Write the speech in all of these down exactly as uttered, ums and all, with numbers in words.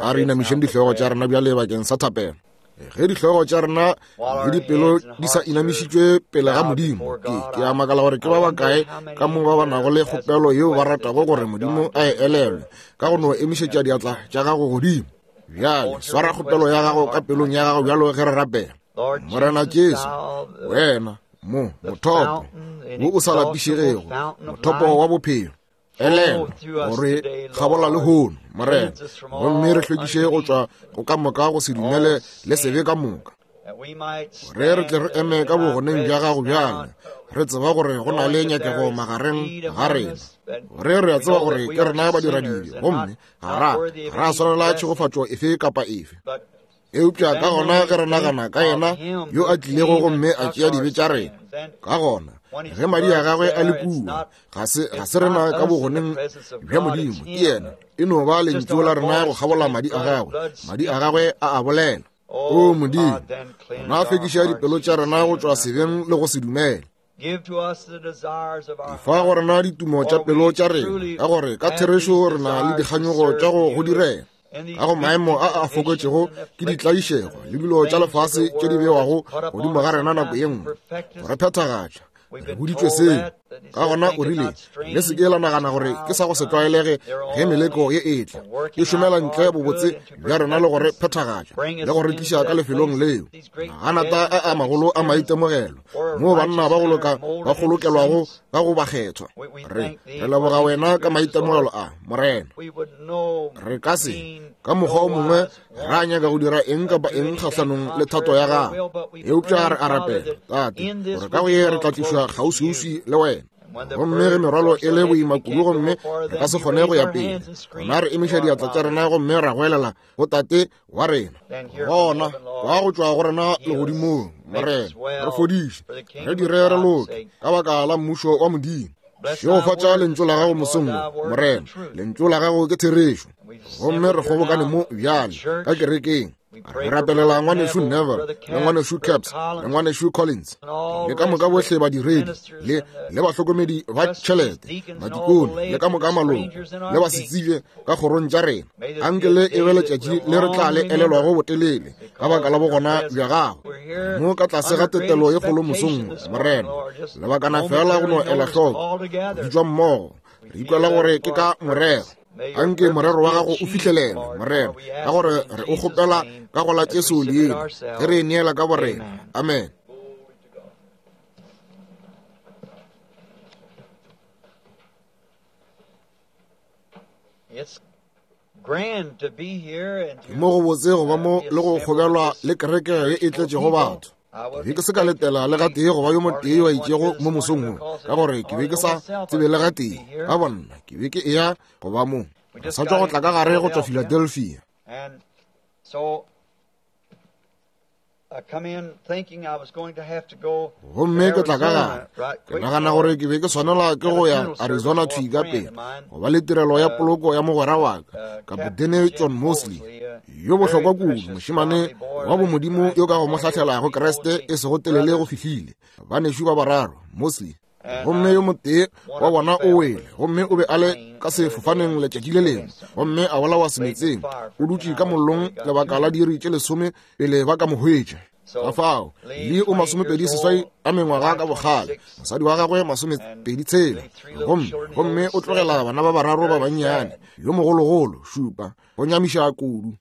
A re inamišeng dihlogo tša rena bjale bakeng sa thapelo. Ge dihlogo tša rena le dipelo di sa inamišitšwe pele ga Modimo, ke, ke a makala gore ke ba bakae ka mo ba ba nago le kgopelo yeo ba ratago gore Modimo a e elelwe ka go no emišetša diatla tša gago godimo. Bjale swara kgopelo ya gago ka pelong ya gago bjalo ge re rapela. Morena Jesu, wena mo mothopo wo o sa lapišegego, mothopo wa bophelo, elelwa gore kgabola lehono, Morena, gomme re hlwekiše go tšwa go ka moka go se dumele le sebe ka moka, gore re tle re eme ka bogoneng bja gago bjale, re tseba gore go na le nyakego magareng ga rena, gore re a tseba gore ke rena badiradibe, gomme ga ra ga ra swanela tšhegofatšo efe kapa efe. Eupša ka gona ge re nagana ka yena yo a tlilego gomme a tšea dibe tša rena, ka gona ge madi a gagwe a le kua, ga se ga se rena ka bogoneng bja Modimo, ke yena, e no ba lentšu la rena go kgabola madi a gagwe, madi a gagwe a a bolela. O Modimo, gona hlwekiša dipelo tša rena go tšwa sebeng le go se dumele. Fa go rena ditumo tša pelo tša rena, ka gore ka therešo re na le dikganyogo tša go go direla. Ka go maemo a a fokotšego ke ditlaišego le dilo tša lefase tše di bewago godimo ga rena nako ye nngwe, go re phethagatša. Re boditšwe seo. Ka gona o rile, le se ke la nagana gore ke sa go se tlwaelege ge meleko ye e tla, e šomela ntle bobotse bja rena le go re phethagatša le go re tliša ka lefelong leo. Maganata a a magolo a maitemogelo moo banna ba go loka ba kgolokelwago ka go bakgethwa. Re re leboga wena ka maitemogelo a, Morena. Re ka se ka mokgwa o mongwe ra nyaka go dira eng kapa eng kgahlanong le thato ya gago, eupša re a rapela, Tate, gore ka go ye re tla tlišwa kgauswiuswi le wena. Gomme ge merwalo e le boima kudu gomme re ka se kgone go ya pele, gona re emiša diatla tša rena gomme ra goelela go Tate wa rena. Gona kwa go tšwa go rena legodimong, Morena, re fodiše, re dire re loke ka baka la mmušo wa Modimo. Šegofatša lentšu la gago mosong wo, Morena, lentšu la gago ke therešo. Gomme re kgobokane mo bjale ka kerekeng, re rapelela ngwanešu Neville le ngwanešu Caps le ngwanešu Collins le ka moka bohle badiredi le le bahlokomedi ba tšhelete, madikone le ka moka maloko le basetsebje ka kgorong tša rena. Anke le e be letšatši le re tla le elelwago botelele ka baka la bogona bja gago mo ka tlase ga tetelo ye kgolo mosong wo, Morena. Lebakana fela go no ela hloko go bitšwa mmogo, re ikwela gore ke ka morero. Anke morero wa gago o fihlelele, Morena, ka gore re o kgopela ka go la Jesu leina, ge re e neela ka borena. Amen. Ke mo go botse go ba mo le go kgobelwa le kereke ye e tletšego batho. Ke be ke se ka letela le gatee go ba yo motee yo a itšego mo mosong wo, ka gore ke be ke sa tsebe le gatee ka bonna ke be ke eya go ba mo. Re sa tšwa go tla ka gare go tšwa Philadelphia. Gomme ke tla ka gare, ke nagana gore ke be ke swanela ke go ya Arizona thwi ka pele go ba le tirelo ya poloko ya mogwera wa ka, Kapotene John Mosley, yo bohlokwa kudu, mošemane wa bomodimo yo ka go mo hlahlelago Kriste e sego telele go fihlile. Banešu ba bararo, Mosley, gomme yo motee wa bona o wele, gomme o be a le ka sefofaneng letšatši le lengwe, gomme a bolawa semetseng, o dutše ka mollong lebaka la diiri tše lesome pele ba ka mo hwetša. Ka fao le o masomepedi seswai a mengwaga ka bokgale, mosadi wa gagwe masomepedi tshela, gomme gomme o tlogela bana ba bararo ba bannyane, yo mogologolo šupa, go nyamiša kudu.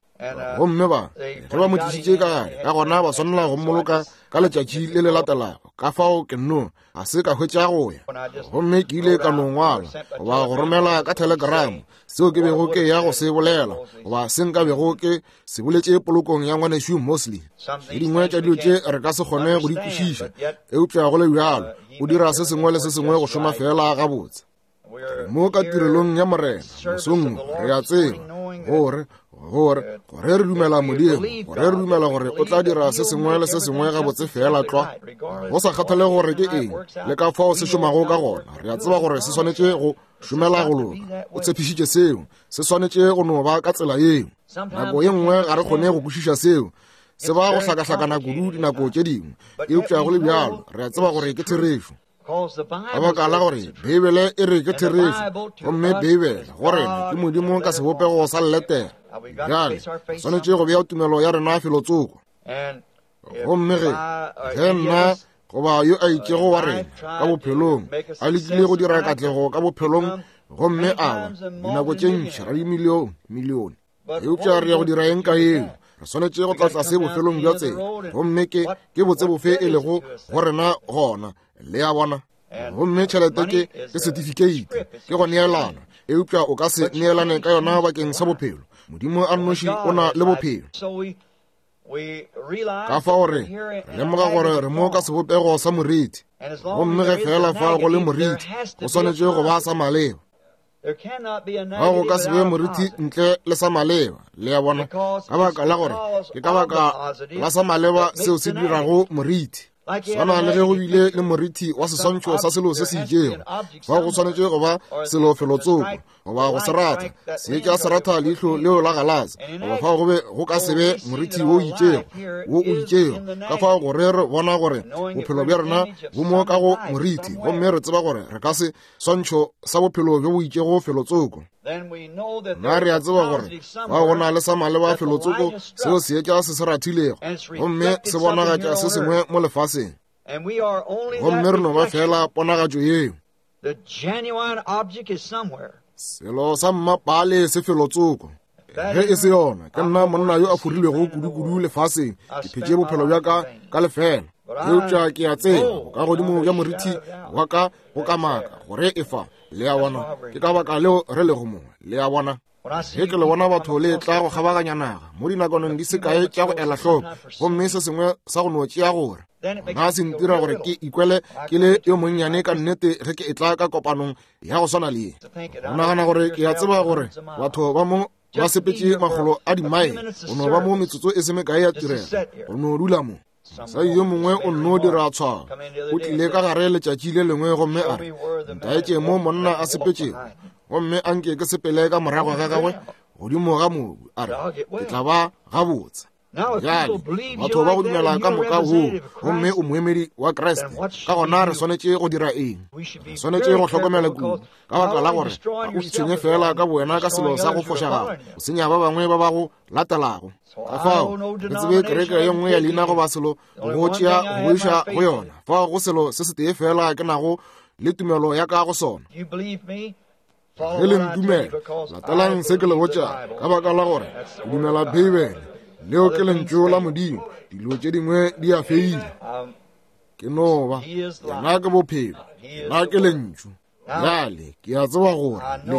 Gomme ba ge ba mo tlišitše ka gare, ka gona ba swanela go mmoloka ka letšatši le le latelago. Ka fao ke nno ga se ka hwetša go ya, gomme ke ile ka no ngwala goba go romela ka telegramo seo ke bego ke ya go se bolela goba se nka bego ke se boletše polokong ya ngwanešu Mosley. Tše dingwe tša dilo tše re ka se kgone go di kwešiša, eupša go le bjalo o dira se sengwe le se sengwe go šoma fela gabotse. Mo ka tirelong ya Morena mosong re a tseba gore gore gore re dumela Modimo, gore re dumela gore o tla dira se sengwe le se sengwe gabotse fela tlwa, go sa kgathale gore ke eng le ka fao se šomago ka gona. Re a tseba gore se swanetše go šomela go loka. O tshepišitše seo, se swanetše go no ba ka tsela yeo. Nako ye nngwe ga re kgone go kwešiša seo, se ba go hlakahlakana kudu dinako tše dingwe, eupša go le bjalo re a tseba gore ke therešo. Ka baka la gore Beibele e re ke therešo, gomme Beibele go rena ke Modimo ka sebopego sa letere. Bjale swanetše go bea tumelo ya rena felotsoko. Gomme ge ge nna goba yo a itšego wa rena ka bophelong a lekile go dira katlego ka bophelong, gomme a ba dinako tše ntši ra dimilione milione, eupša re ya go dira eng ka eo? Re swanetše go tla tlase bofelong bja tsela, gomme ke ke botse bofe e lego go rena gona, le a bona. Gomme tšhelete ke ke certificate, ke go neelana, eupša o ka se neelane ka yona bakeng sa bophelo. Modimo a nnoši o na le bophelo. Ka fao re lemoga gore re mo ka sebopego sa moriti, gomme ge fela fa go le moriti, go swanetše go ba sa maleba. Ga go ka se be moriti ntle le sa maleba, le a bona, ka baka la gore ke ka baka la sa maleba seo se dirago moriti. Swana le ge go bile le moriti wa seswantšho sa selo se se itšego, fao go swanetše go ba selo felotsoko goba go se ratha, seetša se ratha leihlo leo la galase, goba fao go be go ka se be moriti wo itšego wo o itšego. Ka fao gore re bona gore bophelo bja rena bo mo ka go moriti, gomme re tseba gore re ka se swantšho sa bophelo bjo bo itšego felotsoko. Nna re a tseba gore fao go na le sa maleba felotsoko seo seetša se se rathilego, gomme se bonagatša se sengwe mo lefaseng, gomme re no ba fela ponagatšo yeo. Selo sa mmapale se felotsoko. Ge e se yona, ke nna monna yo a forilwego kudu-kudu lefaseng, ke phetše bophelo bja ka ka lefela. Eupša ke a tseba ka godimo bja moriti wa ka go kamaka gore e fa, le a bona. Ke ka baka leo re lego mo, le a bona. Ge ke le bona batho le tla go kgabaganya naga mo dinakoneng di se kae tša go ela hloko, gomme se sengwe sa go no tšea gore ga se ntira gore ke ikwele ke le yo monnyane ka nnete ge ke etla ka kopanong ya go swana le ye. Go nagana gore ke a tseba gore batho ba mo ba sepetše makgolo a dimaele go no ba mo metsotso e se mekae ya tirelo, go no dula mo. Mosadi yo mongwe o nno dira tshwao, o tlile ka gare letšatši le lengwe gomme a re, ntaetše mo monna a sepetšego, gomme a nke ke sepele ka morago ga gagwe godimo ga mobu, a re ke tla ba gabotse. Bjale batho ba go dumela ka moka woo, gomme o moemedi wa Kriste, ka gona re swanetše go dira eng? Re swanetše go hlokomela kudu, ka baka la gore ga o itshwenye fela ka bowena ka selo sa go fošagala, o senya ba bangwe ba ba go latelago. Ka fao re tsebe kereke ye nngwe ya leina goba selo go tšea go iša go yona, fao go selo se setee fela ke nago le tumelo ya ka go sona. Ge le ntumela, latelang se ke le botšago, ka baka la gore ke dumela Beibele, leo ke lentšu la Modimo. Dilo tše dingwe di a feila. Ke no ba yena ke bophelo, yena ke lentšu. Bjale ke a tseba gore le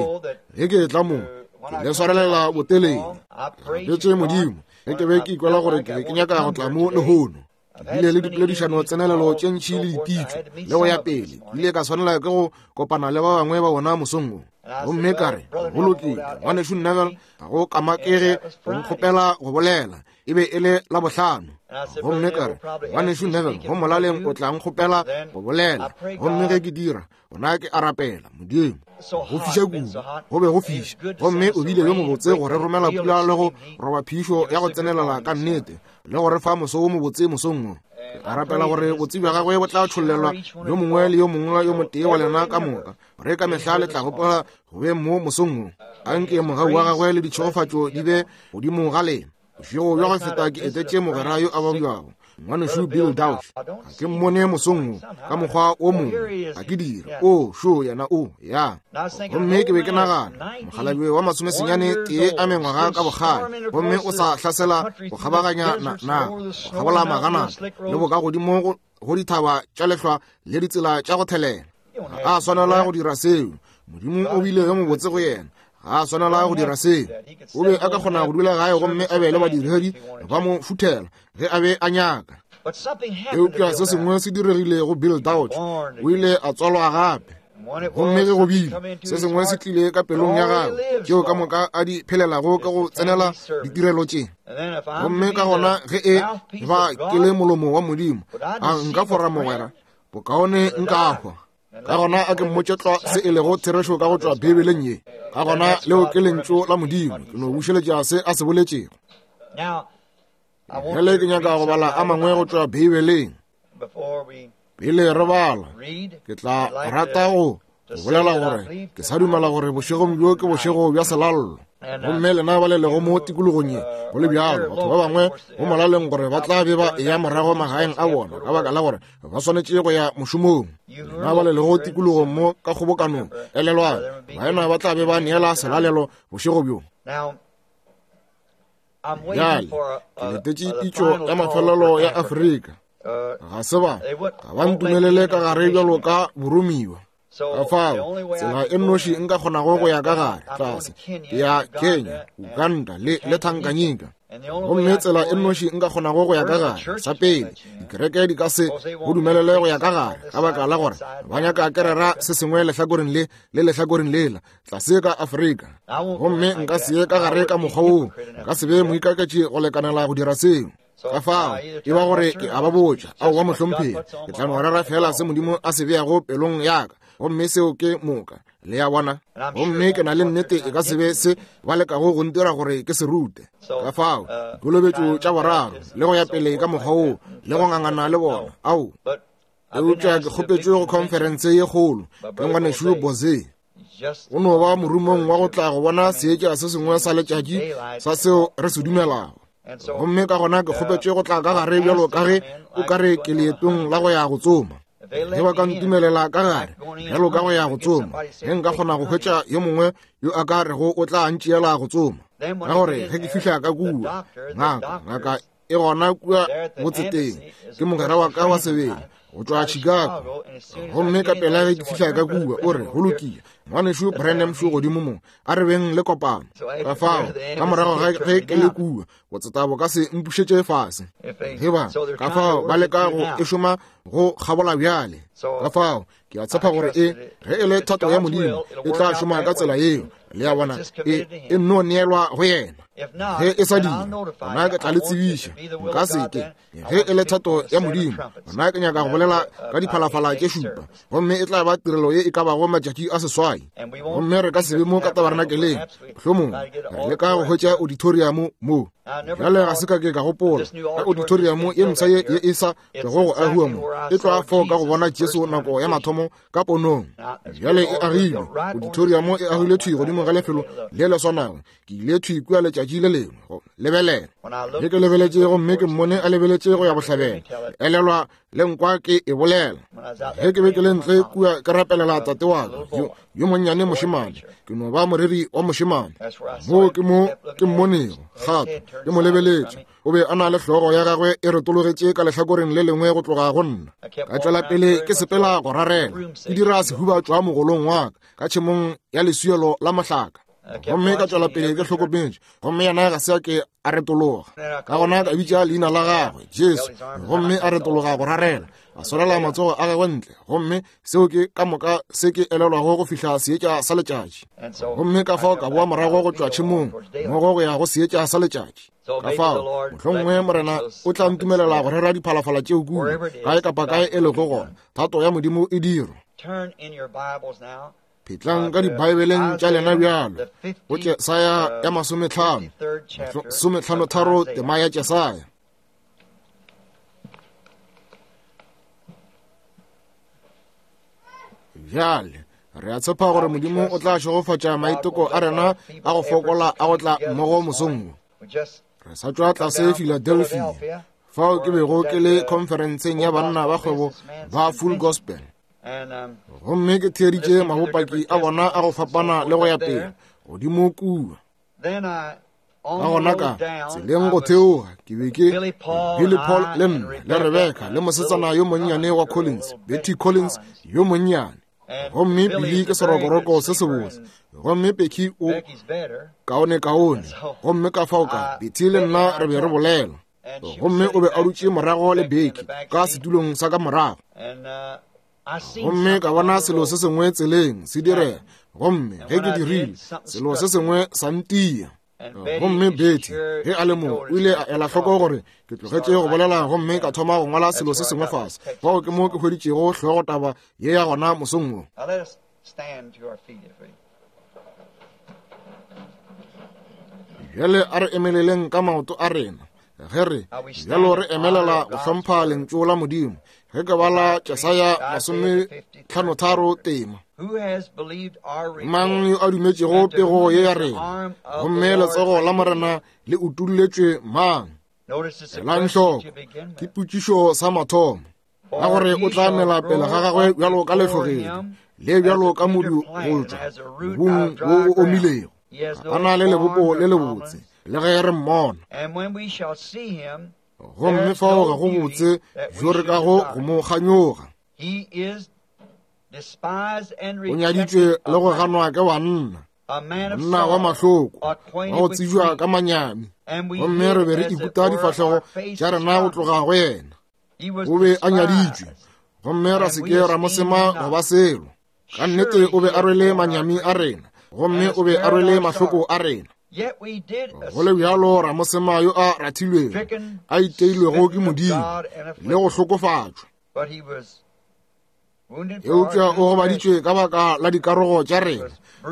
ge ke etla mo ke le swarelela botelele. Rapetše Modimo ge ke be ke ikwela gore ke be ke nyaka go tla mo lehono. Ke bile le dipoledišano tsenelelo tše ntši le dipitšo le go ya pele. Ke ile ka swanela ke go kopana le ba bangwe ba bona mosong wo. Gomme ka re, go lokile, ngwanešu Neville, ga go kamakege go nkgopela go bolela. E be e le Labohlano. Gomme ka re, ngwanešu Neville, go molaleng o tla nkgopela go bolela. Gomme ge ke dira, gona ke a rapela Modimo. Go fiša kudu, go be go fiša, gomme o bile yo mobotse go re romela pula le go roba phišo ya go tsenelela ka nnete, le go re fa moso wo mobotse mosong wo. Ke a rapela gore botse bja gagwe bo tla tšhollelwa yo mongwe le yo mongwe yo motee wa lena ka moka, gore ka mehla le tla gopola go be mo mosong wo. Anke mogau wa gagwe le ditšhegofatšo di be godimo ga lena. Bošego bja go feta ke etetše mogwera yo a babjago, ngwanešu Bill Dauch. Ga ke mmone mosong wo ka mokgwa o mongwe, ga ke dire. O šo yena o ya. Gomme ke be ke nagana, mokgalabje wa masomesenyane tee a mengwaga ka bokgale, gomme o sa hlasela go kgabaganya naga, go kgabola maganata le bokagodimo go dithaba tša lehlwa le ditsela tša go thelela. Ga a swanela go dira seo. Modimo o bile yo mobotse go yena. Ga a swanela go dira seo. O be a ka kgona go dula gae gomme a be le badiredi ba mo futhela ge a be a nyaka. Eupša se sengwe se diregile go Bill Dauch. O ile a tswalwa gape. Gomme ge go bile, se sengwe se tlile ka pelong ya gagwe, tšeo ka moka a di phelelago ka go tsenela ditirelo tše. Gomme ka gona ge e ba ke le molomo wa Modimo, a nka fora mogwera, bokaone nka hwa. Ka gona a ke mmotše tlwa se e lego therešo ka go tšwa Beibeleng ye. Ka gona leo ke lentšu la Modimo, ke no bušeletša se a se boletšego. Bjale ke nyaka go bala a mangwe go tšwa Beibeleng. Pele re bala, ke tla rata go Go bolela gore ke sa dumela gore bošegong bjo ke bošego bja selallo. Gomme lena ba le lego mo tikologong ye, go le bjalo, batho ba bangwe go molaleng gore ba tla be ba eya morago magaeng a bona ka baka la gore ba swanetše go ya mošomong. Lena ba le lego tikologong mo ka kgobokanong, elelwang, baena ba tla be ba neela selalelo bošego bjo. Bjale, ke letetše pitšo ya mafelelo ya Afrika. Ga se ba, ga ba ntumelele ka gare bjalo ka boromiwa. Ka fao, tsela e nnoši nka kgonago go ya ka gare tlase ke ya Kenya, Uganda le le Tanganyika. Gomme tsela e nnoši nka kgonago go ya ka gare, sa pele, dikereke di ka se go dumelele go ya ka gare ka baka la gore ba nyaka ke rera se sengwe lehlakoreng le le lehlakoreng lela tlase ka Afrika. Gomme nka se ye ka gare ka mokgwa woo, nka se be moikaketši go lekanela go dira seo. Ka fao, e ba gore ke a ba botša, aowa mohlomphegi, ke tla no rera fela se Modimo a se beago pelong ya ka, gomme seo ke moka. Le a bona? Gomme ke na le nnete e ka se be se ba lekago go ntira gore ke se rute. Ka fao, dikolobetšo tša boraro, le go ya pele ka mokgwa woo, le go ngangana le bona, ao. Eupša ke kgopetšwe go khonferense ye kgolo ke ngwanešu Boze. O no ba morumong wa go tla go bona seetša se sengwe sa letšatši sa seo re se dumelago. Gomme ka gona ke kgopetšwe go tla ka gare bjalo ka ge o ka re ke leetong la go ya go tsoma. Ge ba ka ntumelela ka gare bjalo ka go ya go tsoma, ge nka kgona go hwetša yo mongwe yo a ka rego o tla ntšeela go tsoma. Ka gore ge ke fihla ka kua, ngaka, ngaka e gona kua motseteng, ke mogwera wa ka wa sebele go tšwa Chicago. Gomme ka pela ge ke fihla ka kua, o re, go lokile, ngwanešu Branham šo godimo mo, a re beng le kopano. Ka fao, ka morago ga ge ke le kua, botseta bo ka se mpušetše fase. Ge ba, ka fao ba leka go e šoma go kgabola bjale. Ka fao, ke a tshepa gore e, ge e le thato ya Modimo, e tla šoma ka tsela yeo. Le a bona, e, e nno neelwa go yena. Ge e sa dira, gona ke tla le tsebiša. Nka se ke. Ge e le thato ya Modimo, gona ke nyaka go bolela ka diphalafala tše šupa, gomme e tla ba tirelo ye e ka bago matšatši a seswai. Gomme re ka se be mo ka tabernakeleng, mohlomongwe re leka go hwetša auditorium mo. Bjale ga se ka ke ka gopola ka auditorium ye mpsha ye ye e sa tlogo go agiwa mo, e tloga fao ka go bona Jesu nako ya mathomo ka ponong. Bjale e agilwe, auditorium e agilwe thwi godimo ga lefelo le le swanago. Ke ile thwi kua letšatši le lengwe go lebelela. Ge ke lebeletše gomme ke mmone a lebeletše go ya bohlabela, elelwa le nkwa ke e bolela. Ge ke be ke le ntle kua ke rapelela tate wa ka yo, yo monnyane mošemane, ke no ba moreri wa mošemane. Moo ke mo ke mmonego gape ke mo lebeletše. O be a na le hlogo ya gagwe e retologetše ka lehlakoreng le lengwe go tloga go nna. Ka tšwela pele ke sepela go rarela, ke dira sehuba tšwa mogolong wa ka ka tšhemong ya leswielo la mohlaka. Gomme ka tšwela pele ke hlokometše, gomme yena ga se a ke a retologa. Ka gona ka bitša leina la gagwe, Jesu, gomme a retologa go rarela, a swarela matsogo a gagwe ntle, gomme seo ke ka moka se ke elelwago go fihla seetša sa letšatši. Gomme ka fao ka boa morago go tšwa tšhemong mmogo go ya go seetša sa letšatši. Ka fao, mohlomongwe Morena o tla ntumelela go rera diphalafala tšeo kua, kae kapa kae e lego gona, thato ya Modimo e dirwa. Phetlang ka dibaebeleng tša lena bjalo, go Jesaya ya masometlhano, sometlhanotharo tema ya Jesaya. Bjale, re a tshepa gore Modimo o tla šegofatša maiteko a rena a go fokola a go tla mmogo mosong wo. Re sa tšwa tlase Philadelphia, fao ke bego ke le khonferenseng ya banna ba kgwebo ba Full Gospel. Gomme ke theeditše mabopaki a bona a go fapana le go ya pele godimo kua. Ka gona ka tseleng go theoga ke be ke Billy Paul le nna le Rebecca le mosetsana yo monnyane wa Collins, Betty Collins yo monnyane. Gomme Billy ke serokoroko se sebotse, gomme Becky o kaone kaone. Gomme ka fao ka Betty le nna re be re bolela. Gomme o be a dutše morago le Becky ka setulong sa ka morago. Gomme ka bona selo se sengwe tseleng se direga, gomme ge ke dirile, selo se sengwe sa ntia. Gomme Betty ge a le mo o ile a ela hloko gore ke tlogetše go bolela gomme ka thoma go ngwala selo se sengwe fase. Fao ke mo ke hweditšego hlogotaba ye ya gona mosong wo. Bjale a re emeleleng ka maoto a rena. Ge re bjalo re emelela go hlompha lentšu la Modimo, ge ke bala Jesaya masometlhanotharo tema. Mang yo a dumetšego pego ye ya rena? Gomme letsogo la Morena le utulletšwe mang? Elang hloko, ke potšišo sa mathomo. Ka gore o tla mela pele ga gagwe bjalo ka lehlogedi, le bjalo ka modu go tšwa mobung wo o omilego. A na le lebopo le lebotse, le ge re mmona. Gomme fao ga go botse bjo re kago go mo kganyoga. O nyaditšwe le go ganwa ke banna, monna wa mahloko, wa go tsebja ka manyami. Gomme re be re ikuta difahlego tša rena go tloga go yena. O be a nyaditšwe, gomme ra se ke ra mo sema go ba selo. Ka nnete o be a rwele manyami a rena, gomme o be a rwele mahloko a rena. Go le bjalo ra mo sema yo a rathilwego, a iteilwego ke Modimo, le go hlokofatšwa. Eupša o gobaditšwe ka baka la dikarogo tša rena,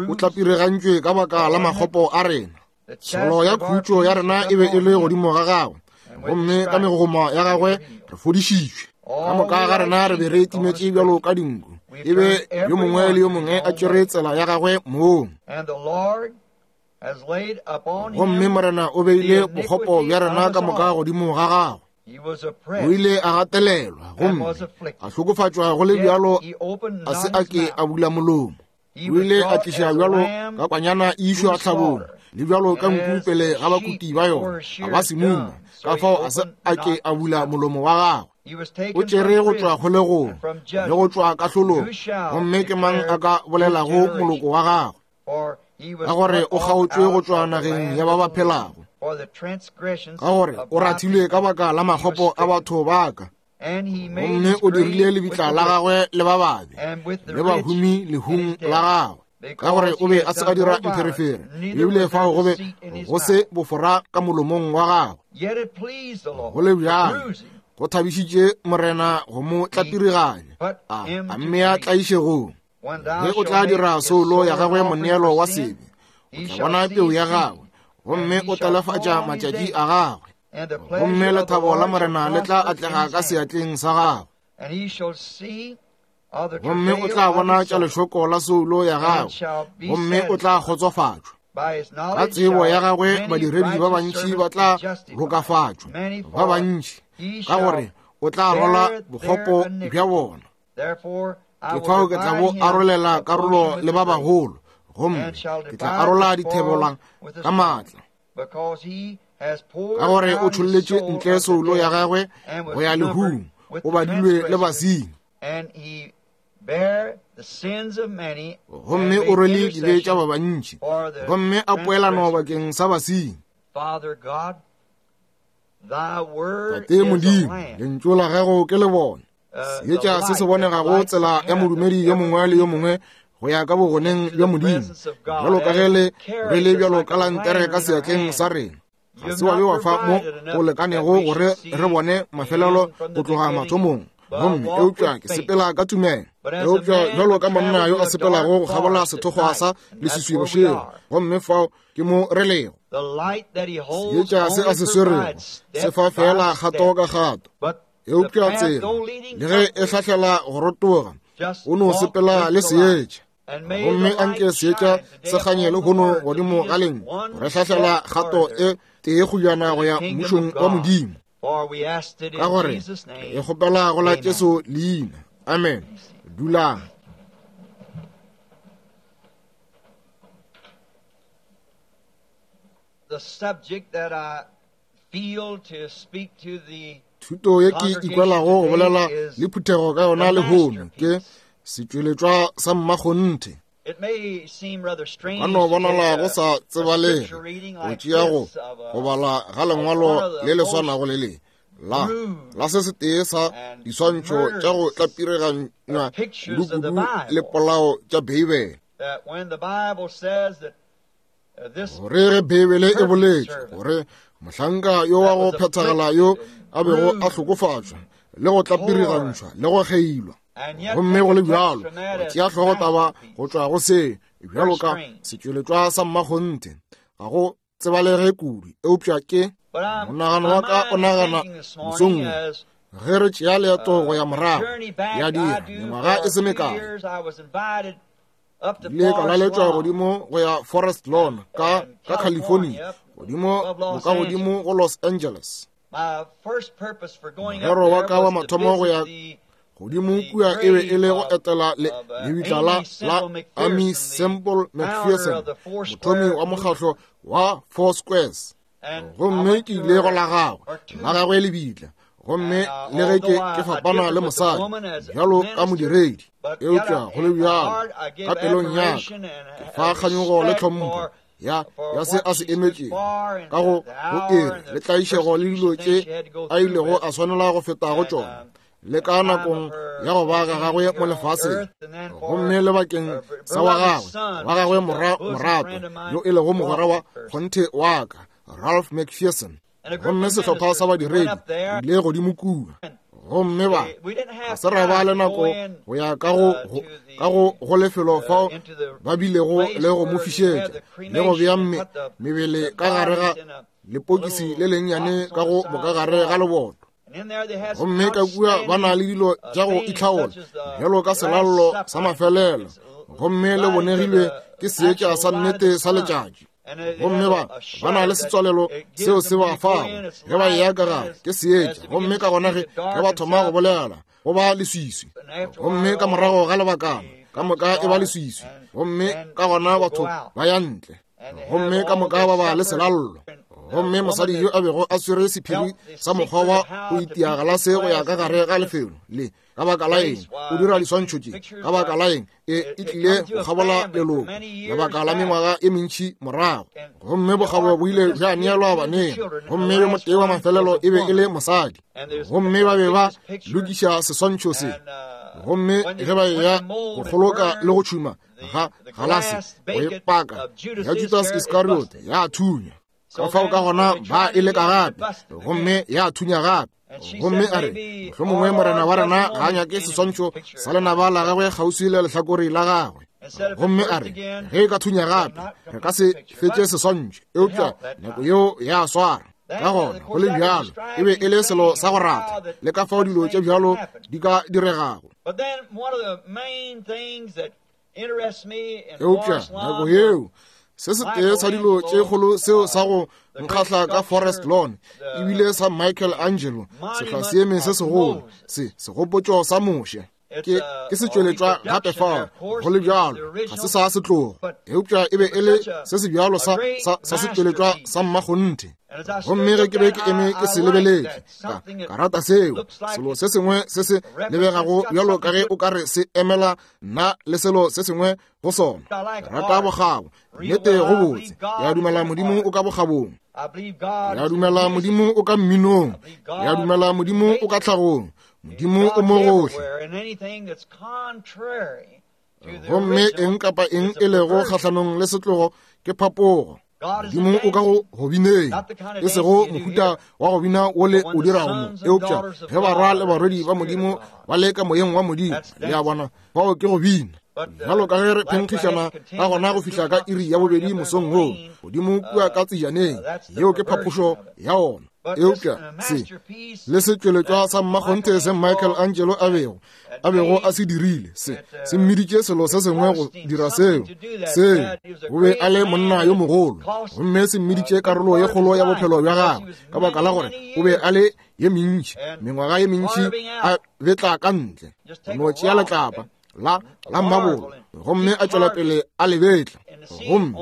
o tlapiregantšwe ka baka la makgopo a rena. Tsholo ya khutšo ya rena e be e le godimo ga gagwe, gomme ka megogoma ya gagwe re fodišitšwe. Ka moka ga rena re be re timetše bjalo ka dinku, e be yo mongwe le yo mongwe a tšere tsela ya gagwe mong. Gomme Morena o beile bokgopo bja rena ka moka godimo ga gagwe. O ile a gatelelwa gomme a hlokofatšwa go le bjalo a se a ke a bula molomo. O ile a tliša bjalo ka kwanyana e išwa tlhabong, le bjalo ka nku pele ga bakuti ba yona, a ba semuma, ka fao a se a ke a bula molomo wa gagwe. O tšere go tšwa kgolegong le go tšwa kahlolong, gomme ke mang a ka bolelago moloko wa gagwe? Ka gore o kgaotšwe go tšwa nageng ya ba ba phelago, ka gore o rathilwe ka baka la makgopo a batho ba ka. Gomme o dirile lebitla la gagwe le ba babe, le bahumi lehung la gagwe, ka gore o be a se a dira mpherefere, ebile fao go be go se bofora ka molomong wa gagwe. Go le bjalo go thabišitše Morena go mo tlapiriganya, a a mmea tlaišegong. Ge o tla dira soulo ya gagwe moneelo wa sebe, o tla bona peu ya gagwe, gomme o telefatša matšatši a gagwe. Gomme lethabo la Morena le tla atlega ka seatleng sa gagwe. Gomme o tla bona tša lešoko la soulo ya gagwe, gomme o tla kgotsofatšwa. Ka tsebo ya gagwe badiredi ba bantši ba tla lokafatšwa, ba bantši, ka gore o tla rwala bokgopo bja bona. Ke fao ke tla bo arolela karolo le ba bagolo, gomme ke tla arola dithebola ka maatla. Ka gore o tšholletše ntle soulo ya gagwe go ya lehung, o badilwe le basenyi. Gomme o rwele dibe tša ba bantši, gomme a poelano bakeng sa basenyi. Tate Modimo, lentšu la gago ke le bona. Seetša se se bonegago tsela ya modumedi yo mongwe le yo mongwe go ya ka bogoneng bja Modimo, bjalo ka ge le rwele bjalo ka lantere ka seatleng sa rena. Ga se wa be wa fa mo go lekanego gore re bone mafelelo go tloga mathomong, gomme eupša ke sepela ka tumelo. Eupša bjalo ka monna yo a sepelago go kgabola sethokgwa sa leswiswi bošego, gomme fao ke mo re lego. Seetša se a se swerego se fa fela kgato ka kgato, eupša tsela le ge e hlahlela go rotoga, o no sepela le seetša. Gomme anke seetša se kganye lehono godimo ga leng, re hlahlela kgato e tee kgojana go ya mmušong wa Modimo. Ka gore e kgopela go la Jesu leina. Amen. Dulang. The subject that I feel to speak to the Thuto ye ke ikwelago go bolela le phuthego ka yona lehono ke setšweletšwa sa mmakgonthe. Ka no bonala go sa tsebalege go tšea go go bala ga lengwalo le le swanago le le la la se setee sa diswantšho tša go tlapireganywa kudu-kudu le polao tša Beibele. Gore ge Beibele e boletše gore mohlanka yo wa go phethagala yo a bego a hlokofatšwa le go tlapirigantšhwa le go kgeilwa, gomme go le bjalo go tšea hlogotaba go tšwa go se bjalo ka setšweletšwa sa mmakgonthe ga go tsebalege kudu, eupša ke monagano wa ka o nagana mosong ge re tšea leeto go ya morago ya dira mengwaga e se mekae. Ile ka laletšwa godimo go ya Forest Lawn ka, ka California, godimo boka godimo go Los Angeles. Morero wa ka wa mathomo go ya godimo kua e be e le go etela le lebitla la la Amy Semple McPherson, mothomi wa mokgahlo wa Four Squares. Gomme ke ile go la gagwe, la gagwe lebitla. Gomme le ge ke ke fapana le mosadi bjalo ka modiredi, eupša go le bjalo ka pelong ya ka ke fa kganyogo le tlhompho ya ya se a se emetšego ka go go ere le tlaišego le dilo tše a ilego a swanela go feta go tšona le ka nakong ya go ba ga gagwe mo lefaseng, gomme le bakeng sa wa gagwe wa gagwe morato yo e lego mogwera wa kgonthe wa ka, Ralph McPherson. Gomme sehlopha sa badiredi ile godimo kua. Gomme ba ga se ra ba le nako go ya ka go ka go go lefelo fao ba bilego le go mo fišetša le go bea mebele ka gare ga lepokisi le lennyane ka go bokagare ga leboto. Gomme ka kua ba na le dilo tša go itlhaola bjalo ka selallo sa mafelelo, gomme le bonegilwe ke seetša sa nnete sa letšatši. Gomme ba ba na le setswalelo seo se ba fago ge ba eya ka gare ke seetša, gomme ka gona ge ge ba thoma go bolela go ba leswiswi, gomme ka morago ga lebakana ka moka e ba leswiswi, gomme ka gona batho ba ya ntle, gomme ka moka ba ba le selallo. Gomme mosadi yo a bego a swere sephiri sa mokgwa wa go itia galase go ya ka gare ga lefelo le, ka baka la eng o dira diswantšho tše, ka baka la eng e e tlile go kgabola leloko lebaka la mengwaga e mentši morago. Gomme bokgabo bo ile bja neelwa baneng, gomme yo motee wa mafelelo e be e le mosadi. Gomme ba be ba lokiša seswantšho se, gomme ge ba eya go kgoloka le go tšhuma ga galase go e paka ya Judas Iscariot ya thunya. Ka fao ka gona ba e leka gape, gomme ya thunya gape. Gomme a re, mohlomongwe morena wa rena ga a nyake seswantšho sa lenaba la gagwe kgauswi le lehlakore la gagwe. Gomme a re, ge e ka thunya gape re ka se fetše seswantšho, eupša nako yeo ya swara. Ka gona go le bjalo e be e le selo sa go rata le ka fao dilo tše bjalo di ka diregago. Eupša nako yeo se setee sa dilo tše kgolo seo sa go nkgahla ka Forest Lawn ebile sa Michael Angelo, sehlwaseeme se segolo se segopotšo sa Moshe. Ke ke se tšweletšwa gape fao, go le bjalo ga se sa setlogo, eupša e be e le se se bjalo sa sa sa setšweletšwa sa mmakgonthe. Gomme ge ke be ke eme ke se lebeletše, ka ka rata seo, selo se sengwe se se lebegago bjalo ka ge o ka re se emela nna le selo se sengwe go sona. Rata bokgabo, nnete go botse. Ya dumela Modimo o ka bokgabong, ya dumela Modimo o ka mminong, ya dumela Modimo o ka tlhagong, Modimo o mo gohle. Gomme eng kapa eng e lego kgahlanong le setlogo ke phapogo. Modimo o ka go go bineng, e sego mohuta wa go bina wo le o dirago mo, eupša ge barwa le barwedi ba Modimo ba le ka moyeng wa Modimo, le a bona, bao ke go bina. Bjalo ka ge re phenkgišana ka gona go fihla ka iri ya bobedi mosong wo, godimo kua ka tsejaneng, yeo ke phapošo ya ona. Eupša se le setšweletšwa sa mmakgonthe se Michael Angelo a bego a bego a se dirile, se se mmiditše selo se sengwe go dira seo seo o be a le monna yo mogolo, gomme se mmiditše karolo ye kgolo ya bophelo bja gagwe, ka baka la gore o be a le ye mentši mengwaga ye mentši a betla ka ntle, no tšea letlapa la la mmabolo, gomme a tšwela pele a lebetla. Gomme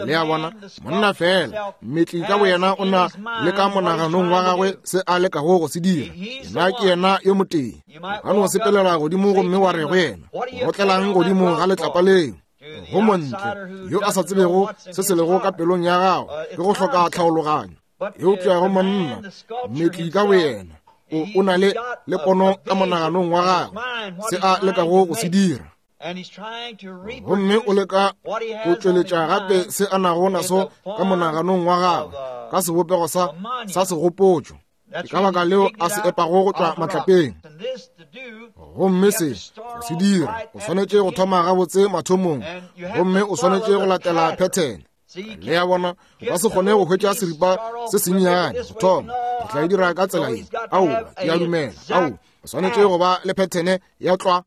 le a bona, monna fela mmetli ka boyena o na le ka monaganong wa gagwe se a lekago go se dira. Yena ke yena yo motee. O ka no sepelela godimo gomme wa re go yena, o rotlelang godimo ga letlapa leo. Go montle yo a sa tsebego se se lego ka pelong ya gago ke go hloka tlhaologanyo. Eupša go monna mmetli ka boyena o o na le le pono ka monaganong wa gagwe se a lekago go se dira, gomme o leka go tšweletša gape se a nago naso ka monaganong wa gagwe ka sebopego sa sa segopotšo. Ke ka baka leo a se epago go tšwa matlapeng. Gomme se go se dira o swanetše go thoma gabotse mathomong, gomme o swanetše go latela pattern. Le a bona, o ka se kgone go hwetša seripa se sennyane go thoma, re tla e dira ka tsela ye. Aowa, ke a dumela. Ao, O swanetše go ba le phethene ya tlwa.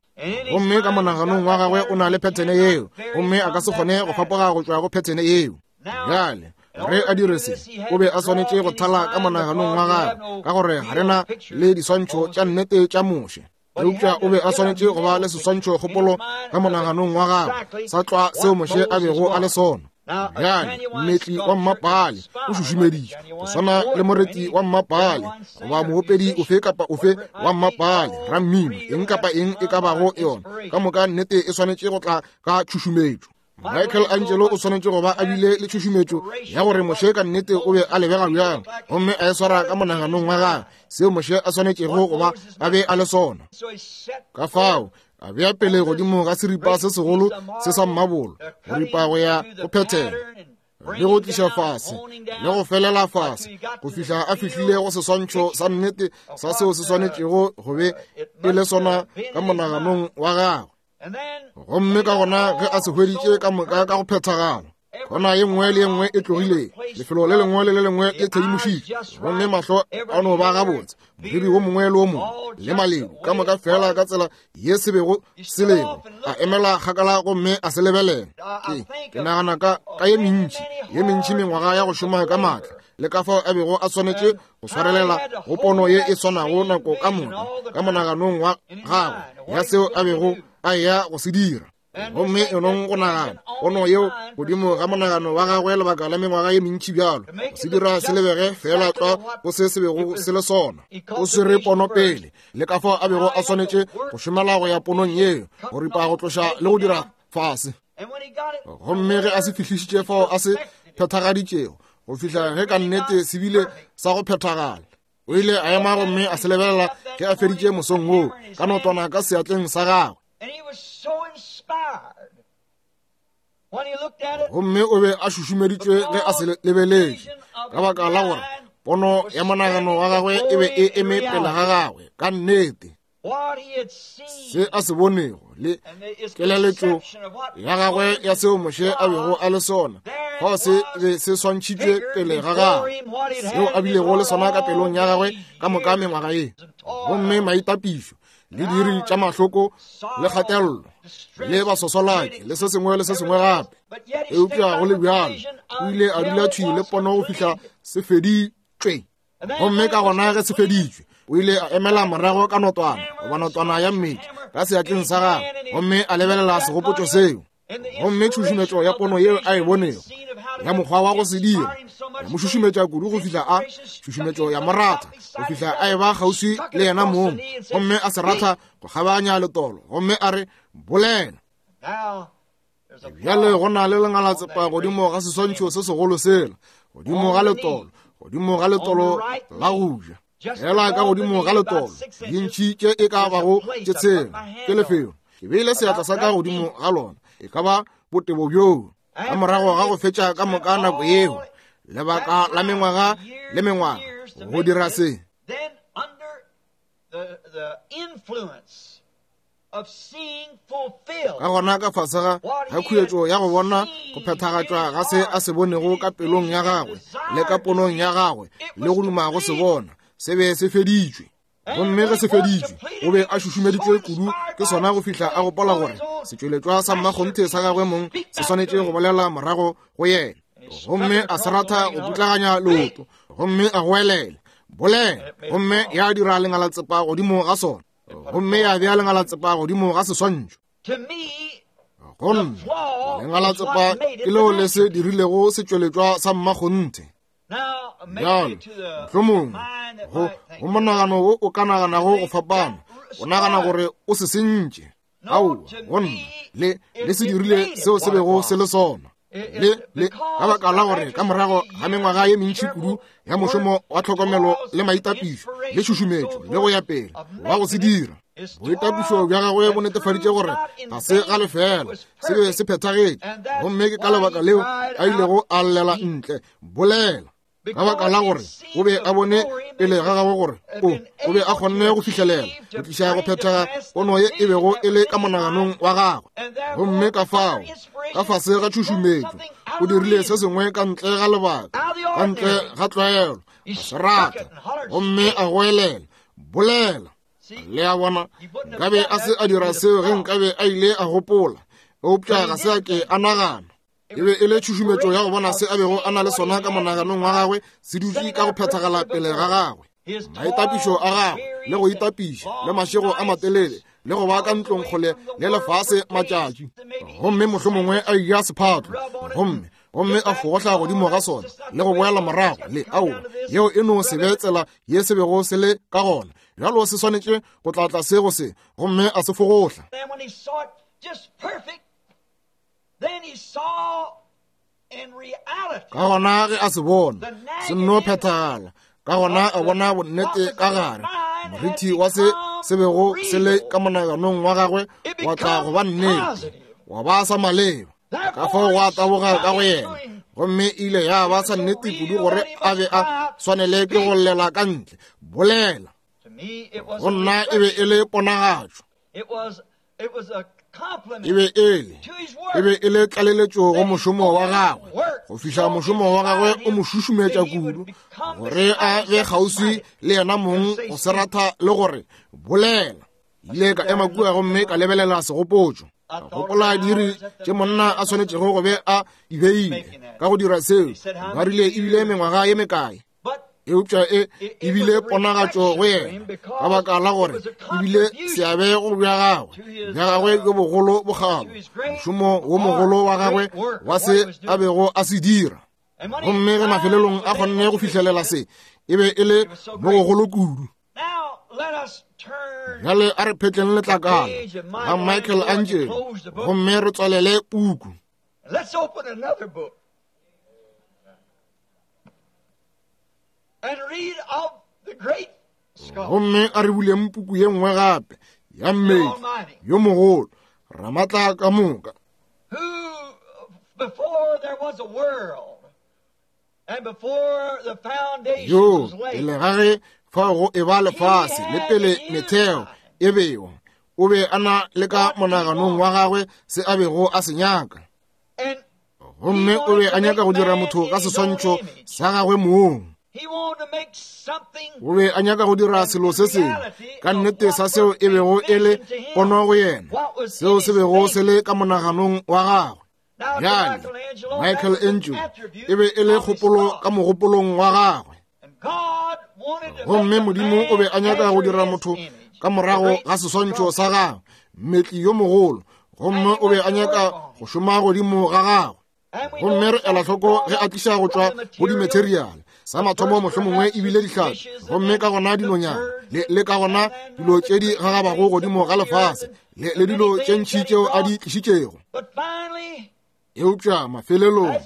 Gomme ka monaganong wa gagwe o na le phethene yeo, gomme a ka se kgone go fapoga go tšwa go phethene yeo. Bjale re a dire se, o be a swanetše go thala ka monaganong wa gagwe, ka gore ga re na le diswantšho tša nnete tša Moshe. Eupša o be a swanetše go ba le seswantšho kgopolo ka monaganong wa gagwe sa tlwa seo Moshe a bego a le sona. Bjale mmetli wa mmapale o šušumeditše go swana le moreti wa mmapale goba moopedi ofe kapa ofe wa mmapale, rammino, eng kapa eng e ka bago yona, ka moka nnete e swanetše go tla ka tšhušumetšo. Michael Angelo o swanetše go ba a bile le tšhušumetšo ya gore Moshe ka nnete o be a lebega bjang, gomme a e swara ka monaganong wa gagwe seo Moshe a swanetšego go ba a be a le sona. Ka fao a bea pele godimo ga seripa se segolo se sa mmabolo, go ripa go ya go phethela le go tliša fase le go felela fase go fihla a fihlile go seswantšho sa nnete sa seo se swanetšego go be e le sona ka monaganong wa gagwe. Gomme ka gona ge a se hweditše ka moka ka go phethagala, gona ye nngwe le ye nngwe e tlogile, lefelo le lengwe le le lengwe le thedimošitše, gomme mahlo a no ba gabotse, moriri wo mongwe le wo mongwe le maledu ka moka fela ka tsela ye se bego se lego, a emela kgakala gomme a se lebelela. Ke ke nagana ka ka ye mentši ye mentši mengwaga ya go šoma ka maatla, le ka fao a bego a swanetše go swarelela go pono ye e swanago nako ka moka ka monaganong wa gagwe ya seo a bego a ya go se dira. Gomme enong go nagana pono yeo godimo ga monagano wa gagwe lebaka la mengwaga ye mentši bjalo, go se dira se lebege fela tlwa go se se bego se le sona. O swere pono pele, le ka fao a bego a swanetše go šomela go ya ponong yeo, go ripa go tloša le go dira fase. Gomme ge a se fihlišitše fao a se phethagaditšego, go fihla ge ka nnete se bile sa go phethagala, o ile a ema gomme a se lebelela ge a feditše mosong woo ka notwana ka seatleng sa gagwe. Gomme o be a šušumeditšwe ge a se lebeletše, ka baka la gore pono ya monagano wa gagwe e be e eme pele ga gagwe ka nnete. Se a se bonego le keleletšo ya gagwe ya seo Moshe a bego a le sona, fao se be se swantšhitšwe pele ga gagwe, seo a bilego le sona ka pelong ya gagwe ka moka mengwaga ye. Gomme maitapišo le diri tša mahloko le kgatello le basosolaki le se sengwe le se sengwe gape, eupša go le bjalo o ile a dula thwi le pono go fihla se feditšwe. Gomme ka gona ge se feditšwe, o ile a emela morago ka notwana goba notwana ya mmetli ka seatleng sa gagwe, gomme a lebelela segopotšo seo. Gomme tšhušumetšo ya pono yeo a e bonego ya mokgwa wa go se dira ya mo šušumetša kudu go fihla a tšhušumetšo ya mo ratha go fihla a e ba kgauswi le yena mong, gomme a se ratha go kgabanya letolo, gomme a re bolela. Bjale go na le lengalatsepa godimo ga seswantšho se segolo sela, godimo ga letolo, godimo ga letolo la go ja, fela ka godimo ga letolo dintšhi tše e ka bago tše tshela ke lefelo. Ke beile seatla sa ka godimo ga lona, e ka ba botebo bjoo. Ka morago ga go fetša ka moka nako yeo, lebaka la mengwaga le mengwaga go dira se, ka gona ka fase ga ga khuetšo ya go bona go phethagatšwa ga se a se bonego ka pelong ya gagwe le ka ponong ya gagwe le go duma go se bona, se be se feditšwe. Gomme ge se feditšwe, o be a šušumeditšwe kudu ke sona go fihla a gopola gore setšweletšwa sa mmakgonthe sa gagwe mong se swanetše go bolela morago go yena. Gomme a se ratha go putlaganya leoto, gomme a goelela bolela, gomme ya dira lengalatsepa godimo ga sona, gomme ya bea lengalatsepa godimo ga seswantšho. Gomme lengalatsepa ke leo le se dirilego setšweletšwa sa mmakgonthe. Bjale mohlomongwe go go monagano wo o ka naganago go fapana, o nagana gore o se sentše. Aowa, go nna le le se dirile seo se bego se le sona. Le le ka baka la gore ka morago ga mengwaga ye mentši kudu ya mošomo wa tlhokomelo le maitapišo le tšhušumetšo le go ya pele wa go se dira, boitapišo bja gagwe bo netefaditše gore ga se ga lefela, se be se phethagetše. Gomme ke ka lebaka leo a ilego a llela ntle bolela, ka baka la gore o be a bone pele ga gagwe gore o o be a kgonne go fihlelela go tliša go phethega pono ye e bego e le ka monaganong wa gagwe. Gomme ka fao ka fase ga tšhušumetšo o dirile se sengwe ka ntle ga lebaka, ka ntle ga tlwaelo, a se rata, gomme a goelela bolela. Le a bona, nkabe a se a dira seo ge nkabe a ile a gopola, eupša ga se a ke a nagana. E be e le tšhušumetšo ya go bona se a bego a na le sona ka monaganong wa gagwe se dutše ka go phethagala pele ga gagwe. Maitapišo a gagwe le go itapiša le mašego a matelele le go ba ka ntlong kgole le lefase matšatši, gomme mohlomongwe a eja sephatlo gomme gomme a fogohla godimo ga sona le go boela morago le aowa, yeo e no se be tsela ye se bego se le ka gona. Bjalo se swanetše go tla tlase go se, gomme a se fogohla. Ka gona ge a se bona se nno phethagala, ka gona a bona bonnete ka gare morithi wa se se bego se le ka monaganong wa gagwe wa tla go ba nnete, wa ba sa maleba. Ka fao gwa taboga ka go yena, gomme ile ya ba sa nnete kudu gore a be a swanele ke go llela ka ntle. Bolela. Go nna e be e le ponagatšo, e be e le e be e le tlaleletšo go mošomo wa gagwe, go fihla mošomo wa gagwe o mo šušumetša kudu gore a be kgauswi le yena mong go se ratha le gore bolela. Ile ka ema kua gomme ka lebelela segopotšo. Gopola diri tše monna a swanetšego go be a di beile ka go dira seo. Ba rile ebile mengwaga ye mekae, eupša e ebile ponagatšo go yena ka baka la gore ebile seabe go bja gagwe bja gagwe bjo bogolo bokgabo, mošomo wo mogolo wa gagwe wa se a bego a se dira. Gomme ge mafelelong a kgonne go fihlelela se, e be e le mo gogolo kudu. Bjale a re phetleng letlakala ga Michael Angelo gomme re tswalele puku. Let's open another book and read of the great scholar, gomme a re buleng puku ye nngwe gape ya mmedi yo mogolo Ramatla ka moka, who before there was a world and before the foundation yo was laid, pele ga ge fao go e ba lefase le pele metheo e bewa, o be a na le ka monaganong wa gagwe se a bego a se nyaka. and Gomme o be a nyaka go dira motho ka seswantšho sa gagwe mong. he wanted to make something O be a nyaka go dira selo se sengwe ka nnete sa seo e bego e le pono go yena, seo se bego se le ka monaganong wa gagwe. Now, Bjale Michelangelo, Michael that was an Angelo attribute e be e le of his kgopolo thought. ka mogopolong wa gagwe. And God wanted to Gomme make a Modimo o be a man nyaka go after dira his motho image, ka the morago great ga seswantšho sculptor. sa gagwe, mmetli yo mogolo. Gomme o be a nyaka go šoma godimo ga gagwe. And we Gomme know re ela hloko ge a tliša go tšwa go dimateriale sa mathomo mohlomongwe ebile dihlapi, gomme ka gona dinonyana le, le ka gona dilo tše di gagabago godimo ga lefase le, le dilo tše ntši tšeo a di tlišitšego. But finally, Eupša mafelelong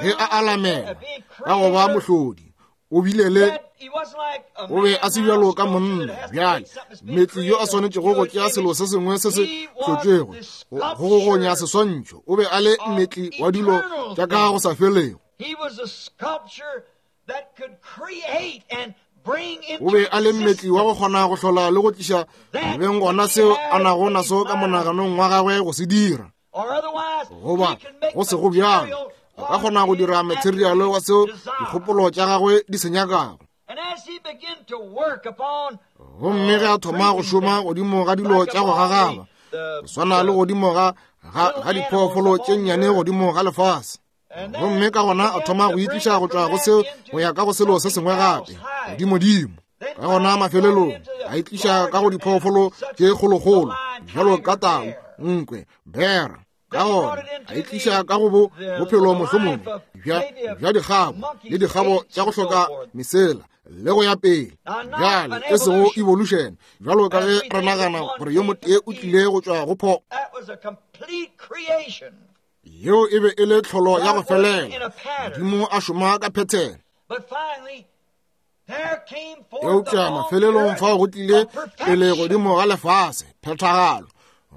ge a alamela ka go ba mohlodi, o bile le that he wasn't like a o be man a se now bjalo ka sculptor monna. that has to Bjale take something that's been mmetli yo a created swanetšego go to tšea his selo se sengwe se se He was hlotšwego the go go gonya seswantšho, o be a le mmetli wa dilo tša ka go sa felego. He was a sculpture that could create and bring into O be a le mmetli wa go existence kgona go hlola le go tliša beng gona seo a nago naso ka monaganong wa gagwe go se dira. or otherwise Goba he can make go se go bjalo, material a ka kgona go dira what his materiale wa seo desire. dikgopolo tša gagwe di se nyakago. And as he began to work upon Gomme ge a thoma go šoma godimo ga dilo tša go gagaba, go swana le godimo ga ga, ga diphoofolo tše nnyane godimo ga lefase. Gomme ka gona a thoma go itliša go tšwa go seo go ya ka go selo se sengwe gape godimodimo. Ka gona mafelelong a itliša ka go diphoofolo tše kgolokgolo bjalo ka tau, nkwe, bera. Ka gona a itliša ka go bo bophelo mohlomongwe bja bja dikgabo le dikgabo tša go hloka mesela le go ya pele. Bjale e sego evolution bjalo ka ge re nagana gore yo motee o tlile go tšwa go pho, that was a complete creation. yeo e be e le tlholo ya go God working in felela. a pattern. Modimo a šoma ka phethelo. But finally, there came forth Eupša upon mafelelong the earth fao go tlile a pele perfection. godimo ga lefase phethagalo,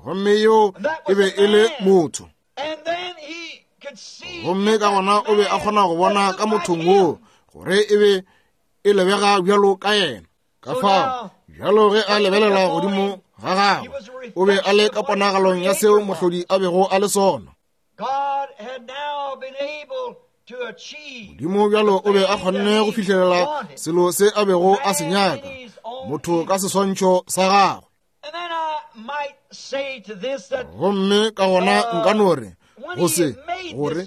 gomme yeo e be e le motho. And then he could see Gomme in ka that gona o be a man kgona go bona that ka looked mothong like woo him. gore e be e lebega bjalo ka yena. Ka fao bjalo ge a lebelela godimo ga gagwe, o be a le ka ponagalong ya seo mohlodi a bego a le sona. God had now been able to achieve Modimo bjalo o be a kgonne go fihlelela selo se a bego a se nyaka, motho ka seswantšho sa gagwe. Gomme ka gona nka no re go se gore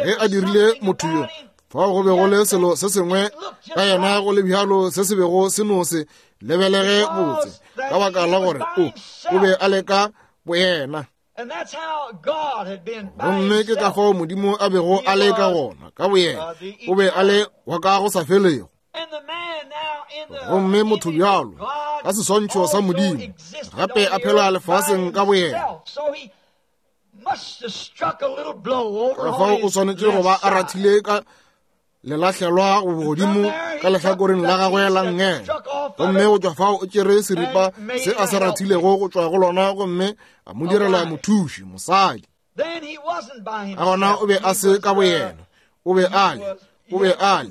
ge a dirile motho yo, fao go be go le selo se sengwe ka yena go le bjalo se se bego se no se lebelege botse, ka baka la gore o o be a le ka boyena. Gomme ke ka fao Modimo a bego a le ka gona ka boyena, o be a le wa ka go sa felego. Gomme motho bjalo ka seswantšho sa Modimo gape a phela lefaseng ka boyena. Ka fao o swanetše go ba a rathile ka lelahlelwa godimo ka lehlakoreng la gagwe la nngele, gomme go tšwa fao o tšere seripa se a se rathilego go tšwa go lona gomme a mo direla mothuši, mosadi. Ka gona o be a se ka boyena, o be a le o be a le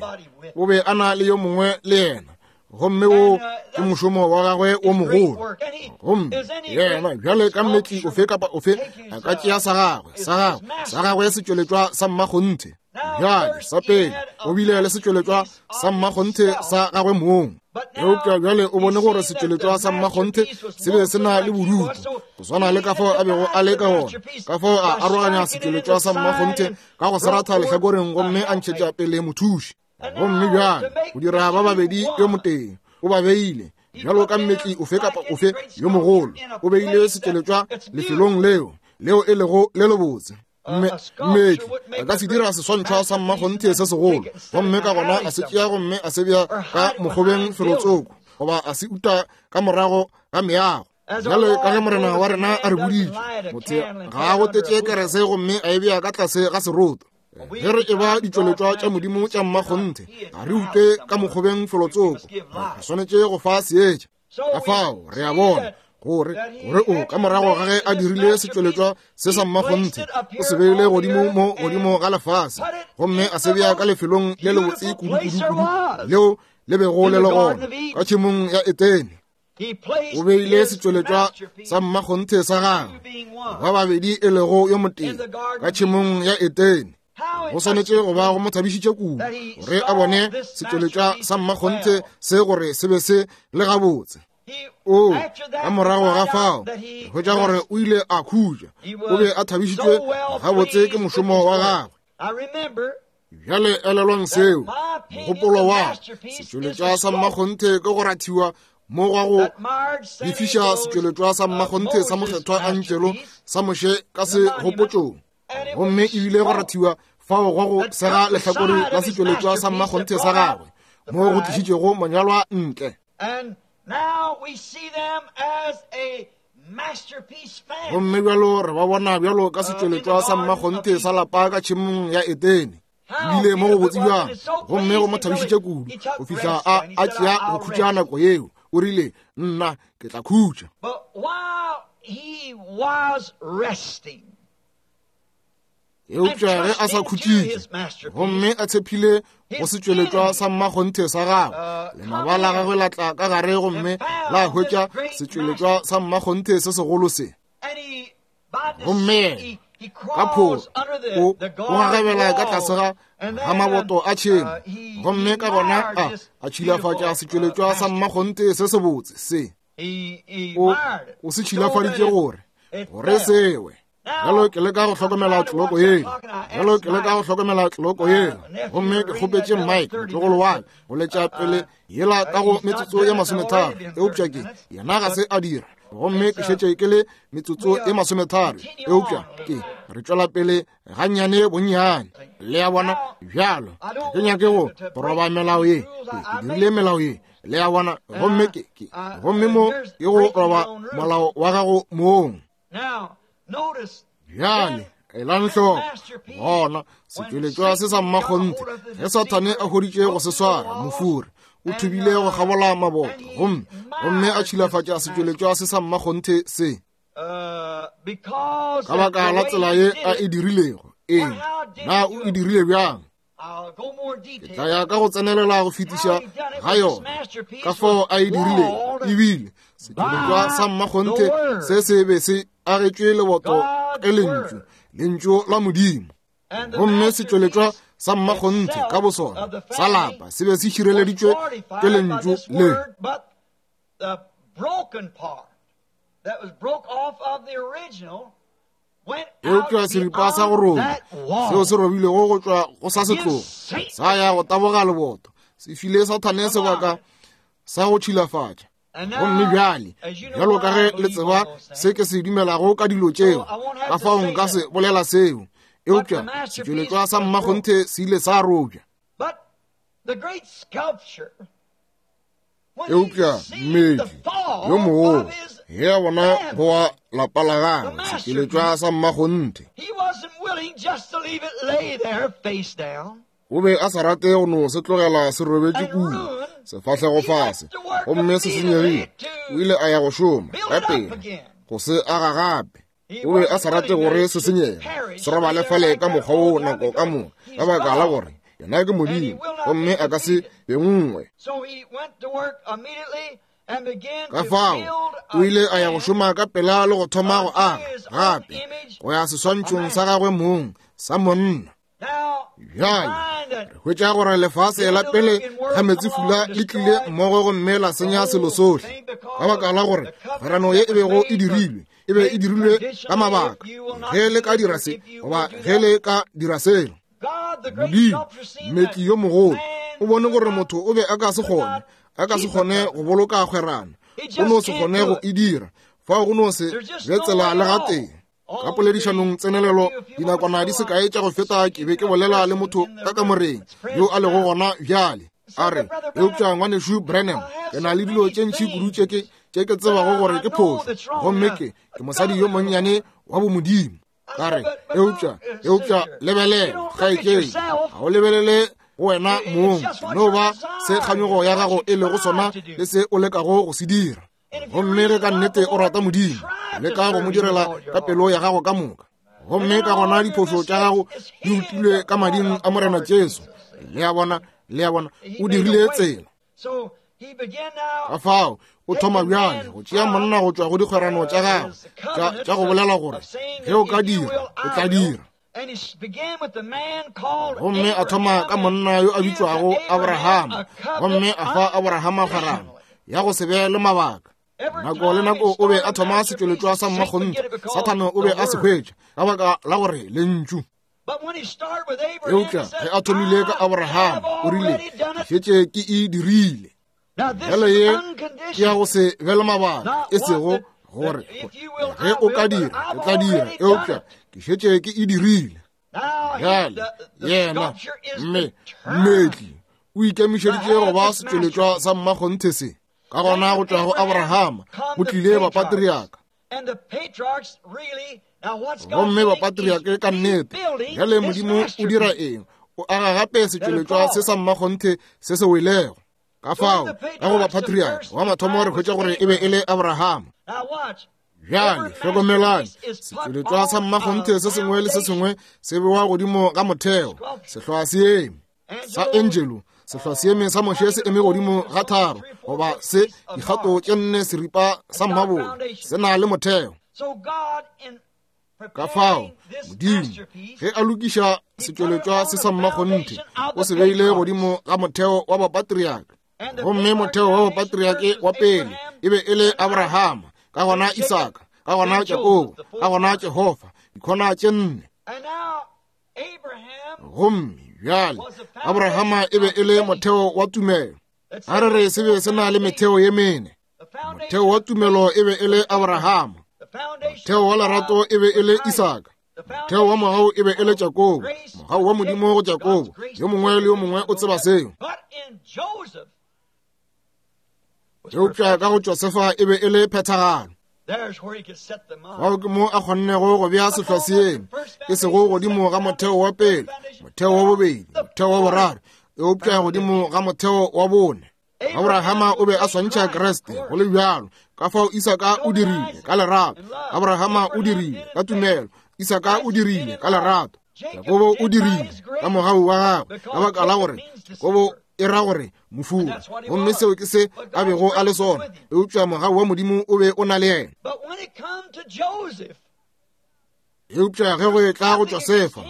o be a na le yo mongwe le yena, gomme wo ke mošomo wa gagwe o mogolo. Gomme yena bjale ka mmetli ofe kapa ofe a ka tšea sa gagwe sa gagwe sa gagwe setšweletšwa sa mmakgonthe. Bjale sa pele o bile le setšweletšwa sa mmakgonthe sa gagwe mong, eupša bjale o bone gore setšweletšwa sa mmakgonthe se be se na le bodutu, go swana le ka fao a bego a le ka gona. Ka fao a aroganya setšweletšwa sa mmakgonthe ka go se ratha lehlakoreng gomme a ntšhetša pele mothuši. Gomme bjale go dira ba babedi yo motee, o ba beile bjalo ka mmetli ofe kapa ofe yo mogolo, o beile setšweletšwa lefelong leo leo e lego le lebotse. Mmetli a ka se dira seswantšho sa mmakgonthe se segolo, gomme ka gona a se tšea gomme a se bea ka mokgobeng felotsoko, goba a se uta ka morago ga meago. Bjale ka ge Morena wa rena a re boditše, motho ga a gotetše kerese gomme a e bea ka tlase ga seroto. Ge re e ba ditšweletšwa tša Modimo tša mmakgonthe, ga re ute ka mokgobeng felotsoko, re swanetše go fa seetša. Ka fao re a bona gore gore o ka morago ga ge a dirile setšweletšwa se sa mmakgonthe, o se beile godimo mo godimo ga lefase, gomme a se bea ka lefelong le lebotse kudu-kudu-kudu leo le bego le le gona ka tšhemong ya Etene. O beile setšweletšwa sa mmakgonthe sa gagwe, ba babedi e lego yo motee, ka tšhemong ya Etene. Go swanetše go ba go mo thabišitše kudu gore a bone setšweletšwa sa mmakgonthe se gore se be se le gabotse. O ka morago ga fao re hwetša gore o ile a khutša, o be a thabišitšwe gabotse ke mošomo wa gagwe. Bjale elelwang seo, mogopolo wa setšweletšwa sa mmakgonthe ke go rathiwa mo gwa go lefiša setšweletšwa sa mmakgonthe sa mokgethwa Angelo sa Moshe ka segopotšong, gomme ebile go rathiwa fao gwa go sega lehlakore la setšweletšwa sa mmakgonthe sa gagwe mo go tlišitšego monyalwa ntle. Gomme bjalo re ba bona bjalo ka setšweletšwa sa mmakgonthe sa lapa ka tšhemong ya Etene. Ebile mo go botse bjang, gomme go mo thabišitše kudu go fihla a a tšea go khutša nako yeo. O rile, nna ke tla khutša. Eupša ge a sa khutšitše gomme a tshepile go setšweletšwa sa mmakgonthe sa gagwe, lenaba la gagwe la tla ka gare gomme la hwetša setšweletšwa sa mmakgonthe se segolo se. Gomme ka phoro o o gagabela ka tlase ga ga maboto a tšhemo, gomme ka gona a a tšhilafatša setšweletšwa sa mmakgonthe se sebotse se. O o se tšhilafaditše gore gore sewe. Bjalo ke leka go hlokomela tloloko yela, bjalo ke leka go hlokomela tloloko yela, gomme ke kgopetše Mike motlogolo wa ka go letša pele yela ka go metsotso ye masometharo, eupša ke yena ga se a dira, gomme ke šetše ke le metsotso ye masometharo, eupša ke re tšwela pele gannyane bonnyane. Le a bona? Bjalo ke nyake go roba melao ye, ke dirile melao ye, le a bona, gomme ke ke gomme mo ke go roba molao wa gago mong. Bjale elang hloko gona setšweletšwa se sa mmakgonthe ge Sathane a hweditše go se swara, mofuri o thubile go kgabola maboto gomme gomme a tšhilafatša setšweletšwa se sa mmakgonthe se. Ka baka la tsela ye a e dirilego, eng na o e dirile bjang? Ke tla ya ka go tsenelela go fetiša ga yona ka fao a e dirilego. Ebile setšweletšwa sa mmakgonthe se se be se agetšwe leboto ke lentšu, lentšu la Modimo. Gomme setšweletšwa sa mmakgonthe ka bosona sa lapa se be se šireleditšwe ke lentšu le. the broken part that was broke off of the original went out Eupša seripa sa go beyond roba that wall. seo se robilego go tšwa go sa setlogo sa ya go taboga leboto, se file Sathane sebaka sa go tšhilafatša. And now, Gomme bjale, as you know bjalo what ka I ge le believe tseba on those se ke se dumelago ka dilo tšeo, ka fao nka se bolela seo. Eupša setšweletšwa sa mmakgonthe se ile sa robja. But the great sculpture, when he Eupša seen mmetli the fall yo mogolo of his ge a bona family, go wa lapa la gagwe setšweletšwa sa mmakgonthe, he wasn't willing just to leave it lay there face down. o be a sa rate go no se tlogela se robetše kua sefahlego fase gomme se senyegile. O ile a ya go šoma ka pela go se aga gape. O be a sa rate gore se senyege, se robale fale ka mokgwa wo nako ka moka, ka baka la gore yena ke Modimo gomme a ka se be nngwe. So he went to work immediately and began Ka to fao build o ile a ya go again šoma ka pela le go thoma go aga gape go ya seswantšhong sa gagwe mong sa monna. Now, we Bjale find that re hwetša gore lefase la pele ga meetsefula le tlile mmogo gomme la senya selo sohle, ka baka la gore kgwerano ye e bego e dirilwe e be e dirilwe ka mabaka, ge le ka dira se goba ge le ka dira selo. God, the great Modimo sculptor, seen mmetli that yo mogolo man o bone gore could not- motho o be a ka se kgone, a ka se kgone go boloka kgwerano, o no se kgone go e dira. Fao go no se be tsela le gatee. Ka poledišanong tsenelelo dinakwana di se kae tša go feta ke be ke bolela le motho ka kamoreng yo a lego gona bjale. A re, eupša ngwanešu Branham, ke na le dilo tše ntši kudu tše ke tše ke tsebago gore ke phošo, gomme ke ke mosadi yo monnyane wa bomodimo. Ka re, eupša eupša lebelela kgaetšedi, ga o lebelele go wena mong, no ba se kganyogo ya gago e lego sona le se o lekago go se dira. Gomme ge ka nnete o rata Modimo, leka go mo direla ka pelo ya gago ka moka, gomme ka gona diphošo tša gago di utilwe ka mading a Morena Jesu. Le a bona, le a bona, o dirile tsela. So he began now Ka fao o thoma bjale go tšea monna go tšwa go dikgwerano tša gagwe tša tša go bolela gore ge o ka dira, o tla dira. And he began with the man called Gomme a thoma ka monna yo a bitšwago Abrahama, gomme a fa Abrahama kgwerano ya go se be le mabaka. Nako le nako o be a thoma setšweletšwa sa mmakgonthe, Sathane o be a se hwetša ka baka la gore lentšu. But when he started with Abraham, Eupša he said, ge a thomile ka "I Abrahama, have o rile, already done ke it." šetše ke e dirile. Now this Bjale is ye ke ya unconditional. go se be le mabaka, e sego gore ge o ka dira, ke tla dira, eupša ke šetše ke e dirile. Now he, Bjale the, the yena sculpture is mme determined. mmetli o ikemišeditše go ba setšweletšwa sa mmakgonthe se. Ka gona go tšwa go Abrahama go tlile bapatriaka, And the patriarchs really, now what's God gomme doing? bapatriake ka He's nnete. rebuilding Bjale this Modimo o dira masterpiece. eng? O aga gape setšweletšwa se sa mmakgonthe se se welego. Ka fao ka go bapatriaka wa mathomo re hwetša gore e be e le Abrahama. Now watch. Bjale Every hlokomelang, masterpiece is put setšweletšwa sa on mmakgonthe a se sengwe le se foundation. sengwe se bewa godimo ga motheo, sehloa se eme sa Angelo, sehloa se eme sa Moshe se eme godimo ga tharo goba se dikgato tše nne seripa sa mmabolo, se na le motheo. So God, in Ka fao preparing this Modimo masterpiece, ge a lokiša setšweletšwa se sa mmakgonthe, o se beile godimo ga motheo wa bapatriaka. and the Gomme motheo wa bapatriake wa pele e be e le Abrahama, ka gona Isaka, ka gona Jakobo, ka gona Jehofa, dikhona tše nne. And now Abraham, Gomme bjale Abrahama e be e le motheo wa tumelo. let's A re re se be se na le metheo ye mene. the foundation, Motheo wa tumelo e be e le Abrahama, the foundation motheo wa lerato e be e le Isaka, the motheo wa foundation mogau e be e le Jakobo, mogau wa Modimo go Jakobo. Yo mongwe le yo mongwe o tseba seo. But in Joseph was Eupša ka go Josefa e be e le phethagalo. There's where he could set the mind. Fao ke mo a kgonnego go bea sehloa seeme, e sego godimo ga motheo wa pele, motheo wa bobedi, motheo wa boraro, eupša godimo ga motheo wa bone. Abrahama o be a swantšha Kriste go le bjalo, ka fao Isaka o dirile ka lerato, Abrahama o dirile ka tumelo, Isaka o dirile ka lerato, Jakobo o dirile ka mogau wa gagwe, ka baka la gore Jakobo e ra gore mofula, gomme seo ke se a bego a le sona, eupša mogau wa Modimo o be o na le yena. But when it come to Joseph, Eupša ge go etla go Josefa,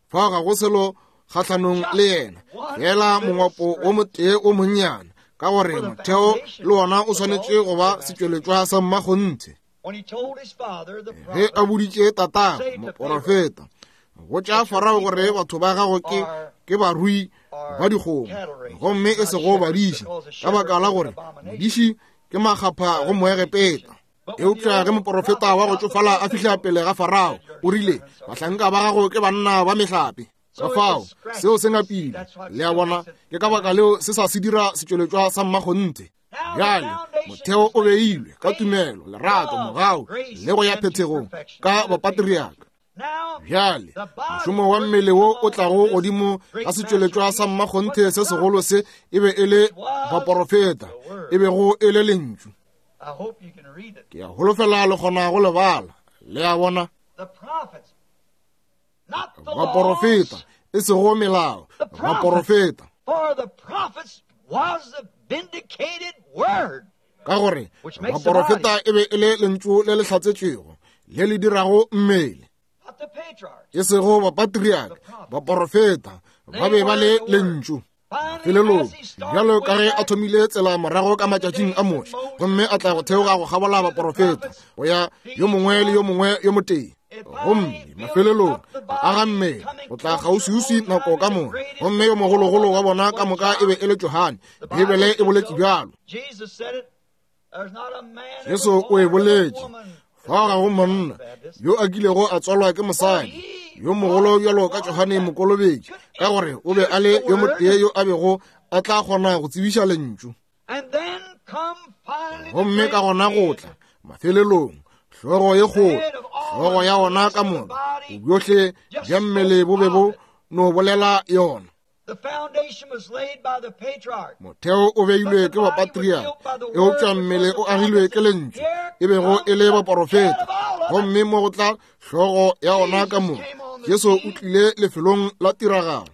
fao ga go selo kgahlanong le yena, fela mongwapo o motee o monnyane, ka gore motheo le wona o swanetše go ba setšweletšwa sa mmakgonthe. Ge a boditše tatagwe moporofeta, botša Farao gore batho ba gago ke ke barui ba dikgomo gomme e sego badiši, ka baka la gore modiši ke makgapha go Moegepeta. Eupša ge moporofeta wa go tšofala a fihla pele ga Farao, o rile, bahlanka ba gago ke banna ba mehlape. Ka fao seo se ngapile. Le a bona, ke ka baka leo se sa se dira setšweletšwa sa mmakgonthe. Bjale motheo o beilwe ka tumelo, lerato, mogau le go ya phethegong ka bapatriaka. Bjale mošomo wa mmele wo o tlago godimo ga setšweletšwa sa mmakgonthe se segolo se e be e le baporofeta, e bego e le lentšu. Ke a holofela le kgona go lebala. Le a bona, baporofeta, e sego melao, baporofeta. Ka gore baporofeta e be e le lentšu le le hlatsetšwego le le dirago mmele, e sego bapatriaka. Baporofeta ba be ba le lentšu. Mafelelong, bjalo ka ge a thomile tsela morago ka matšatšing a Moshe, gomme a tla go theoga go kgabola baporofeta go ya yo mongwe le yo mongwe yo motee, gomme mafelelong a aga mmele go tla kgauswiuswi nako ka moka, gomme yo mogologolo wa bona ka moka e be e le Johane. Beibele e boletše bjalo. Jesu o e boletše, fao ga go monna yo a kilego a tswalwa ke mosadi yo mogolo bjalo ka Johane Mokolobetši, ka gore o be a le yo motee yo a bego a tla kgona go tsebiša lentšu. Gomme ka gona go tla mafelelong hlogo ye kgolo, hlogo ya ona ka moka, bobjohle bja mmele bo be bo no bolela yona. Motheo o beilwe ke bapatriaka, eupša mmele o agilwe ke lentšu, e bego e le baporofeta. Gomme mo go tla hlogo ya ona ka moka, Jesu o tlile lefelong la tiragalo.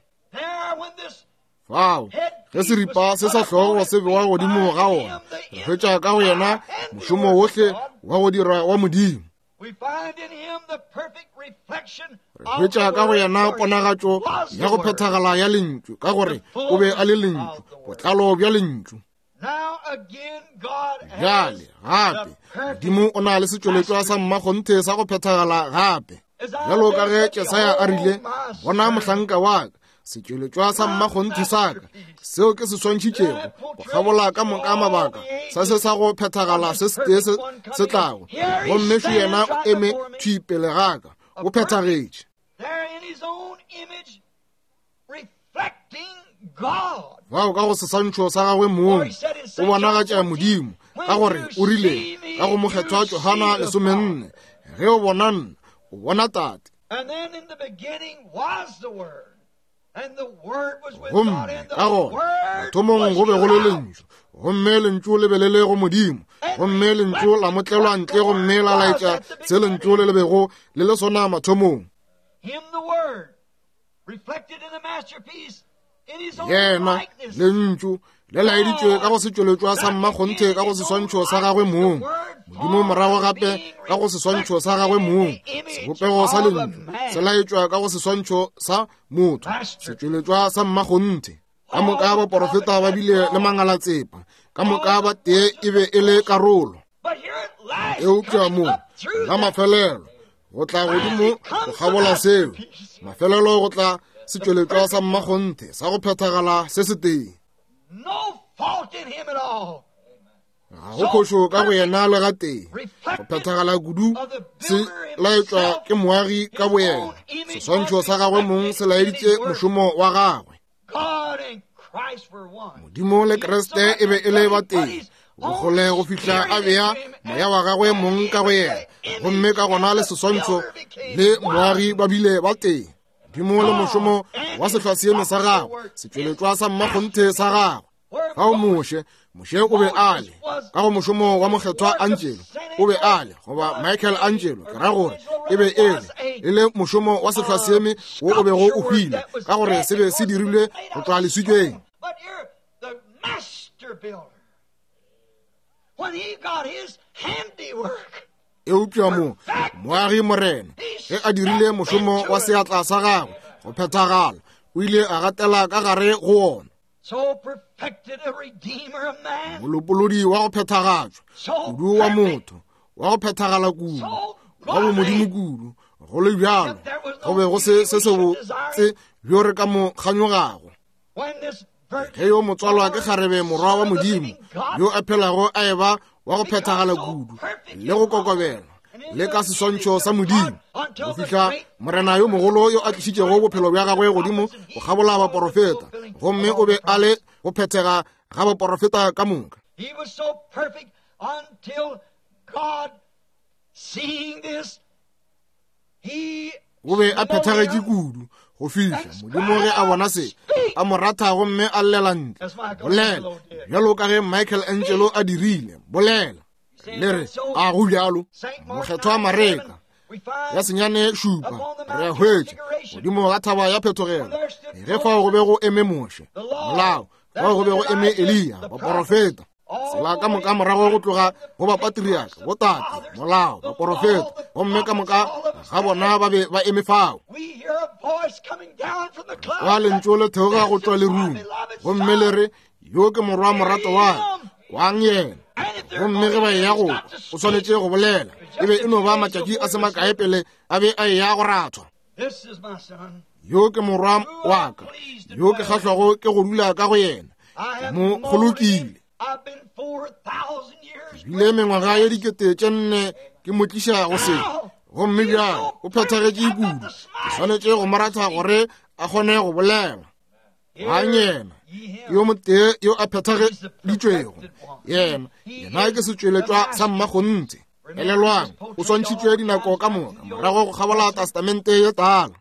Fao ge seripa se sa hlogo se bewa godimo ga ona, re hwetša ka go yena mošomo wohle wa go dira wa Modimo. Re hwetša ka go yena ponagatšo ya go phethagala ya lentšu, ka gore o be a le lentšu, botlalo bja lentšu. Bjale gape Modimo o na le setšweletšwa sa mmakgonthe sa go phethagala gape. Bjalo ka ge Jesaya a rile, bona mohlanka wa ka, setšweletšwa sa mmakgonthe sa ka, seo ke se swantšhitšego go kgabola ka moka mabaka sa se sa go phethagala se setee se se tlago, gomme šo yena o eme thwi pele ga ka, o phethagetše. Bao ka go seswantšho sa gagwe mong o bonagatša Modimo, ka gore o rile ka go mokgethwa Johana lesomenne, ge o bona nna o bona Tate. Gomme ka gona mathomong go be go le lentšu, gomme lentšu le be le le go Modimo, gomme lentšu la motlelwa ntle gomme la laetša se lentšu le le bego le le sona mathomong. Yena lentšu le laeditšwe ka go setšweletšwa sa mmakgonthe ka go seswantšho sa gagwe mong. Modimo morago gape ka go seswantšho sa gagwe mong, sebopego sa lentšu se laetšwa ka go seswantšho sa motho, setšweletšwa sa mmakgonthe. Ka moka baporofeta ba bile le mangalatsepa, ka moka ba tee e be e le karolo. Eupša mo la mafelelo go tla godimo go kgabola seo, mafelelo go tla setšweletšwa sa mmakgonthe sa go phethagala se setee. Ga go phošo ka go yena le gatee. Go phethagala kudu se laetšwa ke moagi ka boyena. Seswantšho sa gagwe mong se laeditše mošomo wa gagwe. Modimo le Kriste e be e le batee, bokgole go fihla a bea moya wa gagwe mong ka go yena, gomme ka gona le seswantšho le moagi ba bile batee. Modimo le mošomo wa sehlwaseeme sa gagwe, setšweletšwa sa mmakgonthe sa gagwe. Fao Moshe, Moshe o be a le ka go mošomo wa mokgethwa Angelo, o be a le goba Michael Angelo, ke ra gore e be e le e le mošomo wa sehlwaseeme wo o bego o hwile, ka gore se be se dirilwe go tloga leswikeng. Eupša mo moagi Morena ge a dirile mošomo wa seatla sa gagwe go phethagala, o ile a gatela ka gare go wona. Molopolodi wa go phethagatšwa kudu wa motho, wa go phethagala kudu, wa bomodimo kudu, go le bjalo go be go se se sebotse bjo re ka mo kganyogago. Ge yo motswalwa ke kgarebe morwa wa Modimo yo a phelago a eba wa go phethagala kudu le go kokobela le ka seswantšho sa Modimo, go fihla morena yo mogolo yo a tlišitšego bophelo bja gagwe godimo go kgabola baporofeta, gomme o be a le go phethega ga baporofeta ka moka. O be a phethagetše kudu go fihla Modimo ge a bona se a mo ratha gomme a llela ntle, bolela bjalo ka ge Michael Angelo a dirile, bolela. Le re a go bjalo. Mokgethwa Mareka ya senyane šupa re a hwetša godimo ga thaba ya phetogelo, ge fao go be go eme Moshe, molao, fao go be go eme Eliya, baporofeta, tsela ka moka morago go tloga go bapatriaka, botate, molao, baporofeta, gomme ka moka ga bona ba be ba eme fao. Wa lentšu le theoga go tšwa lerung, gomme le re, yo ke morwa morato wa ka, kwang yena. Gomme ge ba eya go o swanetše go bolela. E be e no ba matšatši a se makae pele a be a eya go rathwa. Yo ke morwa wa ka, yo ke kgahlwago ke go dula ka go yena, ke mo kgolokile. Bile mengwaga ye dikete tše nne ke mo tliša go se, gomme bjale o phethagetše kudu, ke swanetše go mo ratha gore a kgone go bolela. Mang yena yo motee yo a phethageditšwego, yena yena ke setšweletšwa sa mmakgonthe. Elelwang, o swantšhitšwe dinako ka moka morago go kgabola testamente ye tala.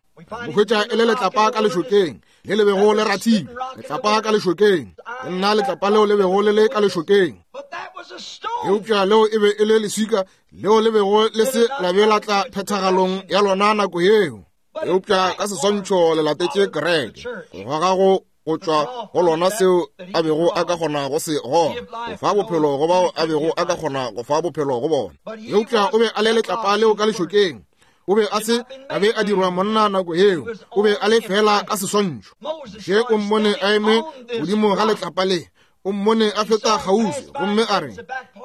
Mo hwetša e le letlapa ka lešokeng le le bego le rathile, letlapa ka lešokeng, ke nna letlapa leo le bego le le ka lešokeng. Eupša leo e be e le leswika leo le bego le se la be la tla phethagalong ya lona nako yeo. Eupša ka seswantšho le latetše kereke, go goga go go tšwa go lona seo a bego a ka kgona go se gona, go fa bophelo go bao a bego a ka kgona go fa bophelo go bona. Eupša o be a le letlapa leo ka lešokeng. O be a se a be a dirwa monna nako yeo, o be a le fela ka seswantšho. Moshe o mmone a eme godimo ga letlapa le, o mmone a feta kgauswi, gomme a re,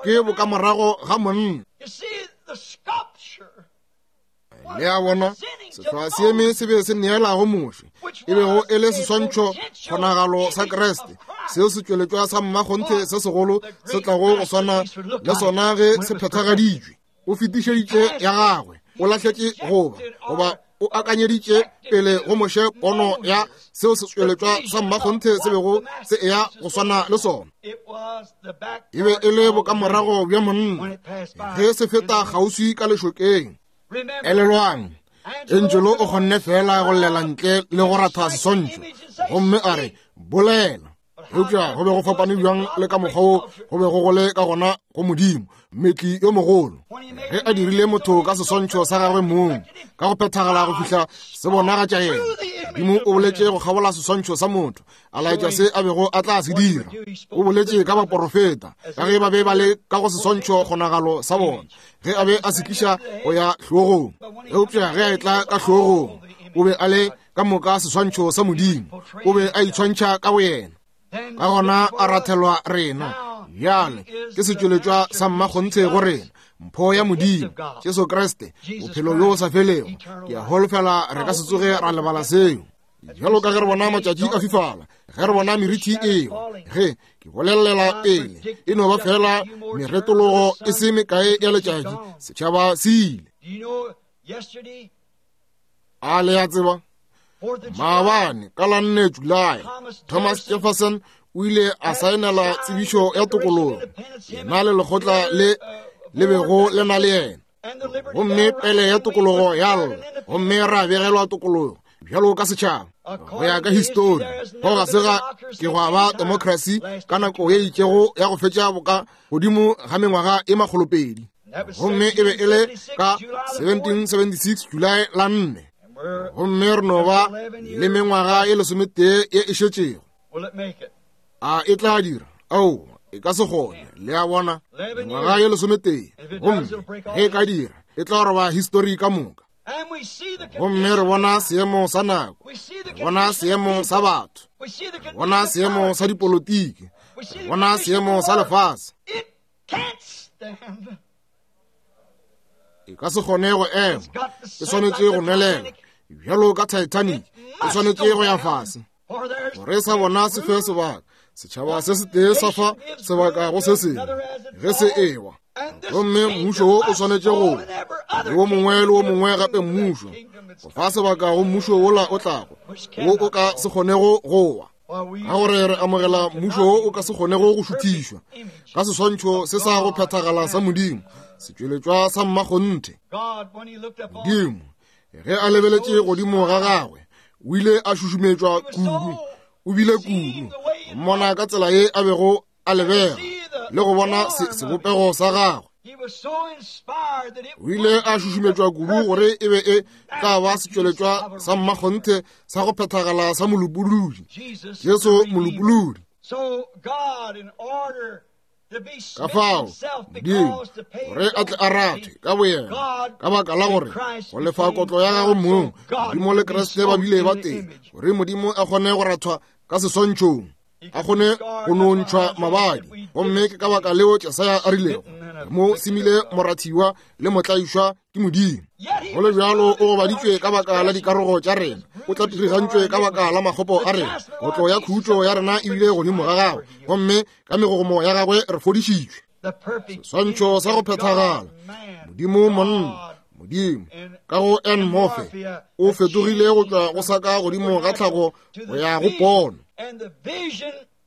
ke bokamorago ga monna. Le a bona, sehloa se eme se be se neelago Moshe, e bego e le seswantšho kgonagalo sa Kreste, seo se tšweletšwa sa mmakgonthe se segolo se tlago go swana le sona ge se phethagaditšwe. O fetišeditše ya gagwe, o lahletše goba goba o akanyeditše pele go Moshe pono ya seo se tšweletšwa sa mmakgonthe se bego se eya go swana le sona. E be e le bokamorago bja monna ge se feta kgauswi ka lešokeng. Elelwang, Angelo o kgonne fela go llela ntle le go ratha seswantšho, gomme a re, bolela. Eupša go be go fapane bjang le ka mokgwa wo go bego go le ka gona go Modimo, mmetli yo mogolo, ge a dirile motho ka seswantšho sa gagwe mong, ka go phethagala go fihla se bonagatša yena. Modimo o boletše go kgabola seswantšho sa motho, a laetša se a bego a tla se dira. O boletše ka baporofeta, ka ge ba be ba le ka go seswantšho kgonagalo sa bona, ge a be a se tliša go ya hlogong. Eupša ge a etla ka hlogong, o be a le ka moka seswantšho sa Modimo, o be a itshwantšha ka boyena. Ka gona a rathelwa rena. Bjale ke setšweletšwa sa mmakgonthe go rena, mpho ya Modimo, Jesu Kriste, bophelo bjo bo sa felego. Ke a holofela re ka se tsoge ra lebala seo. Bjalo ka ge re bona matšatši a fifala, ge re bona merithi eo, ge ke bolelela pele, e no ba fela meretologo e se mekae ya letšatši, setšhaba se ile. A le a tseba, maabane ka la nne Julae, Thomas Jefferson o ile a saenela tsebišo ya tokologo, yena le lekgotla le le bego le na le yena, gomme pele ya tokologo ya lla, gomme ra begelwa tokologo bjalo ka setšhaba. Go ya ka histori, go ga se ga ke gwa ba democracy ka nako ye itšego ya go fetša boka godimo ga mengwaga e makgolopedi, gomme e be e le ka seventeen seventy-six July la nne, gomme re no ba le mengwaga e lesometee ye e šetšego. A e tla dira? Ao, e ka se kgone. Le a bona, mengwaga ye lesometee, gomme ge e ka dira, e tla roba histori ka moka. Gomme re bona seemo sa nako, re bona seemo sa batho, re bona seemo sa dipolotiki, re bona seemo sa lefase. E ka se kgone go ema, e swanetše go nwelela bjalo ka Titanic, e swanetše go ya fase. Gore sa bona se fe sebaka, setšhaba se setee sa fa sebaka go se sengwe ge se ewa. Gomme mmušo wo o swanetše go le wo mongwe le wo mongwe gape mmušo go fa sebaka go mmušo wola o tlago, wo o ka se kgonego go wa. Ka gore re amogela mmušo wo o ka se kgonego go šuthišwa ka seswantšho se sa go phethagala sa Modimo, setšweletšwa sa mmakgonthe. Modimo ge a lebeletše godimo ga gagwe o ile a šušumetšwa kudu, o bile kudu mmona ka tsela ye a bego a lebega le go bona sebopego sa gagwe. O ile a šušumetšwa kudu gore e be e tla ba setšweletšwa sa mmakgonthe sa go phethagala sa molopolodi, Jesu molopolodi. Ka fao Modimo gore a tle a rathwe ka boyena ka baka la gore go lefa kotlo ya gagwe mong, Modimo le Kriste ba bile ba tee gore Modimo a kgone go rathwa ka seswantšhong, a kgone go nontšhwa mabadi. Gomme ke ka baka leo Jesaya a rilego mo semile morathiwa le motlaišwa ke Modimo. Go le bjalo o gobaditšwe ka baka la dikarogo tša rena, o tlatirigantšwe ka baka la makgopo a rena. Kotlo ya khutšo ya rena e bile godimo ga gagwe, gomme ka megogomo ya gagwe re fodišitšwe. Seswantšho sa go phethagala, Modimo monna, Modimo ka go en morphe o fetogile go tšwa go sa ka godimo ga tlhago go ya go pono.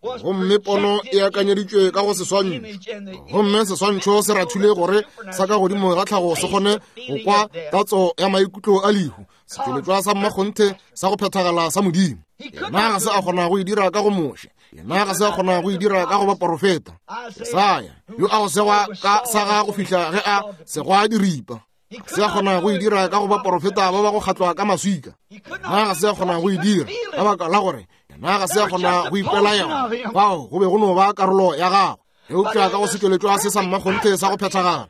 Gomme pono e akanyeditšwe ka go seswantšho, gomme seswantšho se rathile gore sa ka godimo ga tlhago se kgone go kwa tatso ya maikutlo a lehu, setšweletšwa sa mmakgonthe sa go phethagala sa Modimo. Yena ga se a kgona go e dira ka go Moshe, yena ga se a kgona go e dira ka go baporofeta. Jesaya yo a go segwa ka sa ga go fihla ge a segwa diripa, se a kgona go e dira ka go baporofeta ba ba go kgatlwa ka maswika. Yena ga se a kgona go e dira ka baka la gore yena ga se a kgona go ikwela yona, fao go be go no ba karolo ya gagwe. Eupša ka go setšweletšwa se sa mmakgonthe sa go phethagala,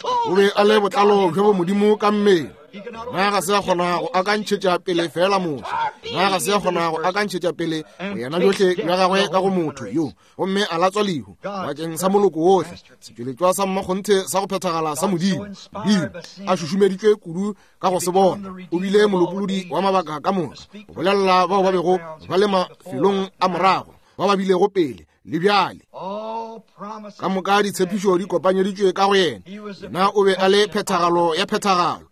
o be a le botlalo bjo bo Modimo ka mmele. Yena ga se a kgona go akantšhetša pele fela Moshe, yena ga se a kgona go akantšhetša pele boyena bjohle bja gagwe ka go motho yo, gomme a latswa lehu bakeng sa moloko wohle, setšweletšwa sa mmakgonthe sa go phethagala sa Modimo. Modimo a šušumeditšwe kudu ka go se bona, o bile molopolodi wa mabaka ka moka, go bolelela bao ba bego ba le mafelong a morago, ba ba bilego pele le bjale. Ka moka ditshepišo di kopanyeditšwe ka go yena. Yena o be a le phethagalo ya phethagalo.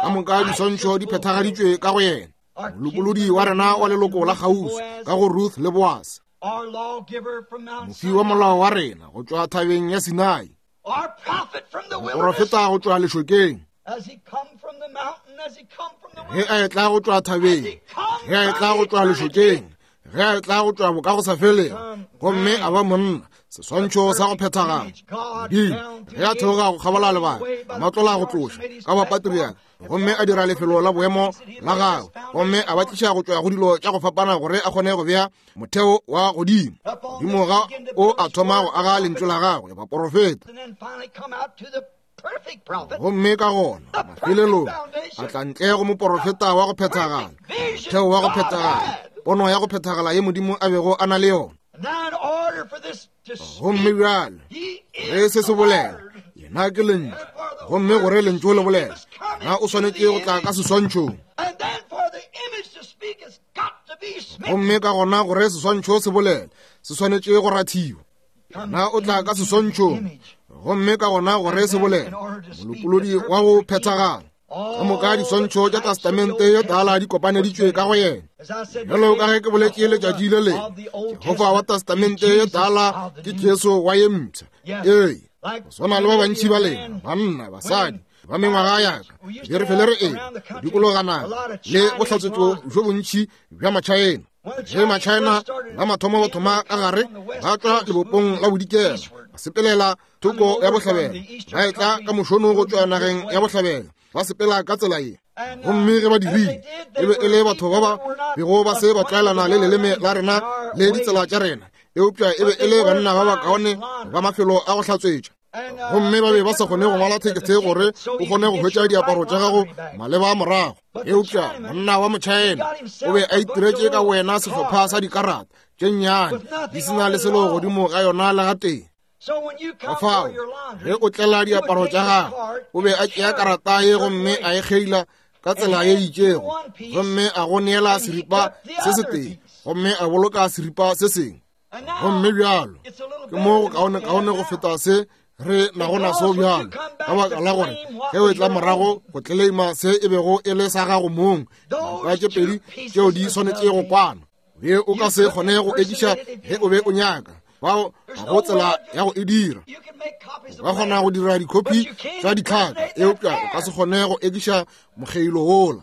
Ka moka diswantšho di phethagaditšwe ka go yena. Molopolodi wa rena wa leloko la kgauswi ka go Ruth le Boaz, mofi wa molao wa rena go tšwa thabeng ya Sinai, moporofeta go tšwa lešokeng, ge a etla go tšwa thabeng, ge a etla go tšwa lešokeng, ge a etla go tšwa bokagosafelego, gomme a ba monna, seswantšho sa go phethagala. Modimo ge a theoga go kgabola lebaka, a matlola go tloša ka bapatriaka, gomme a dira lefelo la boemo la gagwe, gomme a ba tliša go tšwa go dilo tša go fapana gore a kgone go bea motheo wa godimo. Godimo ga o a thoma go aga lentšu la gagwe, baporofeta. Gomme ka gona mafelelong a tla ntle go moporofeta wa go phethagala, motheo wa go phethagala, pono ya go phethagala ye Modimo a bego a na le yona. Gomme bjale ge se se bolela, yena ke lentšu, gomme gore lentšu le bolela, yena o swanetše go tla ka seswantšhong. Gomme ka gona gore seswantšho se bolele, se swanetše go rathiwa. Yena o tla ka seswantšhong, gomme ka gona gore se bolele, molopolodi wa go phethagala. Ka moka diswantšho tša Testamente ye Tala di kopaneditšwe ka go yena. Bjalo ka ge ke boletše letšatši le lengwe, Jehofa wa Testamente ye Tala ke Jesu wa ye mpsha. Ee, go swana le ba bantši ba lena, banna, basadi ba mengwaga ya ka, be re fele re eng go dikologana le bohlatswetšo bjo bontši bja Matšhaena. Ge Matšhaena ba mathomo ba thoma ka gare, ba tšwa lebopong la bodikela, ba sepelela thoko ya bohlabela, ba etla ka mošono go tšwa nageng ya bohlabela, ba sepela ka tsela ye. Gomme ge ba dirile, e be e le batho ba ba bego ba se ba tlwaelana le leleme la rena le ditsela tša rena, eupša e be e le banna ba bakaone ba mafelo a go hlatswetša. Gomme ba be ba sa kgone go ngwala thekethe gore o kgone go hwetša diaparo tša gago maleba a morago. Eupša monna wa Motšhaena o be a itiretše ka wena sehlopha sa dikarata tše nnyane di se na le selo godimo ga yona le gatee. Ka fao ge o tlela diaparo tša gagwe, o be a tšea karata ye gomme a e kgeila ka tsela ye itšego, gomme a go neela seripa se setee, gomme a boloka seripa se sengwe. Gomme bjalo ke mo go kaone-kaone go feta se re nago naso bjalo, ka baka la gore ge o etla morago go tleleima se e bego e le sa gago mong, diripa tše pedi tšeo di swanetše go kwana. Be o ka se kgone go ekiša ge o be o nyaka, bao ga go tsela ya go e dira. O ka kgona go dira dikhopi tša ditlhaka, eupša o ka se kgone go ekiša mokgeilo wola.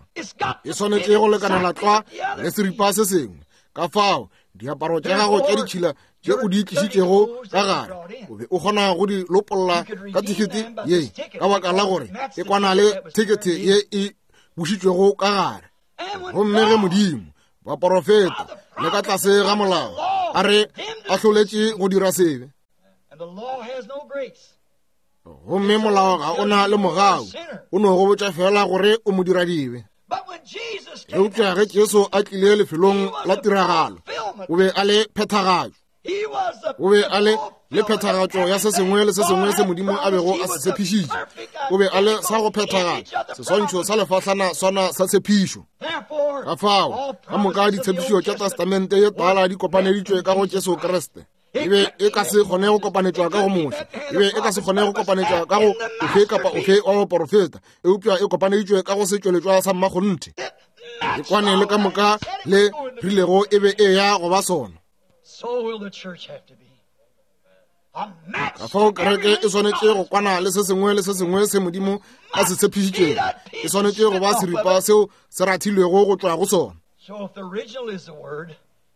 E swanetše go lekanela tlwa le seripa se sengwe. Ka fao diaparo tša gago tša ditšhila tše o di tlišitšego ka gare, o be o kgona go di lopolla ka thekete ye, ka baka la gore e kwana le thekete ye e bušitšwego ka gare. Gomme ge Modimo, baporofeta le ka tlase ga molao, a re ahloletše go dira sebe, gomme molao ga o na le mogau, o no go botša fela gore o mo dira dibe. Eupša ge Jesu a tlile lefelong la tiragalo, o be a le phethagatšo. O be a le le phethagatšo ya se sengwe le se sengwe se Modimo a bego a se tshepišitše. O be a le sa go phethagala, seswantšho sa lefahlana swana sa tshepišo. Ka fao ka moka ditshepišo tša Testamente ye Tala di kopaneditšwe ka go Jesu Kriste. E be e ka se kgone go kopanetšwa ka go Moshe, e be e ka se kgone go kopanetšwa ka go ofe kapa ofe wa baporofeta, eupša e kopaneditšwe ka go setšweletšwa sa mmakgonthe. E kwane le ka moka le rilego e be e ya go ba sona. Ka fao kereke e swanetše go kwana le se sengwe le se sengwe se Modimo a se tshepišitšego. E swanetše go ba seripa seo se rathilwego go tšwa go sona.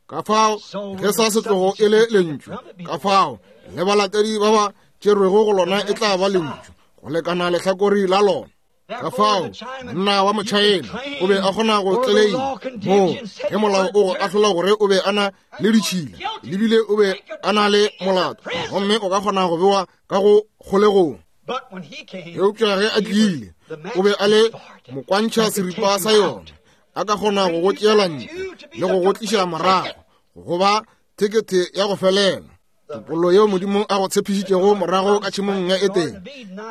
Ka fao ge sa setlogo e le lentšu, ka fao le balatedi ba ba tšerwego go lona e tla ba lentšu go lekana lehlakori la lona. Ka fao monna wa Motšhaena o be a kgona go tleleima moo ge molao o go ahlola gore o be a na le ditšhila lebile o be a na le molato, gomme o ka kgona go bewa ka go kgolegong. Eupša ge a tlile, o be a le mokwantšha seripa sa yona, a ka kgona go go tšeela ntle le go go tliša morago go ba thekethe ya go felela. Topollo yeo Modimo a go tshepišitšego morago ka tšhemong ya Edene,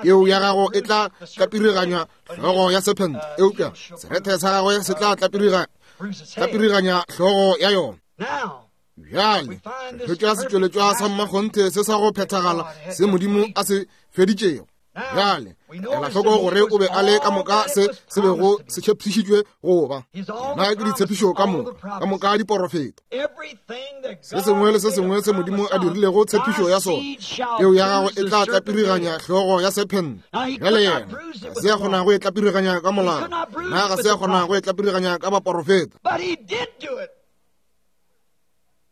peo ya gago e tla tlapiriganya hlogo ya sephente, eupša serethe sa gagwe se tla tlapiriganya hlogo ya yona. Bjale re hwetša setšweletšwa sa mmakgonthe se sa go phethagala se Modimo a se feditšego. Bjale ela hloko gore o be a le ka moka se se bego se tshepišitšwe go ba. Na ke ditshepišo ka moka, ka moka diporofeta. Se sengwe le se sengwe se Modimo a dirilego tshepišo ya sona, peo ya gagwe e tla tlapiriganya hlogo ya sephente. Bjale yena ga se a kgona go e tlapiriganya ka molao, na ga se a kgona go e tlapiriganya ka baporofeta.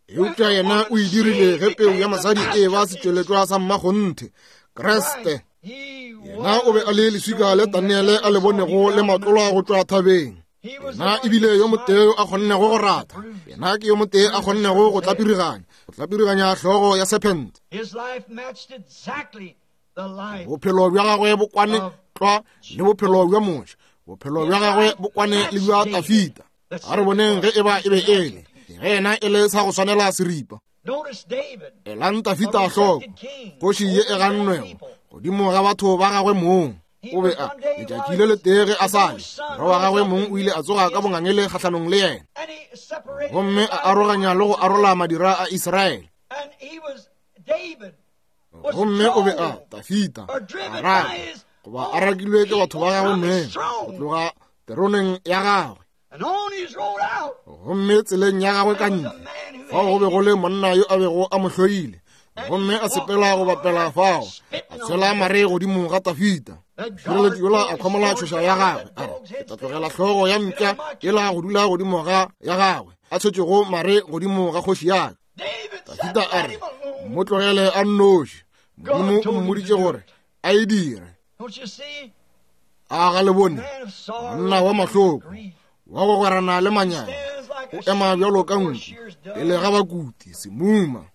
Eupša yena o e dirile ge peu ya mosadi e ba setšweletšwa sa mmakgonthe, Kriste. Yena o be a le leswika le Daniele a le bonego le matlolwa go tšwa thabeng. Yena ebile yo motee yo a kgonnego go ratha. Yena ke yo motee a kgonnego go tlapiriganya, go tlapiriganya hlogo ya sephente. Bophelo bja gagwe bo kwane tlwa le bophelo bja Moshe, bophelo bja gagwe bo kwane le bja Dafida. A re boneng ge e ba e be e le ge yena e le sa go swanela seripa. Elang Dafida hloko, kgoši ye e gannwego godimo ga batho ba gagwe mong. O be a letšatši le letee ge a sa le, morwa wa gagwe mong o ile a tsoga ka bongangele kgahlanong le yena, gomme a aroganya le go arola madira a Israele. Gomme o be a Dafida a raka goba a rakilwe ke batho ba gagwe mong go tloga teroneng ya gagwe. Gomme tseleng ya gagwe ka ntle fao go be go le monna yo a bego a mo hloile, gomme a sepela go bapela fao, a tshwela mare godimo ga Dafida. Mošireletši yola a khwamola tšhoša ya gagwe, a re, ke tla tlogela hlogo ya mpša yela go dula godimo ga ya gagwe, a tshwetšego mare godimo ga kgoši ya ka. Dafida a re, mo tlogele a nnoši, Modimo o mmoditše gore a e dire. A ga le bone monna wa mahloko wa go gwerana le manyana, o ema bjalo ka nku pele ga bakuti semuma.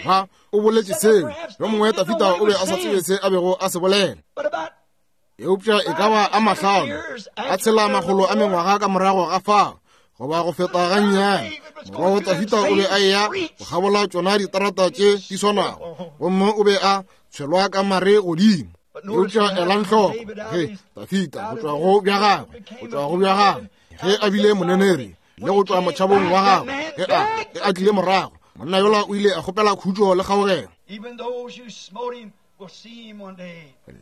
Ba o boletše seo. Yo mongwe Tafita o be a sa tsebe se a bego a se bolela. Eupša e ka ba a mahlano a tshela makgolo a mengwaga ka morago ga fao, goba go feta gannyane, morwa wa Tafita o be a eya go kgabola tšona ditarata tše di swanago, gomme o be a tshwelwa ka mare godimo. Eupša elang hloko ge Tafita go tšwa go bja gagwe, go tšwa go bja gagwe, ge a bile moneneri le go tšwa motšhabong wa gagwe, ge a ge a tlile morago, monna yola o ile a kgopela khutšo le kgaogelo.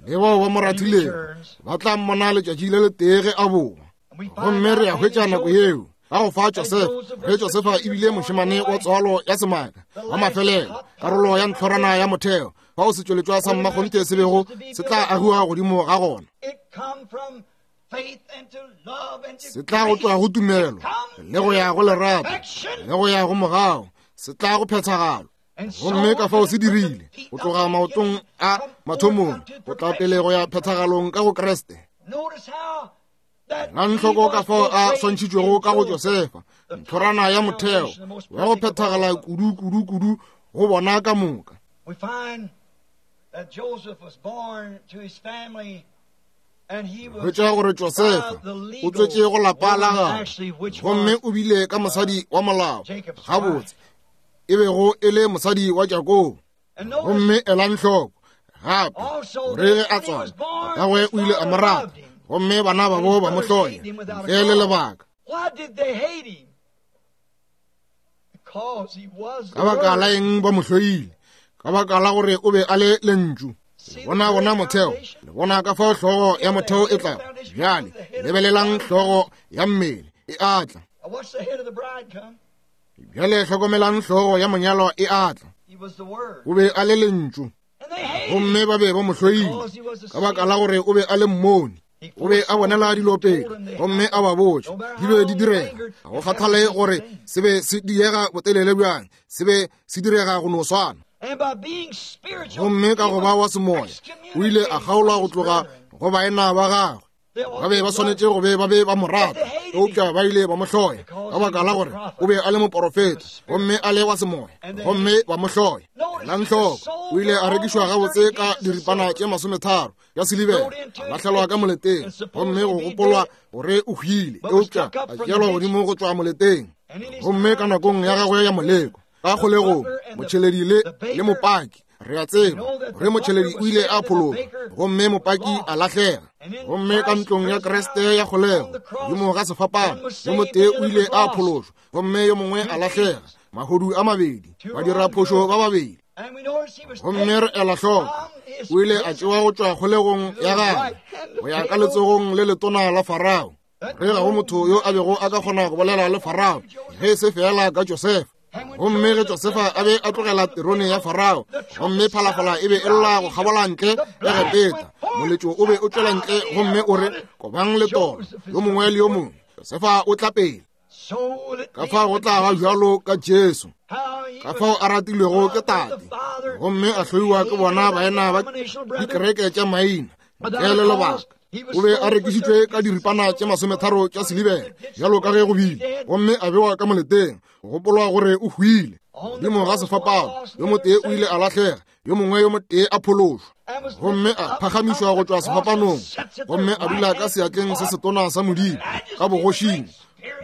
Le bao ba mo rathilego ba tla mmona letšatši le letee ge a boa. Gomme re a hwetša nako yeo ka go fa Josefa, ge Josefa e bile mošemane wa tswalo ya semaka wa mafelelo, karolo ya ntlhorana ya motheo, fao setšweletšwa sa mmakgonthe se bego se tla agiwa godimo ga gona. Se tla go tšwa go tumelo le go ya go lerato le go ya go mogao, se tla go phethagalo. Gomme ka fao se dirile go tloga maotong a mathomong go tla pele go ya phethagalong ka go Kriste. Elang hloko ka fao a swantšhitšwego ka go Josefa, ntlhorana ya motheo wa go phethagala kudu kudu kudu go bona ka moka. Hwetša gore Josefa o tswetše go lapa la gagwe, gomme o bile ka mosadi wa molao, gabotse e bego e le mosadi wa Jakobo. Gomme elang hloko gape gore ge a tswala, tatagwe o ile a mo rata, gomme bana babo ba mo hloya ntle le lebaka. Ka baka la eng ba mo hloile? Ka baka la gore o be a le lentšu. Le bona bona motheo, le bona ka fao hlogo ya motheo e tla. Bjale lebelelang hlogo ya mmele e atla. Bjale hlokomelang hlogo ya monyalwa e atla. O be a le lentšu, gomme ba be ba mo hloile ka baka la gore o be a le mmoni. O be a bonela dilo pele, gomme a ba botša di be di direga. Ga go kgathale gore se be se diega botelele bjang, se be se direga go no swana. Gomme ka go ba wa semoya, o ile a kgaolwa go tloga go baena ba gagwe. Ba be ba swanetše go be ba be ba mo rata, eupša ba ile ba mo hloya ka baka la gore o be a le moporofeta gomme a le wa semoya, gomme ba mo hloya. Elang hloko, o ile a rekišwa gabotse ka diripana tše masometharo ya silibera, a lahlelwa ka moleteng, gomme go gopolwa gore o hwile, eupša a tšeelwa godimo go tšwa moleteng. Gomme ka nakong ya gagwe ya moleko ka kgolegong, motšheledi le le mopaki, re a tseba gore motšheledi o ile a phologa, gomme mopaki a lahlega. Gomme ka ntlong ya Kriste ya kgolego godimo ga sefapano, yo motee o ile a phološwa, gomme yo mongwe a lahlega. Mahodu a mabedi, badiraphošo ba babedi. Gomme re ela hloko, o ile a tšewa go tšwa kgolegong ya gagwe go ya ka letsogong le letona la Farao. Re ga go motho yo a bego a ka kgona go bolela le Farao ge se fela ka Josefa. Gomme ge Josefa a be a tlogela terone ya Farao, gomme phalafala e be e lla go kgabola ntle Egepeta, moletšo o be o tšwela ntle gomme o re, kobang letolo yo mongwe le yo mongwe, Josefa o tla pele. Ka fao go tla ba bjalo ka Jesu, ka fao a ratilwego ke Tate, gomme a hloiwa ke bona baena ba dikereke tša maina ntle le lebaka. O be a rekišitšwe ka diripana tše masometharo tša silibera, bjalo ka ge go bile, gomme a bewa ka moleteng, go gopolwa gore o hwile. Godimo ga sefapano, yo motee o ile a lahlega, yo mongwe yo motee a phološwa, gomme a phagamišwa go tšwa sefapanong, gomme a dula ka seatleng se setona sa Modimo ka bogošing,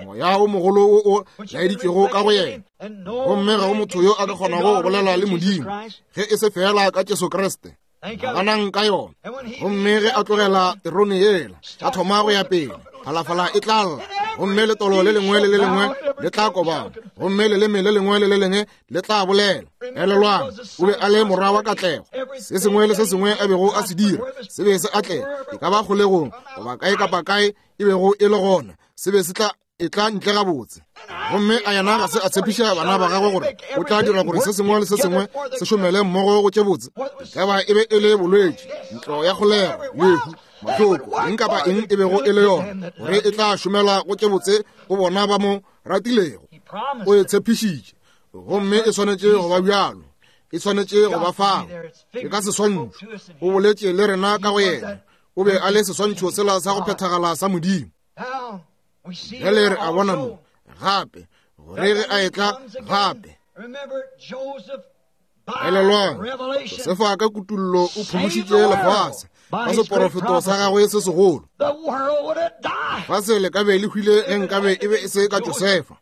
moya o mogolo wo o laeditšwego ka go yena. Gomme ga go motho yo a ka kgonago go bolela le Modimo ge e se fela ka Jesu Kriste. Naganang ka yona. Gomme ge a tlogela terone yela, a thoma go ya pele, phalafala e tla lla, gomme letolo le lengwe le le lengwe le tla kobana, gomme leleme le lengwe le le lengwe le tla bolela. Elelwang, o be a le morwa wa katlego. Se sengwe le se sengwe a bego a se dira se be se atlega, e ka ba kgolegong goba kae kapa kae e bego e le gona, se be se tla e tla ntle gabotse. Gomme a yena ga se a tshepiša bana ba gagwe gore o tla dira gore se sengwe le se sengwe se šomele mmogo go tše botse, e ka ba e be e le bolwetši, ntlo ya kgolego, lehu, mahloko, eng kapa eng e bego e le yona, gore e tla šomela go tše botse go bona ba mo ratilego. O e tshepišitše, gomme e swanetše go ba bjalo, e swanetše go ba fao. E ka seswantšho, o boletše le rena ka go yena. O be a le seswantšho sela sa go phethagala sa Modimo. Bjale re a bona mo gape gore ge a etla gape. Elelwang, Josefa ka kutullo o phološitše lefase ka seporofeto sa gagwe se segolo. Lefase le ka be le hwile ge nkabe e be e se ka Josefa.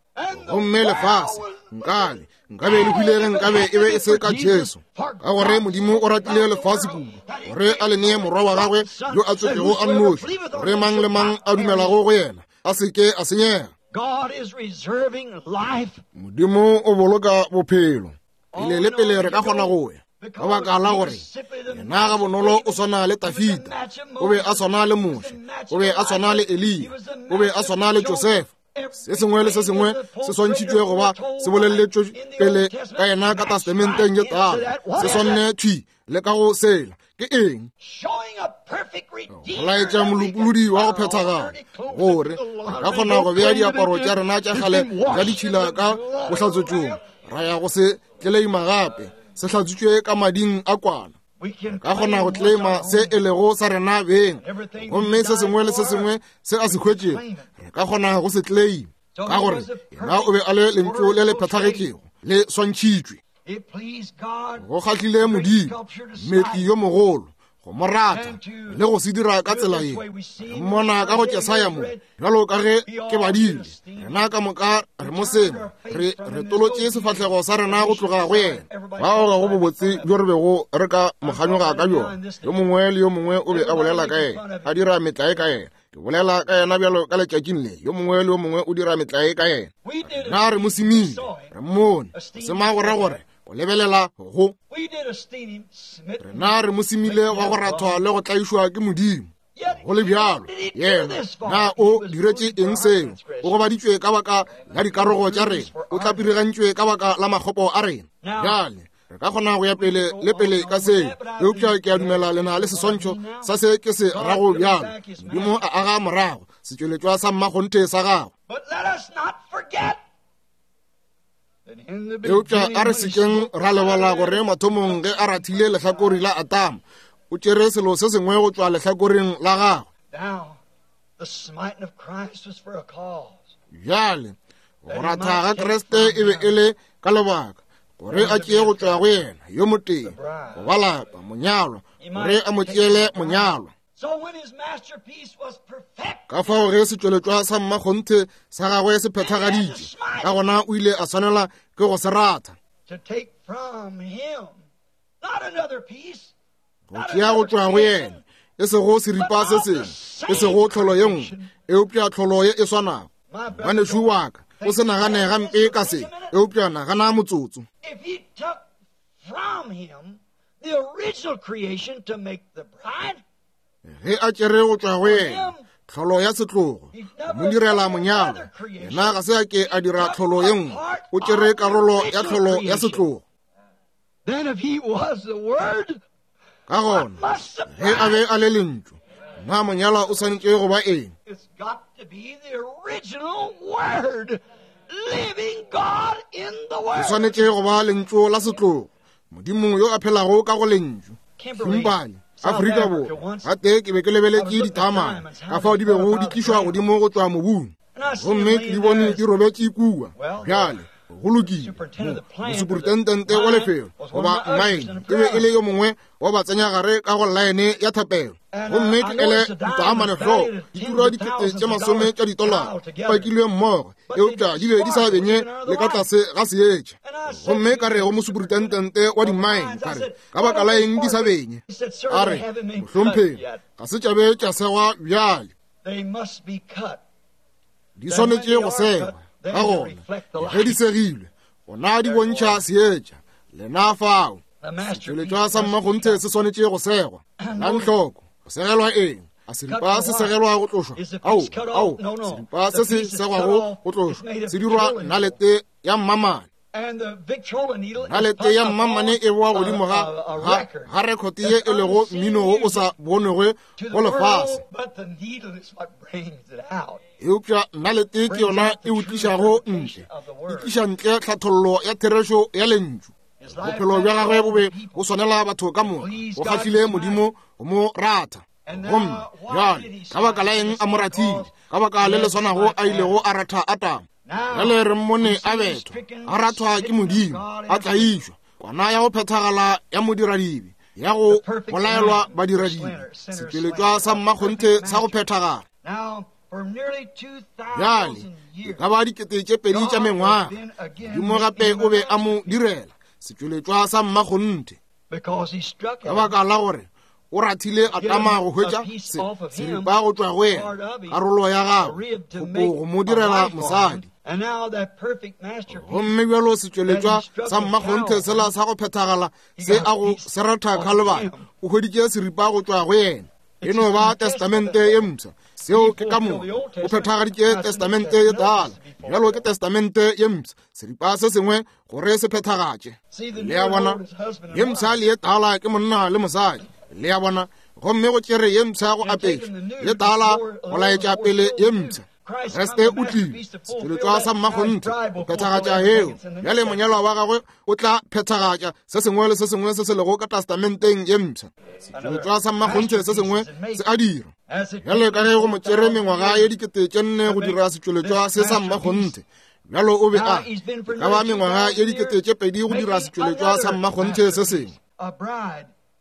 Gomme lefase nkabe nkabe le hwile ge nkabe e be e se ka Jesu. Ka gore Modimo o ratile lefase kudu gore a le nee morwa wa gagwe yo a tswetšego a nnoši, gore mang le mang a dumelago go yena a se ke a senyega. Modimo o boloka bophelo. Pele le pele re ka kgona go ya, ka baka la gore yena ga bonolo o swana le Tafita, o be a swana le Moshe, o be a swana le Eliya, o be a swana le Josefa. Se sengwe le se sengwe se swantšhitšwe goba se boleletšwe pele ka yena ka testamenteng ye tala, se swanne thwi le ka go sela. Ke eng? Go laetša molopolodi wa go phethagala, gore re ka kgona go bea diaparo tša rena tša kgale tša ditšhila ka bohlatswetšong, ra ya go se tleleima gape se hlatswitšwe ka mading a kwana. Ka kgona go tleleima se e lego sa rena beng, gomme se sengwe le se sengwe se a se hwetšego re ka kgona go se tleleima, ka gore yena o be a le lentšu le le phethagetšego le swantšhitšwe. Go kgahlile Modimo, mmetli yo mogolo, go mo rata le go se dira ka tsela ye. Re mmona ka go Jesaya mo, bjalo ka ge ke badile, rena ka moka re mo sema, re re tolotše sefahlego sa rena go tloga go yena. Bao ga go bobotse bjo re bego re ka mo kganyoga ka bjona. Yo mongwe le yo mongwe o be a bolela ka yena, a dira metlae ka yena. Ke bolela ka yena bjalo ka letšatšing le, yo mongwe le yo mongwe o dira metlae ka yena. Na re mo semile, re mmone, sema go ra gore o lebelela go. Rena re mo semile wa go rathwa le go tlaišwa ke Modimo. Go le bjalo, yena na o diretše eng seo? O gobaditšwe ka baka la dikarogo tša rena, o tlapirigantšwe ka baka la makgopo a rena. Bjale re ka kgona go ya pele le pele ka seo, eupša ke a dumela le na le seswantšho sa se ke se rago bjalo. Modimo a aga morago setšweletšwa sa mmakgonthe sa gagwe. Eupša a re sekeng ra lebala gore mathomong ge a rathile lehlakori la Atama, o tšere selo se sengwe go tšwa lehlakoreng la gagwe. Bjale go ratha ga Kriste e be e le ka lebaka gore a tšee go tšwa go yena yo motee go ba lapa monyalwa, gore a mo tšeele monyalwa. Ka fao ge setšweletšwa sa mmakgonthe sa gagwe se phethagaditše, ka gona o ile a swanela ke go se ratha, go tšea go tšwa go yena, e sego seripa se sengwe, e sego tlholo ye nngwe, eupša tlholo ye e swanago. Ngwanešu wa ka, o se nagane gampe ka se, eupša nagana motsotso. Ge a tšere go tšwa go yena tlholo ya setlogo mo direla monyalwa, yena ga se a ke a dira tlholo ye nngwe, o tšere karolo ya tlholo ya setlogo. Ka gona ge a be a le lentšu, na monyalwa o swanetše go ba eng? O swanetše go ba lentšu la setlogo, Modimo yo a phelago ka go lentšu. Kimberley, Afrika Borwa, gate ke be ke lebeletše ditaamane ka fao di bego di tlišwa godimo go tšwa mobung, gomme ke di bone di robetše kua. Bjale go lokile, mosuperintendente wa lefelo goba mine e be e le yo mongwe wa ba tsenyagare ka go laene ya thapelo, gomme ke ele ditaamane hloko di tura dikete tše masome tša ditolara di pakilwe mmogo, eupša di be di sa benye le ka tlase ga seetša. Gomme ka re go mosuperintendente wa di-mine, ka re, ka baka la eng di sa benye? A re, mohlomphegi, ga se tša be tša segwa bjale, di swanetše go segwa. Ka gona ge di segilwe, gona di bontšha seetša. Lena fao, setšweletšwa sa mmakgonthe se swanetše go segwa. Lang hloko, go segelwa eng? A seripa se segelwa go tlošwa? Ao, ao, seripa se se segwago go tlošwa se dirwa nalete ya mmamane. Nalete ya mmamane e boa godimo ga ga ga rekhote ye e lego mmino wo o sa bonwego go lefase, eupša nalete ke yona e o tlišago ntle, e tliša ntle tlhathollo ya therešo ya lentšu. Bophelo bja gagwe bo be bo swanela batho ka moka, go kgahlile Modimo go mo ratha. Gomme bjale ka baka la eng a mo rathile? Ka baka le le swanago a ilego a ratha Atama. Bjale re mmone a bethwa, a rathwa ke Modimo, a tlaišwa, Kwana ya go phethagala ya modiradibe, ya go bolaelwa badiradibe, setšweletšwa sa mmakgonthe sa go phethagala. Bjale e ka ba dikete tše pedi tša mengwaga, Modimo gape o be a mo direla setšweletšwa sa mmakgonthe, ka baka la gore o rathile Adama go hwetša seripa go tšwa go yena, karolo ya gagwe, go mo direla mosadi. Gomme bjalo setšweletšwa sa mmakgonthe sela sa go phethagala se a go se ratha Khalibari, o hweditše seripa go tšwa go yena. E no ba testamente ye mpsha. Seo ke ka moka. O phethagaditše testamente ye tala, bjalo ke testamente ye mpsha, seripa se sengwe gore se phethagatše. Le a bona, ye mpsha le ye tala ke monna le mosadi. Le a bona, gomme go tšere ye mpsha go apeša, ye tala go laetša pele ye mpsha. Kriste o tlile, setšweletšwa sa mmakgonthe, go phethagatša heo. Bjale monyalwa wa gagwe o tla phethagatša se sengwe le se sengwe se se lego ka testamenteng ye mpsha. Setšweletšwa sa mmakgonthe se sengwe se a dira. Bjale ka ge go mo tšere mengwaga ye dikete tše nne go dira setšweletšwa se sa mmakgonthe, bjalo o be a e ka ba mengwaga ye dikete tše pedi go dira setšweletšwa sa mmakgonthe se sengwe.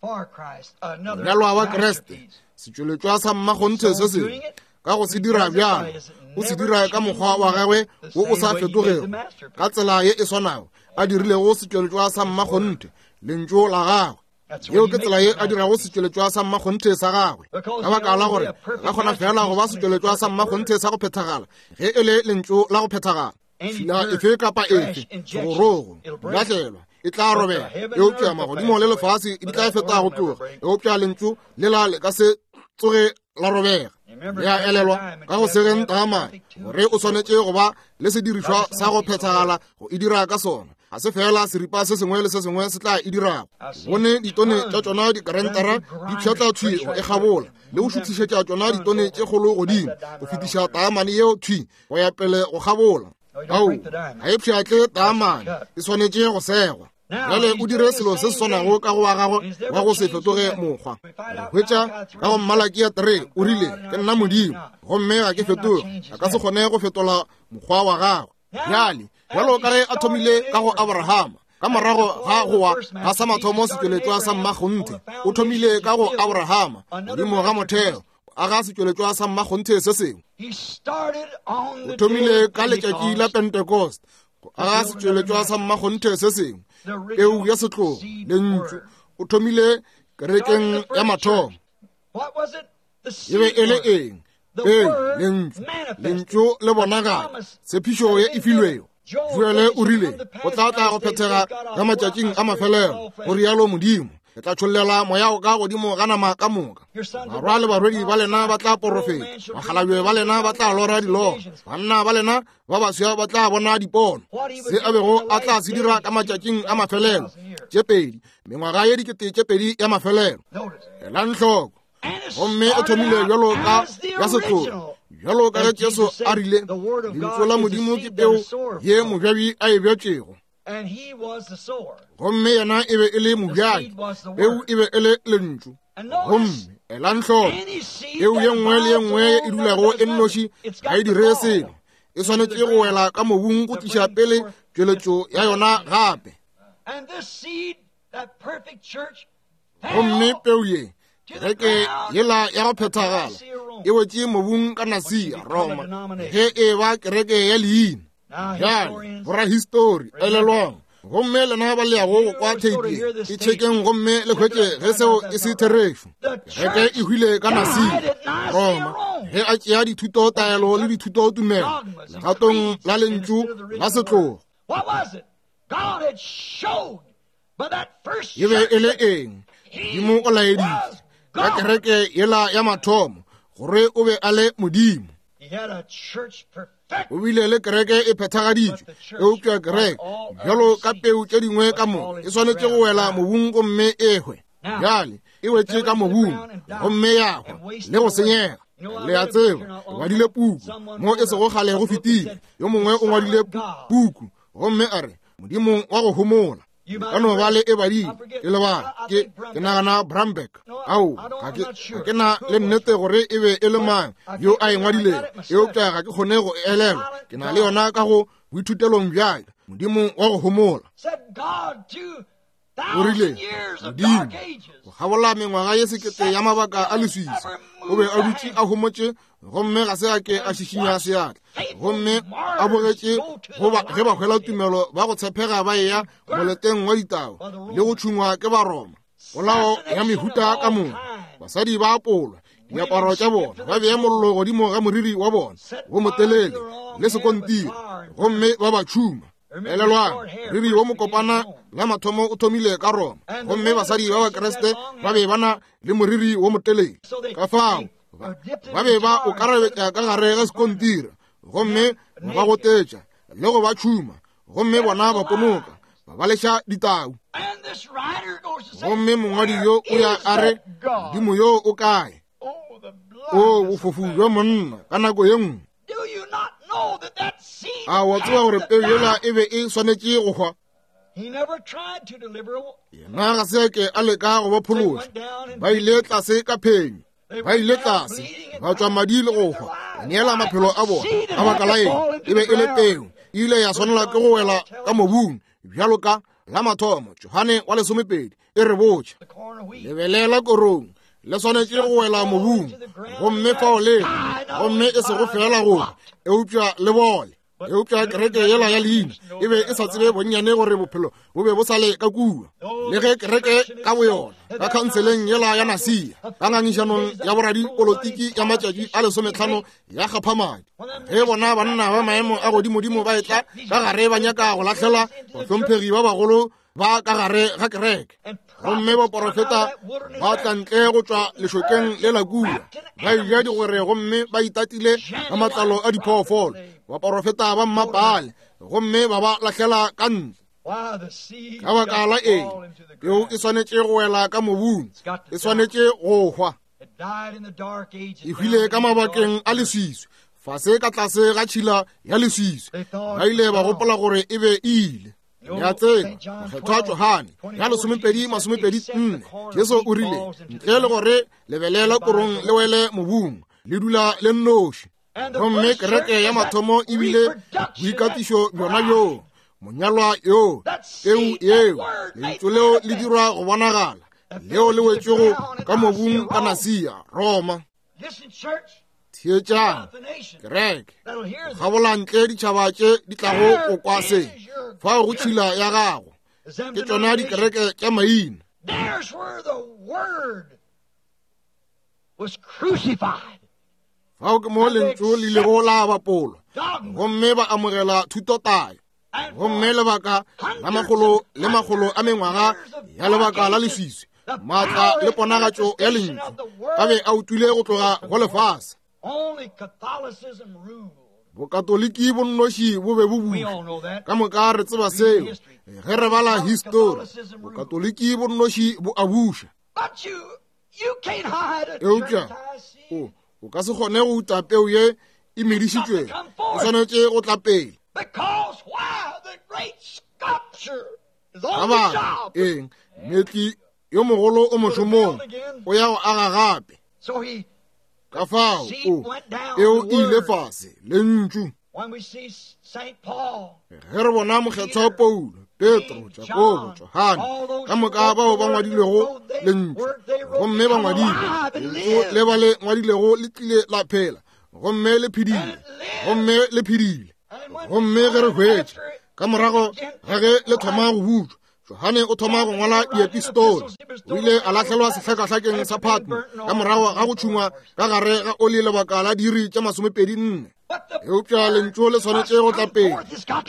Monyalwa wa Kriste, setšweletšwa sa mmakgonthe se sengwe, ka go se dira bjalo, o se dira ka mokgwa wa gagwe wo o sa fetogego, ka tsela ye e swanago a dirilego setšweletšwa sa mmakgonthe, lentšu la gagwe. Yeo ke tsela ye a dirago setšweletšwa sa mmakgonthe sa gagwe, ka baka la gore ka kgona fela go ba setšweletšwa sa mmakgonthe sa go phethagala ge e le lentšu la go phethagala. Tšhila efe kapa efe, segorogo, lahlelwa, e tla robega, eupša magodimo le lefase di tla feta go tloga, eupša lentšu lela le ka se tsoge la robega. Le a elelwa ka go segeng taamane gore o swanetše go ba le sedirišwa sa go phethagala go e dira ka sona. Ga se fela seripa se sengwe le se sengwe se tla e dirago. Bone ditone tša tšona dikarentara di pšhatla thwi go e kgabola, le go šuthišetša tšona ditone tše kgolo godimo go fetiša taamane yeo thwi go ya pele go kgabola. Ao, ga e pšhatle taamane, e swanetše go segwa. Bjale o dire selo se se swanago ka go wa gagwe wa go se fetoge mokgwa. Re hwetša ka go Malakia three, o rile, ke nna Modimo, gomme ga ke fetoge, a ka se kgone go fetola mokgwa wa gagwe. Bjale, bjalo ka ge a thomile ka go Abrahama, ka morago ga go wa ga sa mathomo setšweletšwa sa mmakgonthe, o thomile ka go Abrahama, godimo ga motheo, aga setšweletšwa sa mmakgonthe se sengwe. O thomile ka letšatši la Pentecost, go aga setšweletšwa sa mmakgonthe se sengwe, peu ya setlogo, lentšu. O thomile kerekeng ya mathomo. E be e le eng? Peu, lentšu, lentšu le bonagala, tshepišo ye e filwego. Joele o rile, go tla tla go phethega ka matšatšing a mafelelo, go rialo Modimo, ke tla tšhollela moya o ka godimo ga nama ka moka. Barwa le barwedi ba lena ba tla porofeta, bakgalabje ba lena ba tla lora diloro, banna ba lena ba baswa ba tla bona dipono. Se a bego a tla se dira ka matšatšing a mafelelo, tše pedi, mengwaga ye dikete tše pedi ya mafelelo. Elang hloko. Gomme o thomile bjalo ka ya setlogo, bjalo ka ge Jesu a rile, lentšu la Modimo ke peu ye mobjabi a e bjatšego. Gomme yena e be e le mobjadi, peu e be e le lentšu. Gomme elang hloko, peu ye nngwe le ye nngwe ye e dulago e nnoši ga e dire selo, e swanetše go wela ka mobung go tliša pele tšweletšo ya yona gape. Gomme peu ye, kereke yela ya go phethagala, e wetše mobung ka Nasia, Roma, ge e ba kereke ya leina. Bjale, borahistori, elelwang, gomme lena ba le yago go kwa theipi e tšhekeng gomme le hwetše ge seo e se therešo. Kereke e hwile ka Nasia, Roma, ge a tšea dithuto taelo le dithuto tumelo legatong la lentšu la setlogo. E be e le eng? Modimo o laeditše ka kereke yela ya mathomo gore o be a le Modimo. O bile le kereke e phethagaditšwe, eupša kereke bjalo ka peu tše dingwe ka moka e swanetše go wela mobung gomme e hwe. Bjale e wetše ka mobung gomme ya hwa le go senyega. Le a tseba, o ngwadile puku mo e sego kgale go fetile. Yo mongwe o ngwadile puku gomme a re, Modimo wa go homola. Ka no ba le e badile, ke lebala, ke ke nagana Bramberg. Ao, ga ke ga ke na le nnete gore e be e le mang yo a e ngwadilego, eupša ga ke kgone go elelwa. Ke na le yona ka go boithutelong bjaka, Modimo wa go homola. O rile, Modimo, go kgabola mengwaga ye sekete ya mabaka a leswiswi, o be a dutše a homotše gomme ga se a ke a šišinya seatla, gomme a bogetše goba ge ba hwela tumelo ba go tshepega ba eya moleteng wa ditau le go tšhungwa ke Baroma. Polao ya mehuta ka moka, basadi ba apolwa diaparo tša bona, ba bea mollo godimo ga moriri wa bona wo motelele le sekontiri, gomme ba ba tšhuma. Elelwang, moriri wo mokopana la mathomo o thomile ka Roma, gomme basadi ba Bakriste ba be ba na le moriri wo motelele. Ka fao ba be ba o karabetša ka gare ga sekontiri, gomme ba gotetša le go ba tšhuma, gomme bona ba ponoka, ba ba leša ditau. Gomme mongwadi yo o ya a re, Modimo yo o kae? O bofofu bja monna ka nako ye nngwe. A wa tseba gore peu yela e be e swanetše go hwa? Yena ga se a ke a leka go ba phološa. Ba ile tlase ka phenyo, ba ile tlase ba tšwa madi le go hwa, ba neela maphelo a bona. Ka baka la eng? E be e le peu, e ile ya swanela ke go wela ka mobung bjalo ka la mathomo. Johane wa lesomepedi e re botša, lebelela korong le swanetše go wela mobung, gomme fao le gomme e sego fela go eupša le bole. Eupša kereke yela ya leina e be e sa tsebe bonnyane gore bophelo bo be bo sa le ka kua. Le ge kereke ka boyona ka khanseleng yela ya Nasia, ka ngangišanong ya boradipolotiki ya matšatši a lesometlhano ya kgaphamadi, ge bona banna ba maemo a godimodimo ba etla ka gare ba nyaka go lahlela bahlomphegi ba bagolo ba ka gare ga kereke, gomme baporofeta ba tla ntle go tšwa lešokeng le la kua, ba eja digwere gomme ba itatile ka matlalo a diphoofolo, baporofeta ba mmapale, gomme ba ba lahlela ka ntle. Ka baka la eng? Peu e swanetše go wela ka mobung, e swanetše go hwa. E hwile ka mabakeng a leswiswi, fase ka tlase ga tšhila ya leswiswi. Ba ile ba gopola gore e be e ile. Ya tseba, mokgethwa Johane ya lesomepedi masomepedi nne, Jesu o rile, ntle le gore lebelela korong le wele mobung, le dula le nnoši. Gomme kereke ya mathomo e bile boikatišo bjona bjoo, monyalwa yoo, peu yeo, lentšu leo le dirwa go bonagala, leo le wetšego ka mobung ka Nasia, Roma. Theetšang, kereke, kgabola ntle ditšhaba tše di tlago go kwa se, fao go tšhila ya gago, ke tšona dikereke tša maina. Fao ke mo lentšu le ilego la bapolwa, gomme ba amogela thutotayo. Gomme lebaka la makgolo le makgolo a mengwaga ya lebaka la leswiswi, maatla le ponagatšo ya lentšu a be a utlwile go tloga go lefase. Bokatoliki bo nnoši bo be bo buša. Ka moka re tseba seo ge re bala histori. Bokatoliki bo nnoši bo a buša. Eupša o o ka se kgone go uta peu ye e medišitšwego, e swanetše go tla pele. Ka baka eng? Mmetli yo mogolo o mošomong, o ya go aga gape. Ka fao o eo e ile fase lentšu. Ge re bona mokgethwa Paulo, Petro, Jakobo, Johane, ka moka bao ba ngwadilego lentšu, gomme ba ngwadile lentšu le ba le ngwadilego le tlile la phela, gomme le phedile, gomme le phedile. Gomme ge re hwetša ka morago ga ge le thoma go butšwa, Johane o thoma go ngwala diepistole. O ile a lahlelwa sehlakahlakeng sa Patmo ka morago ga go tšhungwa ka gare ga oli lebaka la diiri tša masomepedi nne. Eupša lentšu le swanetše go tla pele,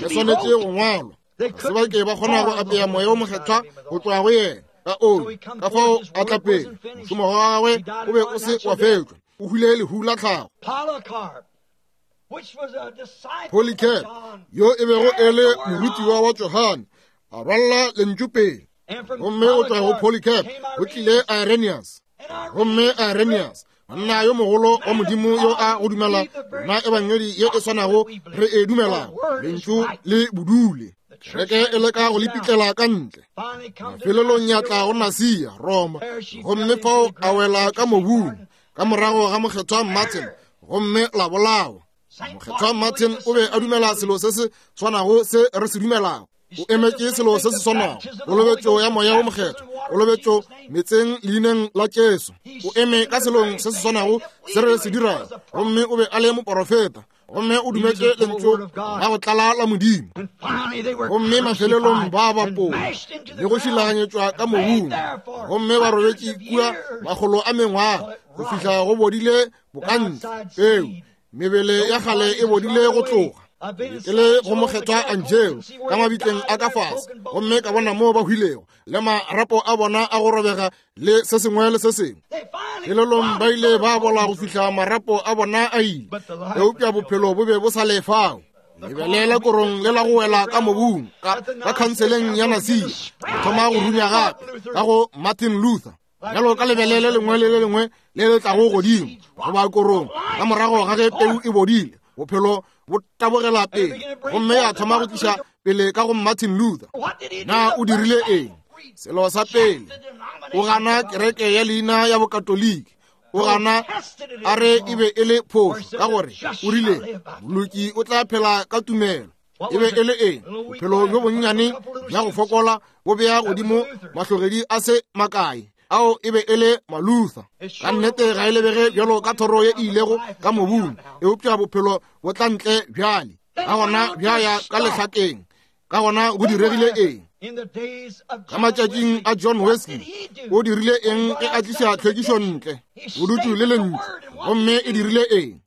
le swanetše go ngwalwa. Ga se ba ke ba kgona go apea moya o mokgethwa go tšwa go yena ka oli. Ka fao a tla pele, mošomo wa gagwe o be o se wa fetšwa, o hwile lehu la tlhago. Polycarp, yo e bego e le morutiwa wa Johane, a rwalla lentšu pele. Gomme go tšwa go Polycarp go tlile Irenaeus. Gomme Irenaeus, monna yo mogolo wa Modimo yo a go dumela na ebangedi ye e swanago re e dumelago, lentšu le bodule. Kereke e leka go le pitlela ka ntle. Mafelelong ya tla go Nasia, Roma, gomme fao a wela ka mobung ka morago ga mokgethwa Martin, gomme la bolawa. Mokgethwa Martin o be a dumela selo se se swanago se re se dumelago. O emetše selo se se swanago, kolobetšo ya Moya wo Mokgethwa, kolobetšo metseng leineng la Jesu. O eme ka selong se se swanago se re se dirago, gomme o be a le moporofeta, gomme o dumetše lentšu la go tlala la Modimo. Gomme mafelelong ba bapola le go šilaganyetšwa ka mobung, gomme ba robetše kua makgolo a mengwaga go fihla go bodile bokantle peu, mebele ya kgale e bodile go tloga. Ke le go mokgethwa Angelo ka mabitleng a ka fase, gomme ka bona moo ba hwilego le marapo a bona a go robega le se sengwe le se sengwe. Pelelong ba ile ba bola go fihla marapo a bona a ile, eupša bophelo bo be bo sa le fao. Lebele la korong le la go wela ka mobung ka, ka khanseleng ya Nasia, go thoma go runya gape ka go Martin Luther, bjalo ka lebele le lengwe le le lengwe le le tlago godimo goba korong ka morago ga ge peu e bodile, bophelo bo tabogela pele, gomme ya thoma go tliša pele ka go Martin Luther. Na o dirile eng? Selo sa pele, o gana kereke ya leina ya Bokatoliki, o gana a re e be e le phošo, ka gore o rile moloki o tla phela ka tumelo. E be e le eng? Bophelo bjo bonnyane bja go fokola bo bea godimo mahlogedi a se makae, ao e be e le Maluther. Ka nnete ga e lebege bjalo ka thoro ye e ilego ka mobung, eupša bophelo bo tla ntle bjale. Ka gona bja ya ka lehlakeng. Ka gona go diregile eng? Ka matšatšing a John Wesley, o dirile eng ge a tliša tlhwekišo ntle? Bodutu le lentšu, gomme e dirile eng?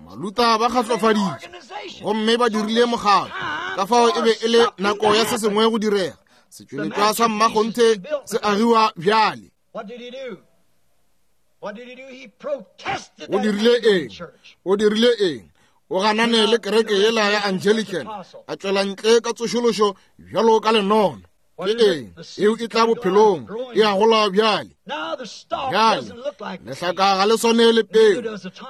Maluther ba kgatlofaditše, gomme ba dirile mokgatlo. Ka fao e be e le nako ya se sengwe go direga. Setšweletšwa sa mmakgonthe se agiwa bjale. O dirile eng? O dirile eng? O ganane le kereke yela ya Anglican, a tšwela ntle ka tsošološo bjalo ka lenono. Ke eng? Eo e tla bophelong, e a gola bjale. Bjale lehlaka ga le swane le peu,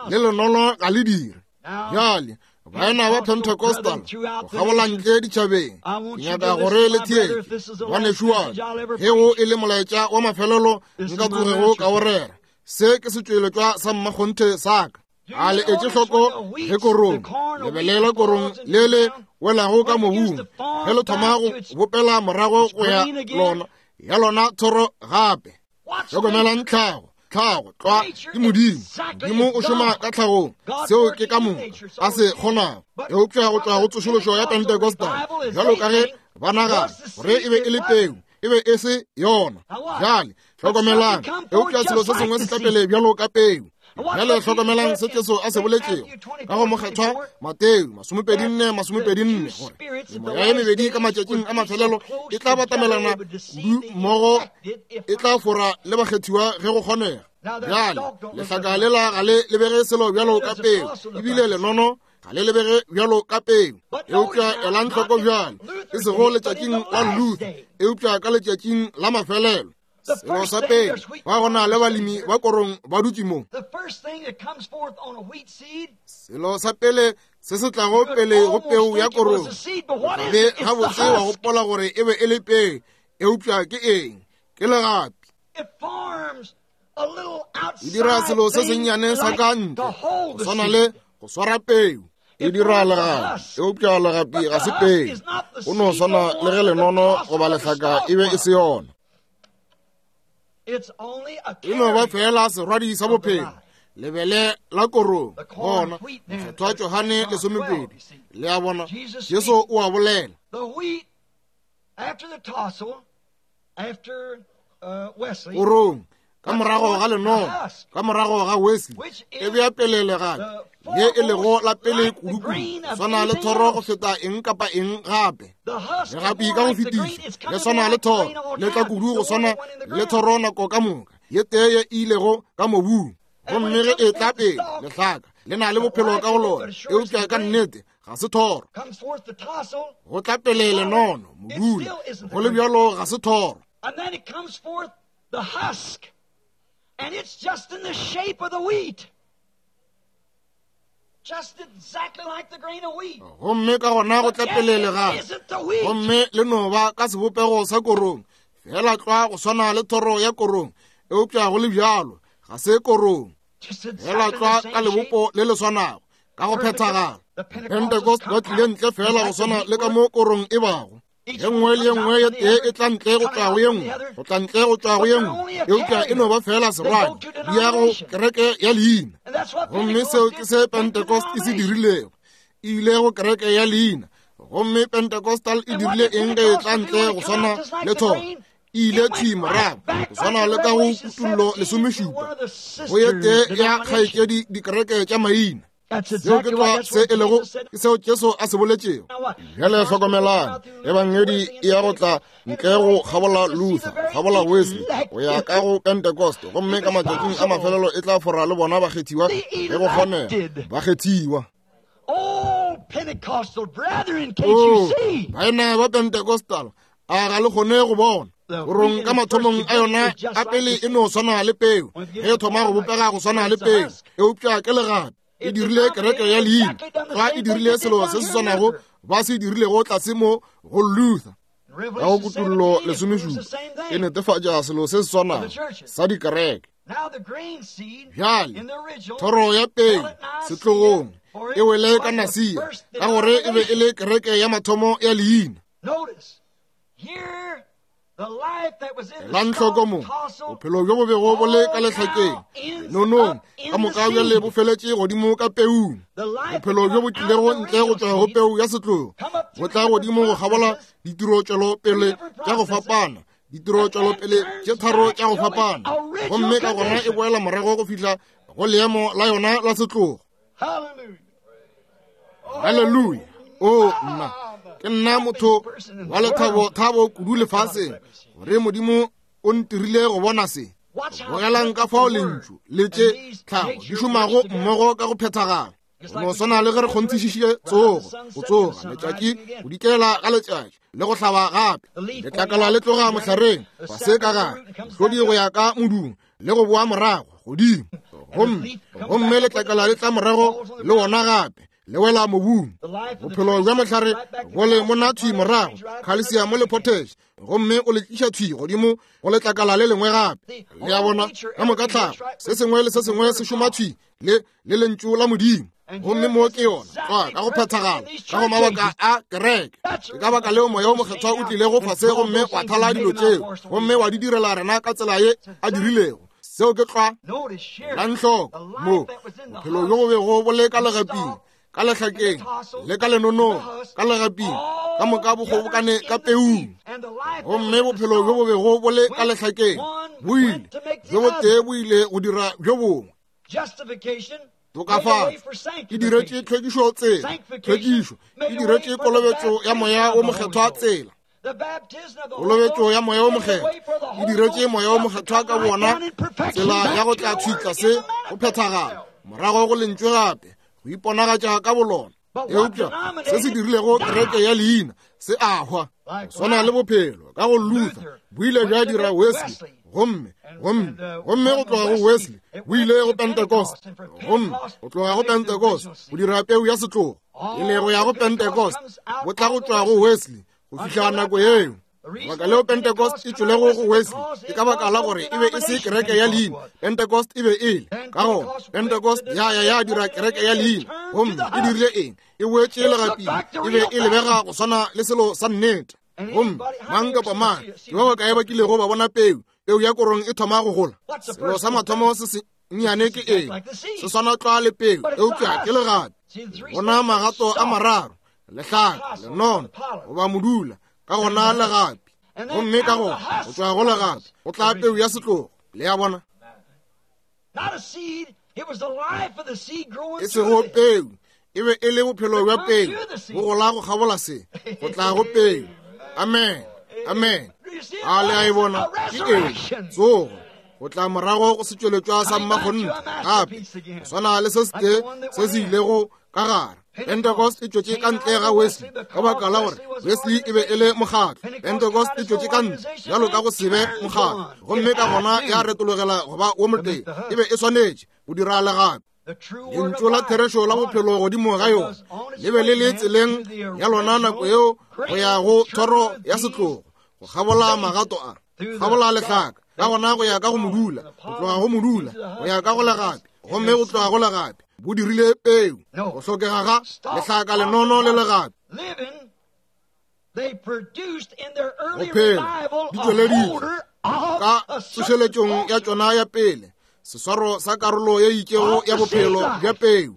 le lenono ga le dire. Bjale baena ba Pentecostal go kgabola ntle ditšhabeng, ke nyaka gore le theetše ngwanešu wa ka, ge o e le molaetša wa mafelelo nka tsogego ka o rera. Se ke setšweletšwa sa mmakgonthe sa ka. A le etše hloko ge korong, lebele la korong le le welago ka mobung, ge le thoma go bopela morago go ya lona ya lona thoro gape. Hlokomelang tlhago, tlhago tlwa ke Modimo. Modimo o šoma ka tlhagong, seo ke ka moka a se kgonago. Eupša go tšwa go tsošološo ya Pentecostal, bjalo ka ge ba nagana gore e be e le peu, e be e se yona. Bjale hlokomelang, eupša selo se sengwe se tla pele bjalo ka peu. Bjale hlokomelang se Jesu a se boletšego ka go mokgethwa Mateo masomepedi nne masomepedi nne, gore memoya ye mebedi ka matšatšing a mafelelo e tla batamelana kudu mmogo, e tla fora le bakgethiwa ge go kgonega. Bjale lehlaka lela ga le lebege selo bjalo ka peu, ebile lenono ga le lebege bjalo ka peu. Eupša elang hloko bjale, e sego letšatšing la Luther, eupša ka letšatšing la mafelelo. Selo sa pele, ba gona le balemi ba korong ba dutše mo. Selo sa pele se se tlago pele go peu ya korong, be gabotse wa gopola gore e be e le peu, eupša ke eng? Ke legapi. E dira selo se sennyane sa ka ntle, go swana le go swara peu. E dira legapi, eupša legapi ga se peu. Go no swana le ge lenono goba lehlaka e be e se yona. E no ba fela serwadi sa bophelo, lebele la korong. Gona mokgethwa Johane lesomepedi, le a bona, Jesu o a bolela. Korong ka morago ga lenono, ka morago ga Wesley, e bea pele legapi ye e lego la pele kudu-kudu, swana le thoro go feta eng kapa eng gape. Legapi ka go fetiša le swana le thoro, le tla kudu go swana le thoro nako ka moka ye tee ye e ilego ka mobung. Gomme ge e tla pele lehlaka le na le bophelo ka go lona, eupša ka nnete ga se thoro. Go tla pele lenono, modula, go le bjalo ga se thoro. And it's just in the shape of the wheat. Just exactly like the grain of wheat. Gomme ka gona go tla pele legapi, gomme le no ba ka sebopego sa korong, fela tlwa go swana le thoro ya korong, eupša go le bjalo ga se korong. Fela tlwa ka lebopo le le swanago, Ka go phethagala. Pentecost ba tlile ntle fela go swana le ka mo korong e bago. Ye nngwe le ye nngwe ye tee e tla ntle go tšwa go ye nngwe, go tla ntle go tšwa go ye nngwe, eupša e no ba fela serwadi, di ya go kereke ya leina. Gomme seo ke se Pentecost e se dirilego, e ile go kereke ya leina. Gomme Pentecostal e dirile eng ge e tla ntle go swana le thoro? E ile thwi morago go swana le ka go Kutullo lesomešupa, go ye tee ya kgaetšedi dikereke tša maina. Seo ke tlwa se e lego, ke seo Jesu a se boletšego. Bjale hlokomelang, ebangedi e ya go tla ntle go kgabola Luther, kgabola Wesley, go ya ka go Pentecost, gomme ka matšatšing a mafelelo e tla fora le bona bakgethiwa ge go kgonega, bakgethiwa. Oh, Pentecostal brethren, can't you see? Baena ba Pentecostal, a ga le kgone go bona? Korong ka mathomong a yona a pele e no swana le peu, ge e thoma go bopega go swana le peu, eupša ke legapi. E dirile kereke ya leina, ga e dirile selo se se swanago ba se dirilego tlase mo go Luther. Ka go Kutullo lesomešupa e netefatša selo se se swanago sa dikereke. Bjale thoro ya peu setlogong e wele ka Nasia, ka gore e be e le kereke ya mathomo ya leina. Elang hloko mo, bophelo bjo bo bego bo le ka lehlakeng, nonong, ka moka bjale bo feletše godimo ka peung. Bophelo bjo bo tlilego ntle go tšwa go peu ya setlogo, bo tla godimo go kgabola ditirotšwelopele tša go fapana, ditirotšwelopele tše tharo tša go fapana, gomme ka gona e boela morago go fihla go leemo la yona la setlogo. Haleluya! O nna, ke nna motho wa lethabo thabo kudu lefaseng gore Modimo o ntirile go bona se. Bogelang ka fao lentšu le tše tlhago di šomago mmogo ka go phethagala. Go no swana le ge re kgonthišišitše tsogo, go tsoga letšatši, go dikela ga letšatši le go hlaba gape. Letlakala le tloga mohlareng fase ka gare, hlodi go ya ka modung le go boa morago godimo, gomme gomme letlakala le tla morago le wona gape, le wela mobung. Bophelo bja mohlare bo le mona thwi morago, khalsiamo le potash, gomme o le tliša thwi godimo go letlakala le lengwe gape. Le a bona, ka moka tlhago, se sengwe le se sengwe se šoma thwi le le lentšu la Modimo. Gomme mo ke yona tlwa ka go phethagala ka go mabaka a kereke. Ke ka baka leo Moya o Mokgethwa o tlilego fase gomme wa thala dilo tšeo, gomme wa di direla rena ka tsela ye a dirilego. Seo ke tlwa. Elang hloko mo, bophelo bjo bo bego bo le ka legaping, ka lehlakeng, le ka lenonong, ka legaping, ka moka bo kgobokane ka peung. Gomme bophelo bjo bo bego bo le ka lehlakeng bo ile, bjo botee bo ile go dira bjo bongwe. Tokafatšo e diretše tlhwekišo tsela, tlhwekišo e diretše kolobetšo ya Moya wo Mokgethwa tsela. Kolobetšo ya Moya wo Mokgethwa e diretše Moya wo Mokgethwa ka bona tsela ya go tla thwi tlase go phethagala, morago go lentšwe gape, go iponagatša ka bolona. Eupša se se dirilego kereke ya leina se a hwa, go swana le bophelo ka go Luther bo ile bja dira Wesley, gomme gomme gomme go tloga go Wesley bo ile go Pentecost, gomme go tloga go Pentecost go dira peu ya setlogo, e le go ya go Pentecost, bo tla go tšwa go Wesley go fihla nako yeo. Lebaka leo Pentecost e tšwelego go Wesley ke ka baka la gore e be e se kereke ya leina. Pentecost e be e le ka gona Pentecost ya ya ya dira kereke ya leina, gomme e dirile eng? E boetše legaping, e be e lebega go swana le selo sa nnete. Gomme mang kapa mang ke ba bakae ba kilego ba bona peu, peu ya korong e thoma go gola? Selo sa mathomo se se nnyane ke eng? Se swana tlwa le peu, eupša ke legapi. Bona magato a mararo, lehlaka, lenono goba modula, ka gona legapi, gomme ka gona go tšwa go legapi go tla peu ya setlogo. Le a bona, e sego peu, e be e le bophelo bja peu bo gola go kgabola se, go tla go peu. Amen, amen. A le a e bona? Ke eng? Tsogo, go tla morago go setšweletšwa sa mmakgonthe gape, go swana le se setee se se ilego ka gare. Pentecost e tšwetše ka ntle ga Wesley ka baka la gore Wesley e be e le mokgatlo. Pentecost e tšwetše ka ntle bjalo ka go se be mokgatlo, gomme ka gona ya retologela go ba wo motee. E be e swanetše go dira legapi. Lentšu la therešo la bophelo godimo ga yona le be le le tseleng ya lona nako yeo go ya go thoro ya setlogo, go kgabola magato a, kgabola lehlaka, ka gona go ya ka go modula, go tloga go modula go ya ka go legapi, gomme go tloga go legapi bo dirile peu. Go hlokega ga lehlaka lenono le legapi. Go phela di tšweleditše ka tsošeletšong ya tšona ya pele seswaro sa karolo ye itšego ya bophelo bja peu.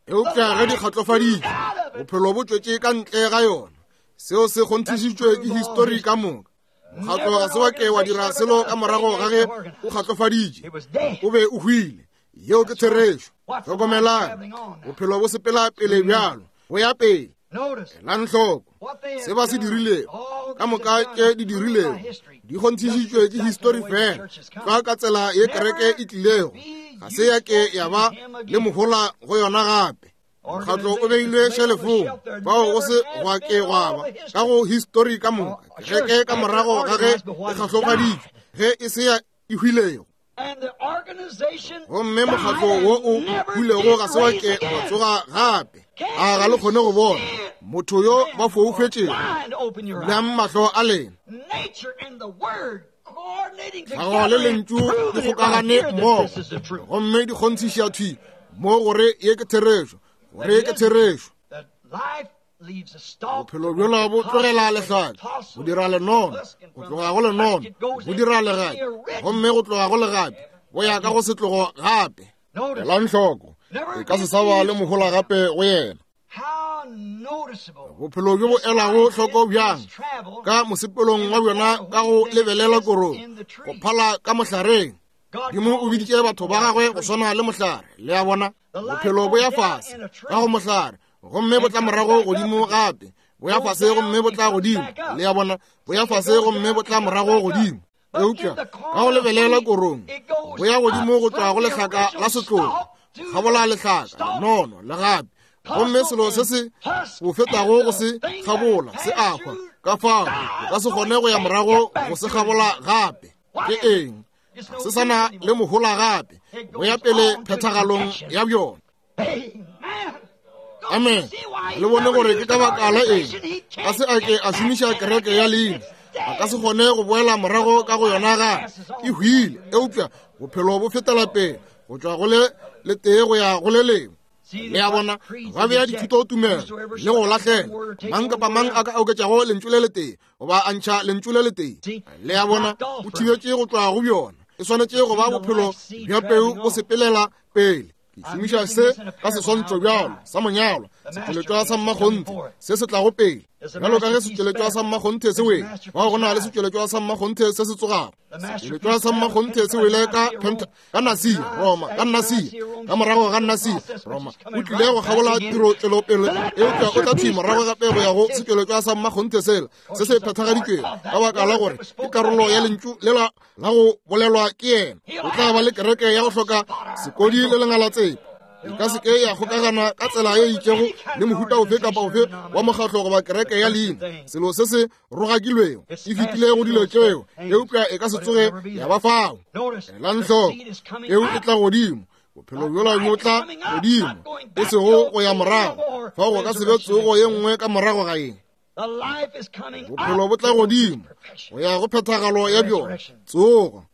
Eupša ge di kgatlofaditše, bophelo bo tšwetše ka ntle ga yona. Seo se kgonthišitšwe ke histori ka moka. Mokgatlo ga se wa ke wa dira selo ka morago ga ge o kgatlofaditše, o be o hwile. Yeo ke therešo. Hlokomelang, bophelo bo sepela pele bjalo, bo ya pele. Elang hloko se ba se dirilego, ka moka tše di dirilego di kgonthišitšwe ke histori fela tlwa ka tsela ye kereke e tlilego. Ga se ya ke ya ba le mohola go yona gape. Mokgatlo o beilwe šelefong, fao go se gwa ke gwa ba ka go histori ka moka. Kereke ka morago ga ge e kgahlofaditšwe, ge e se ya e hwilego. Gomme mokgatlo wo o hwilego ga se wa ke wa tsoga gape. A ga le kgone go bona motho yo ba foufetšego? Bulang mahlo a lena. Tlhago le lentšu di kgokagane mmogo, gomme di kgonthiša thwi mo gore ye ke therešo, gore ke therešo. Bophelo bjola bo tlogela lehlaka go dira lenono, go tloga go lenono go dira legapi, gomme go tloga go legapi go ya ka go setlogo gape. Elang hloko, e ka se sa ba le mohola gape go yena. Bophelo bjo bo elago hloko bjang ka mosepelong wa bjona ka go lebelela korong, go phala ka mohlareng. Modimo o biditše batho ba gagwe go swana le mohlare. Le a bona, bophelo bo ya fase ka go mohlare, gomme bo tla morago godimo gape. Bo ya fase gomme bo tla godimo. Le a bona, bo ya fase gomme bo tla morago godimo. Eupša ka go lebelela korong, bo ya godimo go tšwa go lehlaka la setlogo, kgabola lehlaka, lenono, legapi, gomme selo se se bo fetago go se kgabola se a hwa. Ka fao o ka se kgone go ya morago go se kgabola gape. Ke eng? Se sa na le mohola gape, go ya pele phethagalong ya bjona. Amen. Le bone gore ke ka baka la eng a se a ke a šomiša kereke ya leina. A ka se kgone go boela morago ka go yona gape, e hwile. Eupša bophelo bo fetela pele go tšwa go le letee go ya go le lengwe. Le a bona, ba bea dithutotumelo le go lahlela. Mang kapa mang a ka oketšago lentšu le letee goba a ntšha lentšu le letee, le a bona, o thibetše go tšwa go bjona. E swanetše go ba bophelo bja peu bo sepelela pele. Ke šomiša se ka seswantšho bjalo sa monyalwa, setšweletšwa sa mmakgonthe se se tlago pele. Bjalo ka ge setšweletšwa sa mmakgonthe se wele, fao go na le setšweletšwa sa mmakgonthe se se tsogago. Setšweletšwa sa mmakgonthe se wele ka Penta, ka Nasia, Roma, ka Nasia, ka morago ga Nasia, Roma. O tlile go kgabola tiro tšwelopele, eupša o tla thwi morago gape go ya go setšweletšwa sa mmakgonthe sela se se phethagaditšwego, ka baka la gore ke karolo ya lentšu lela la go bolelwa ke yena. O tla ba le kereke ya go hloka sekodi le lengalatsepe. E ka se ke ya kgokagana ka tsela ye itšego le mohuta ofe kapa ofe wa mokgatlo goba kereke ya leina, selo se se rogakilwego. E fetile go dilo tšeo, eupša e ka se tsoge ya ba fao. Elang hloko, peu e tla godimo, bophelo bjola bo tla godimo, e sego go ya morago. Fao go ka se be tsogo ye nngwe ka morago ga ye. Bophelo bo tla godimo go ya go phethagalo ya bjona, tsogo.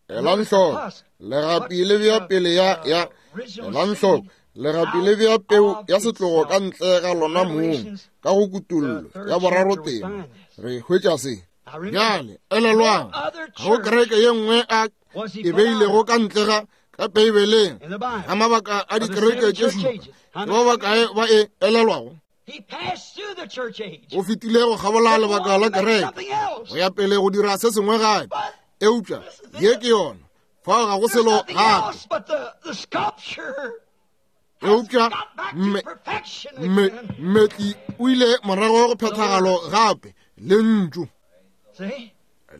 Elang hloko, legapi le bea pele ya ya elang hloko, legapi le bea peu ya setlogo ka ntle ga lona mong ka go kutollo ya boraro tema. Re hwetša se. Bjale elelwang, ga go kereke ye nngwe a e beilego ka ntle ga ka Beibeleng ga mabaka a dikereke tše šupa. Ke ba bakae ba e elelwago? O fetile go kgabola lebaka la kereke go ya pele go dira se sengwe gape, eupša ye ke yona. Fao ga go selo gape. Eupša mmetli o ile morago go phethagalo gape lentšu.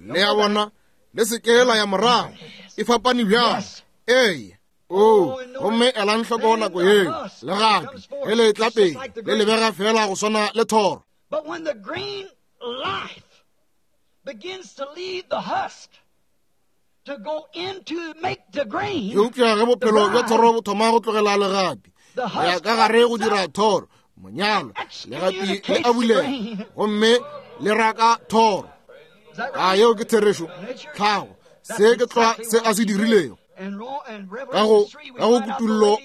Le a bona, le se ke la ya morago. E fapane bjang? Ee. O, gomme elang hloko nako yeo legapi ge le tla pele le lebega fela go swana le thoro. Eupša ge bophelo bja thoro bo thoma go tlogela legapi go ya ka gare go dira thoro, monyalwa, legapi le a bulega gomme le raka thoro. A yeo ke therešo? Tlhago Se ke tlwa se a se dirilego. Ka go ka go kutullo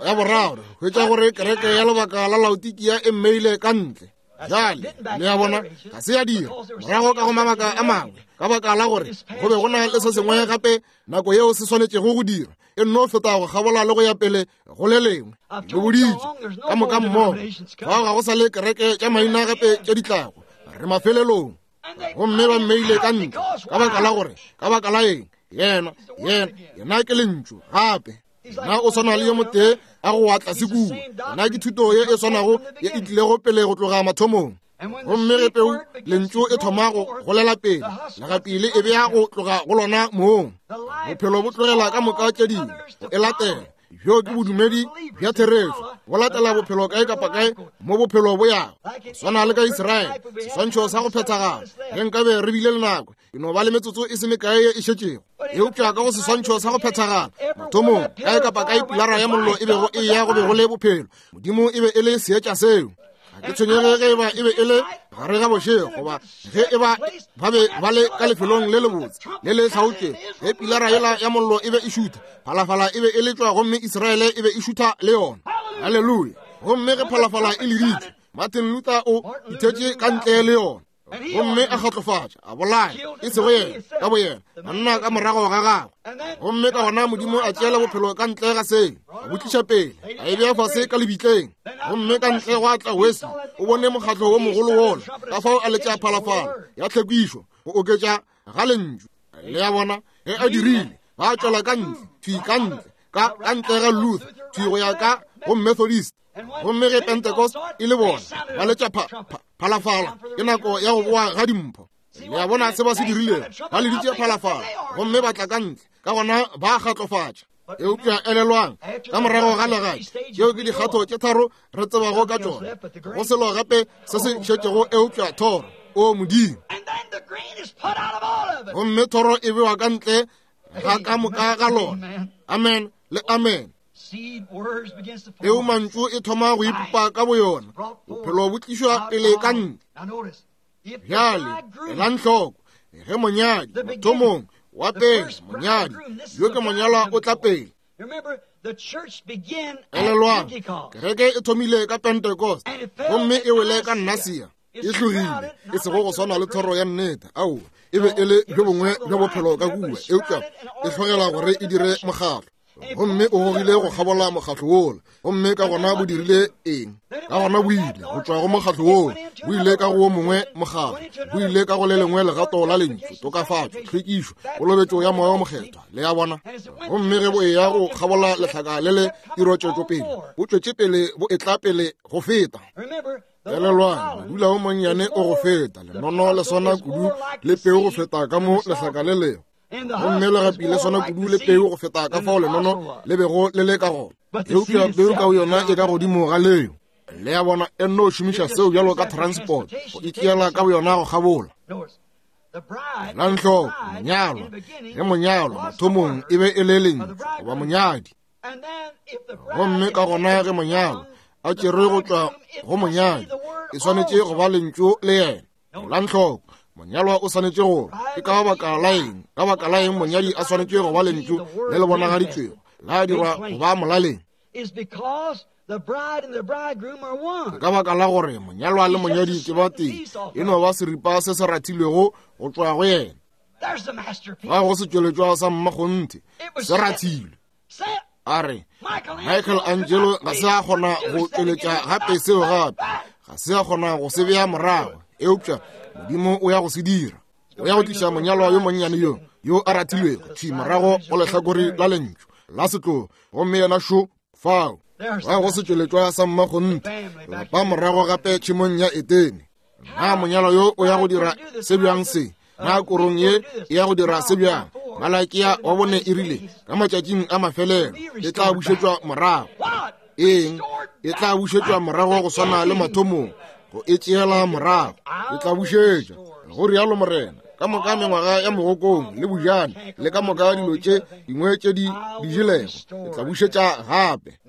ya boraro, hwetša gore kereke ya lebaka la Laodikia e mmeile ka ntle. Bjale, le a bona, ga se ya dira morago ka go mabaka a mangwe, ka baka la gore go be go na le se sengwe gape nako yeo se swanetšego go dira, e nno feta go kgabola le go ya pele go le lengwe. Le boditše ka moka mmogo, fao ga go sa le kereke tša maina gape tše di tlago, re mafelelong. Gomme ba mmeile ka ntle ka baka la gore, ka baka la eng? Yena, yena, yena ke lentšu gape. Yena o swana le yo motee a go wa tlase kua. Yena ke thuto ye e swanago ye e tlilego pele go tloga mathomong. Gomme ge peu lentšu e thoma go golela pele, legapi le e bea go tloga go lona mong. Bophelo bo tlogela ka moka tše dingwe go e latela. Bjo ke bodumedi bja therešo, bo latela bophelo kae kapa kae mo bophelo bo yago. Swana le ka Israele, seswantšho sa go phethagala. Ge nkabe re bile le nako, e no ba le metsotso e se mekae ye e šetšego. Eupša ka go seswantšho sa go phethagala, mathomong, kae kapa kae pilara ya mollo e bego e ya go be go le bophelo. Modimo e be e le seetša seo. Ga ke tshwenyege ge eba e be e le gare ga bošego goba ge eba ba be ba le ka lefelong le lebotse le le hlaotšwego. Ge pilara yela ya mollo e be e šutha, phalafala e be e letšwa gomme Israele e be e šutha le yona. Haleluya! Gomme ge phalafala e leditšwe, Martin Luther o ithetše ka ntle le yona, gomme a kgatlofatša, a bolaya, e sego yena ka boyena, banna ka morago ga gagwe. Gomme ka gona Modimo a tšeela bophelo ka ntle ga sele, a bo tliša pele, a e bea fase ka lebitleng. Gomme ka ntle gwa tla Wesley, o bone mokgatlo wo mogolo wola, ka fao a letša phalafala ya tlhwekišo go oketša ga lentšu. Le a bona, ge a dirile, ba tšwela ka ntle, thwi ka ntle, ka ka ntle ga Luther, thwi go ya ka go Methodist. Gomme ge Pentecost e le bona, ba letša phalafala, ke nako ya go boa ga dimpho. Le a bona se ba se dirilego, ba leditše phalafala gomme ba tla ka ntle, ka gona ba kgatlofatša. Eupša elelwang, ka morago ga legae, tšeo ke dikgatho tše tharo re tsebago ka tšona, go selo gape se se šetšego eupša thoro. O Modimo! Gomme thoro e bewa ka ntle ga ka moka ga lona. Amen le amen. Peu mantšu e thoma go ipopa ka boyona, bophelo bo tlišwa pele ka ntle. Bjale, elang hloko, ge monyadi mathomong wa pele, monyadi yo ke monyalwa o tla pele. Elelwang, kereke e thomile ka Pentecost gomme e wele ka Nasia. E hlogile, e sego go swana le thoro ya nnete. Aowa, e be e le bjo bongwe bja bophelo ka kua, eupša e hlogela gore e dire mokgatlo. Gomme o gogile go kgabola mokgatlo wola, gomme ka gona bo dirile eng? Ka gona bo ile go tšwa go mokgatlo wola, bo ile ka go wo mongwe mokgatlo, bo ile ka go le lengwe legato la lentšu, tokafatšo, tlhwekišo, kolobetšo ya Moya wo Mokgethwa. Le a bona? Gomme ge bo eya go kgabola lehlaka le le tirotšwetšo pele, bo tšwetše pele, bo etla pele go feta. Elelwang, modula wo monnyane o go feta, lenono le swana kudu le peu go feta ka mo lehlaka le lego. Gomme legapi le swana kudu le peu go feta ka fao lenono le bego le le ka gona. Eupša peu ka yona e ka godimo ga leo. Le a bona, e nno šomiša seo bjalo ka transport go itšeela ka boyona go kgabola. Elang hloko, monyalwa, ge monyalwa mathomong e be e le lentšu goba monyadi. Gomme ka gona ge monyalwa a tšerwe go tšwa go monyadi, e swanetše go ba lentšu le yena. Elang hloko, monyalwa o swanetše gore ke ka baka la eng, ka baka la eng monyadi a swanetše go ba lentšu le le bonagaditšwego la dirwa go ba molaleng. Ke ka baka la gore monyalwa le monyadi ke ba tee, e no ba seripa se se rathilwego go tšwa go yena. Ga go setšweletšwa sa mmakgonthe, se rathilwe. A re, Michael Angelo ga se a kgona go tšweletša gape seo gape, ga se a kgona go se bea morago, eupša Modimo o ya go se dira. O ya go tliša monyalwa yo monnyane yo, yo a rathilwego thwi morago go lehlakore la lentšu la setlogo, gomme yena šo fao. Ga go setšweletšwa sa mmakgonthe, lapa morago gape tšhemong ya Etene. Na monyalwa yo o ya go dira se bjang se? Na korong ye e ya go dira se bjang? Malakia wa bone e rile ka matšatšing a mafelelo e tla bušetšwa morago. Eng? E tla bušetšwa morago go swana le mathomong, go e tšeela morago. E tla bušetšwa, go rialo Morena, ka moka mengwaga ya mogokong le bojane le ka moka dilo tše dingwe tše di di jelego, e tla bušetša gape.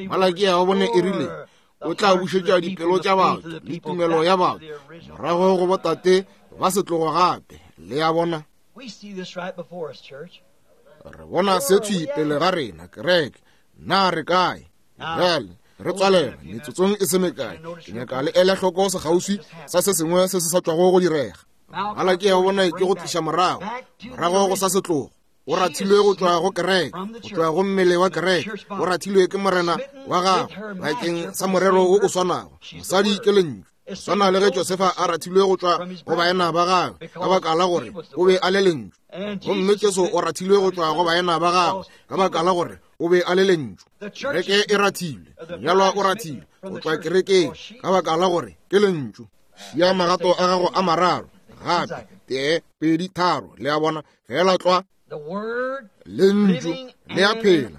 Malakia wa bone e rile o tla bušetša dipelo tša batho le tumelo ya batho morago go botate ba setlogo gape. Le a bona? Re bona se thwi pele ga rena, kereke. Na re kae? Bjale re tswalela metsotsong e se mekae. Ke nyaka le ele hloko sekgauswi sa se sengwe se se sa tšwago go direga. Malaki ya bona ke go tliša morago, morago go sa setlogo. O rathilwe go tšwa go kereke, go tšwa go mmele wa kereke. O rathilwe ke morena wa gagwe bakeng sa morero wo o swanago. Mosadi ke lentšu. Swana le ge Josefa a rathilwe go tšwa go baena ba gagwe ka baka la gore o be a le lentšu. Gomme Jesu o rathilwe go tšwa go baena ba gagwe ka baka la gore o be a le lentšu. Kereke e rathilwe, monyalwa o rathilwe go tšwa kerekeng ka baka la gore ke lentšu. Šia magato a gago a mararo gape, tee, pedi, tharo, le a bona, fela tlwa. Lentšu le a phela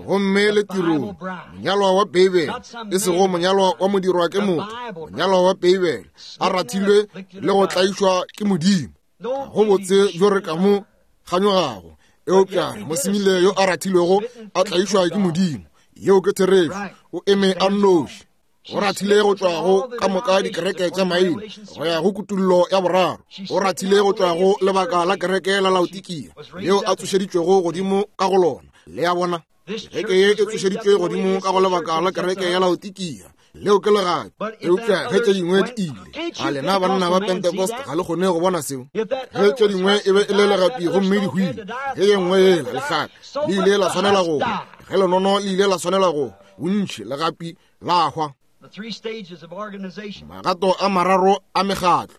gomme le tirong. Monyalwa wa Beibele, e sego monyalwa wa modirwa ke motho, monyalwa wa Beibele a rathilwe le go tlaišwa ke Modimo. Go botse bjo re ka mo kganyogago, eupša mosemile yo a rathilwego a tlaišwa ke Modimo. Yeo ke therešo. O eme a nnoši. O rathile go tšwa go ka moka dikereke tša maina go ya go kutullo ya boraro. O rathile go tšwa go lebaka la kereke la Laodikia leo a tsošeditšwego godimo ka go lona. Le a bona, kereke ye e tsošeditšwe godimo ka go lebaka la kereke ya Laodikia leo ke legapi. Eupša ge tše dingwe di ile, a lena banna ba Pentecost ga le kgone go bona seo? Ge tše dingwe e be e le legapi gomme di hwile, ge ye nngwe yela lehlaka le ile la swanela go hwa, ge lenono le ile la swanela go bontši legapi la hwa. Magato a mararo a mekgatlo.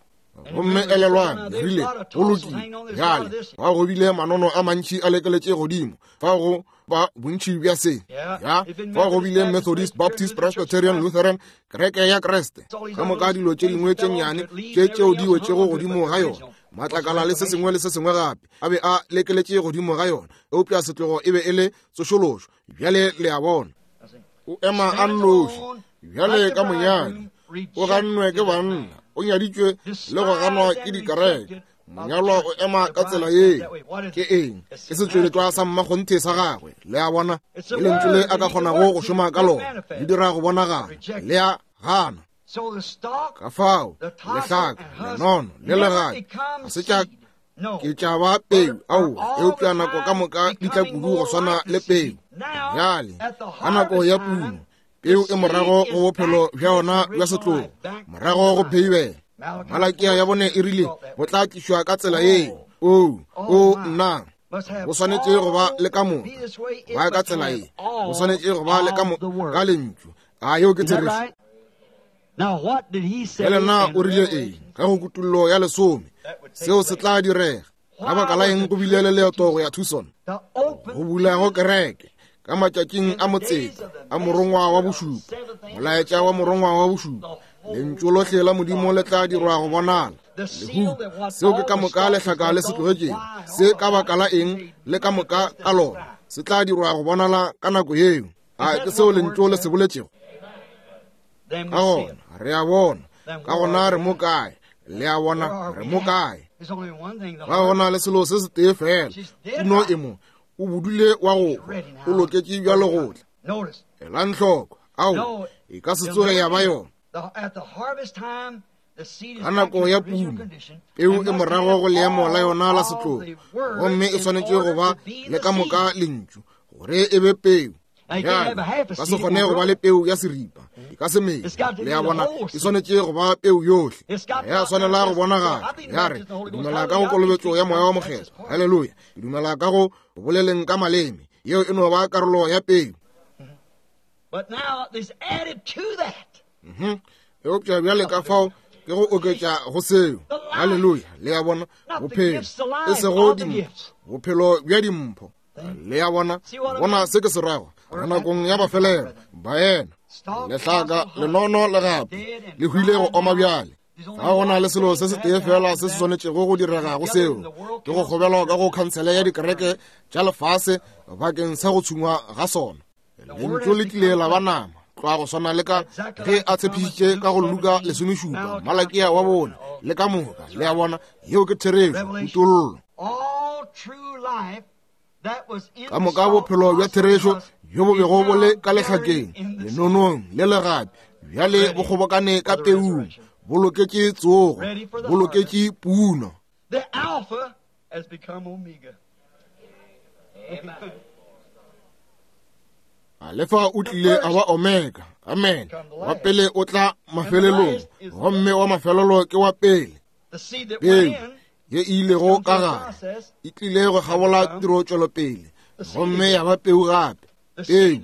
Gomme elelwang, rile go lokile. Bjale fa go bile manono a mantši a lekeletše godimo, fa go ba bontši bja se. Ya, fa go bile Methodist, Baptist, Presbyterian, Lutheran, kereke ya Kriste, ka moka dilo tše dingwe tše nnyane tše tšeo di wetšego godimo ga yona, matlakala le se sengwe le se sengwe gape a be a lekeletše godimo ga yona, eupša setlogo e be e le tsošološo. Bjale le a bona, o ema a nnoši bjale ka monyadi, o gannwe ke banna, o nyaditšwe le go ganwa ke dikereke. Monyalwa o ema ka tsela ye. Ke eng? Ke setšweletšwa sa mmakgonthe sa gagwe. Le a bona, ke lentšu le a ka kgonago go šoma ka lona, le dira go bonagala. Le a gana. Ka fao lehlaka, lenono le legapi ga se tša ke tša ba peu, aowa, eupša nako ka moka di tla kudu go swana le peu. Bjale ka nako ya puno, peu e morago go bophelo bja yona bja setlogo, morago go Beibele. Malakia ya bone e rile bo tla tlišwa ka tsela yeo. O, o nna, bo swanetše go ba le ka moka, ba ka tsela ye, bo swanetše go ba le ka moka lentšu. A yeo ke therešo? Bjale na o rile eng ka go kutullo ya lesome? Seo se tla direga. Ka baka la eng go bile le leeto go ya Tucson? Go bula go kereke ka matšatšing a motseta a morongwa wa bošupa, molaetša wa morongwa wa bošupa, lentšu lohle la Modimo le tla dirwa go bonala. Lehu, seo ke ka moka lehlaka le se tlogetšego, se ka baka la eng le ka moka ka lona, se tla dirwa go bonala ka nako yeo. A ke seo lentšu le se boletšego? Ka gona re a bona, ka gona re mo kae? Le a bona, re mo kae? Ga gona le selo se setee fela, puno e mo, o bodule wa go o loketše bjalo go tla. Elang hloko, ao e ka se tsoge ya ba yona. Ka nako ya puno, peu e morago go leemo la yona la setlogo, gomme e swanetše go ba le ka moka lentšu gore e be peu. Bjale ka se kgone go ba le peu ya seripa, e ka se mele. Le a bona, e swanetše go ba peu yohle. Ya swanela go bonagala. Ya re, ke dumela ka go kolobetšo ya Moya wa Mokgethwa. Haleluya. Ke dumela ka go boleleng ka maleme. Yeo e no ba karolo ya peu. Eupša bjale ka fao ke go oketša go seo. Haleluya. Le a bona, bophelo e sego dimpho, bophelo bja dimpho. Le a bona, bona se ke se rago. Re nakong ya mafelelo, baena, lehlaka, lenono le gape le hwile go oma bjale. Ga gona le selo se setee fela se se swanetšego go direga go seo, ke go kgobelwa ka go khansele ya dikereke tša lefase bakeng sa go tshungwa ga sona. Lentšu le tlile la ba nama, tlwa go swana le ka ge a tshepišitše ka go Luka lesomešupa, Malakia wa bone le ka moka. Le a bona, yeo ke therešo, kutollo. Ka moka bophelo bja therešo bjo bo bego bo le ka lehlakeng, lenonong le legapi, bjale bo kgobokane ka peung, bo loketše tsogo, bo loketše puno. has become Omega. Amen. Alefa o tlile a ba Omega. Amen. Wa pele o tla mafelelong, gomme wa mafelelo ke wa pele. Peu ye e ilego ka gare e tlile go kgabola tiro tšwelopele, gomme ya ba peu gape. Peu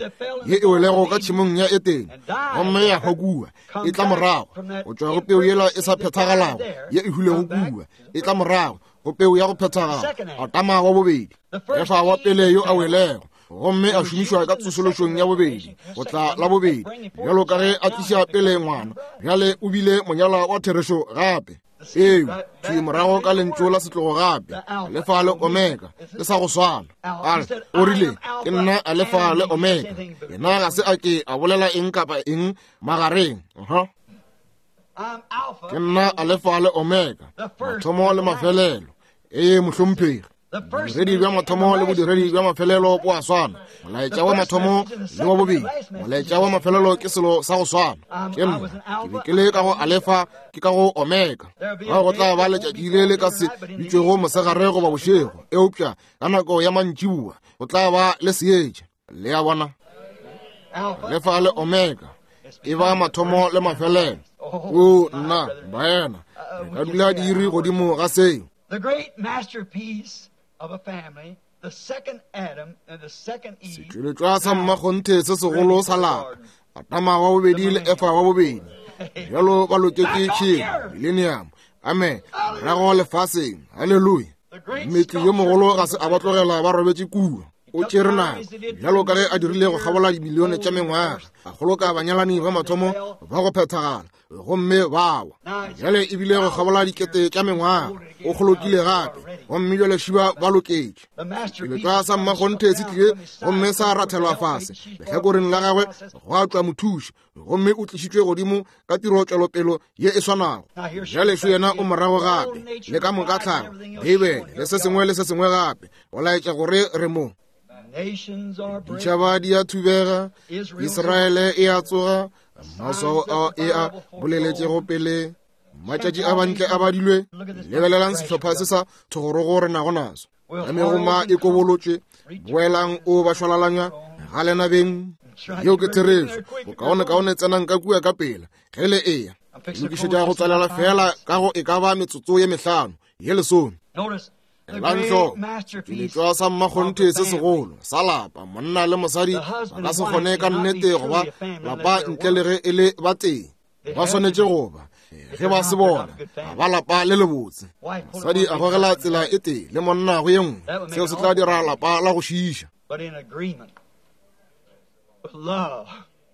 ye e welego ka tšhemong ya Etene, gomme ya hwa kua, e tla morago go tšwa go peu yela e sa phethagalago ye e hwilego kua, e tla morago go peu ya go phethagala, Adama wa bobedi, Efa wa pele yo a welego, gomme a šomišwa ka tsosološong ya bobedi, go tla la bobedi, bjalo ka ge a tliša pele ngwana, bjale o bile monyalwa wa therešo gape. Peu thwi morago ka lentšu la setlogo gape, Alefa le Omega, le sa go swana. A re, o rile, ke nna Alefa le Omega. Yena ga se a ke a bolela eng kapa eng magareng. Uh-huh. Ke nna Alefa le Omega, mathomo le mafelelo. Ee, mohlomphegi. Bodiredi bja mathomo le bodiredi bja mafelelo bo a swana. Molaetša wa mathomo le wa bobedi, molaetša wa mafelelo ke selo sa go swana. Ke nna, ke be ke le ka go Alefa, ke ka go Omega. Ga go tla ba letšatši le le ka se bitšwego mosegare goba bošego, eupša ka nako ya mantšiboa go tla ba le seetša. Le a bona? Alefa le Omega e ba mathomo le mafelelo. O nna, baena, re ka dula diiri godimo ga seo. The great masterpiece of a family, the second Adam and the second Eve. Setšweletšwa sa mmakgonthe se segolo sa lapa, Adama wa bobedi le Efa wa bobedi, bjalo ba loketše tšhemo, millennium. Amen. Morago lefaseng. Haleluya. Mmetli yo mogolo ga se a ba tlogela ba robetše kua. O tšere nako, bjalo ka ge a dirile go kgabola dimilione tša mengwaga, a kgoloka banyalani ba mathomo ba go phethagala, gomme ba wa. Bjale e bile go kgabola dikete tša mengwaga, o kgolokile gape, gomme bjale šiba ba loketše. Setšweletšwa sa mmakgonthe se tlile gomme sa rathelwa fase lehlakoreng la gagwe, gwa tšwa mothuši, gomme o tlišitšwe godimo ka tiro tšwelopelo ye e swanago. Bjale šo yena o morago gape, le ka moka tlhago, Beibele le se sengwe le se sengwe gape, go laetša gore re mo. Ditšhaba di a thubega, Israele e a tsoga, maswao ao e a boleletšego pele, matšatši a bantle a badilwe. Lebelelang sehlopha se sa thogorogo re nago naso, ka megoma e kobolotšwe, boelang o ba šwalalanya ga lena beng. Yeo ke therešo. Bokaonekaone tsenang ka kua ka pela ge le eya. Lokišetša go tswalela fela ka go e ka ba metsotso ye mehlano ye lesome. Elang hloko, setšweletšwa sa mmakgonthe se segolo sa lapa, monna le mosadi ba ka se kgone ka nnete go ba lapa ntle le ge e le ba tee. Ba swanetše go ba, ge ba se bona, ga ba lapa le lebotse. Mosadi a gogela tsela e tee le monna go ye nngwe, seo se tla dira lapa la go šiiša.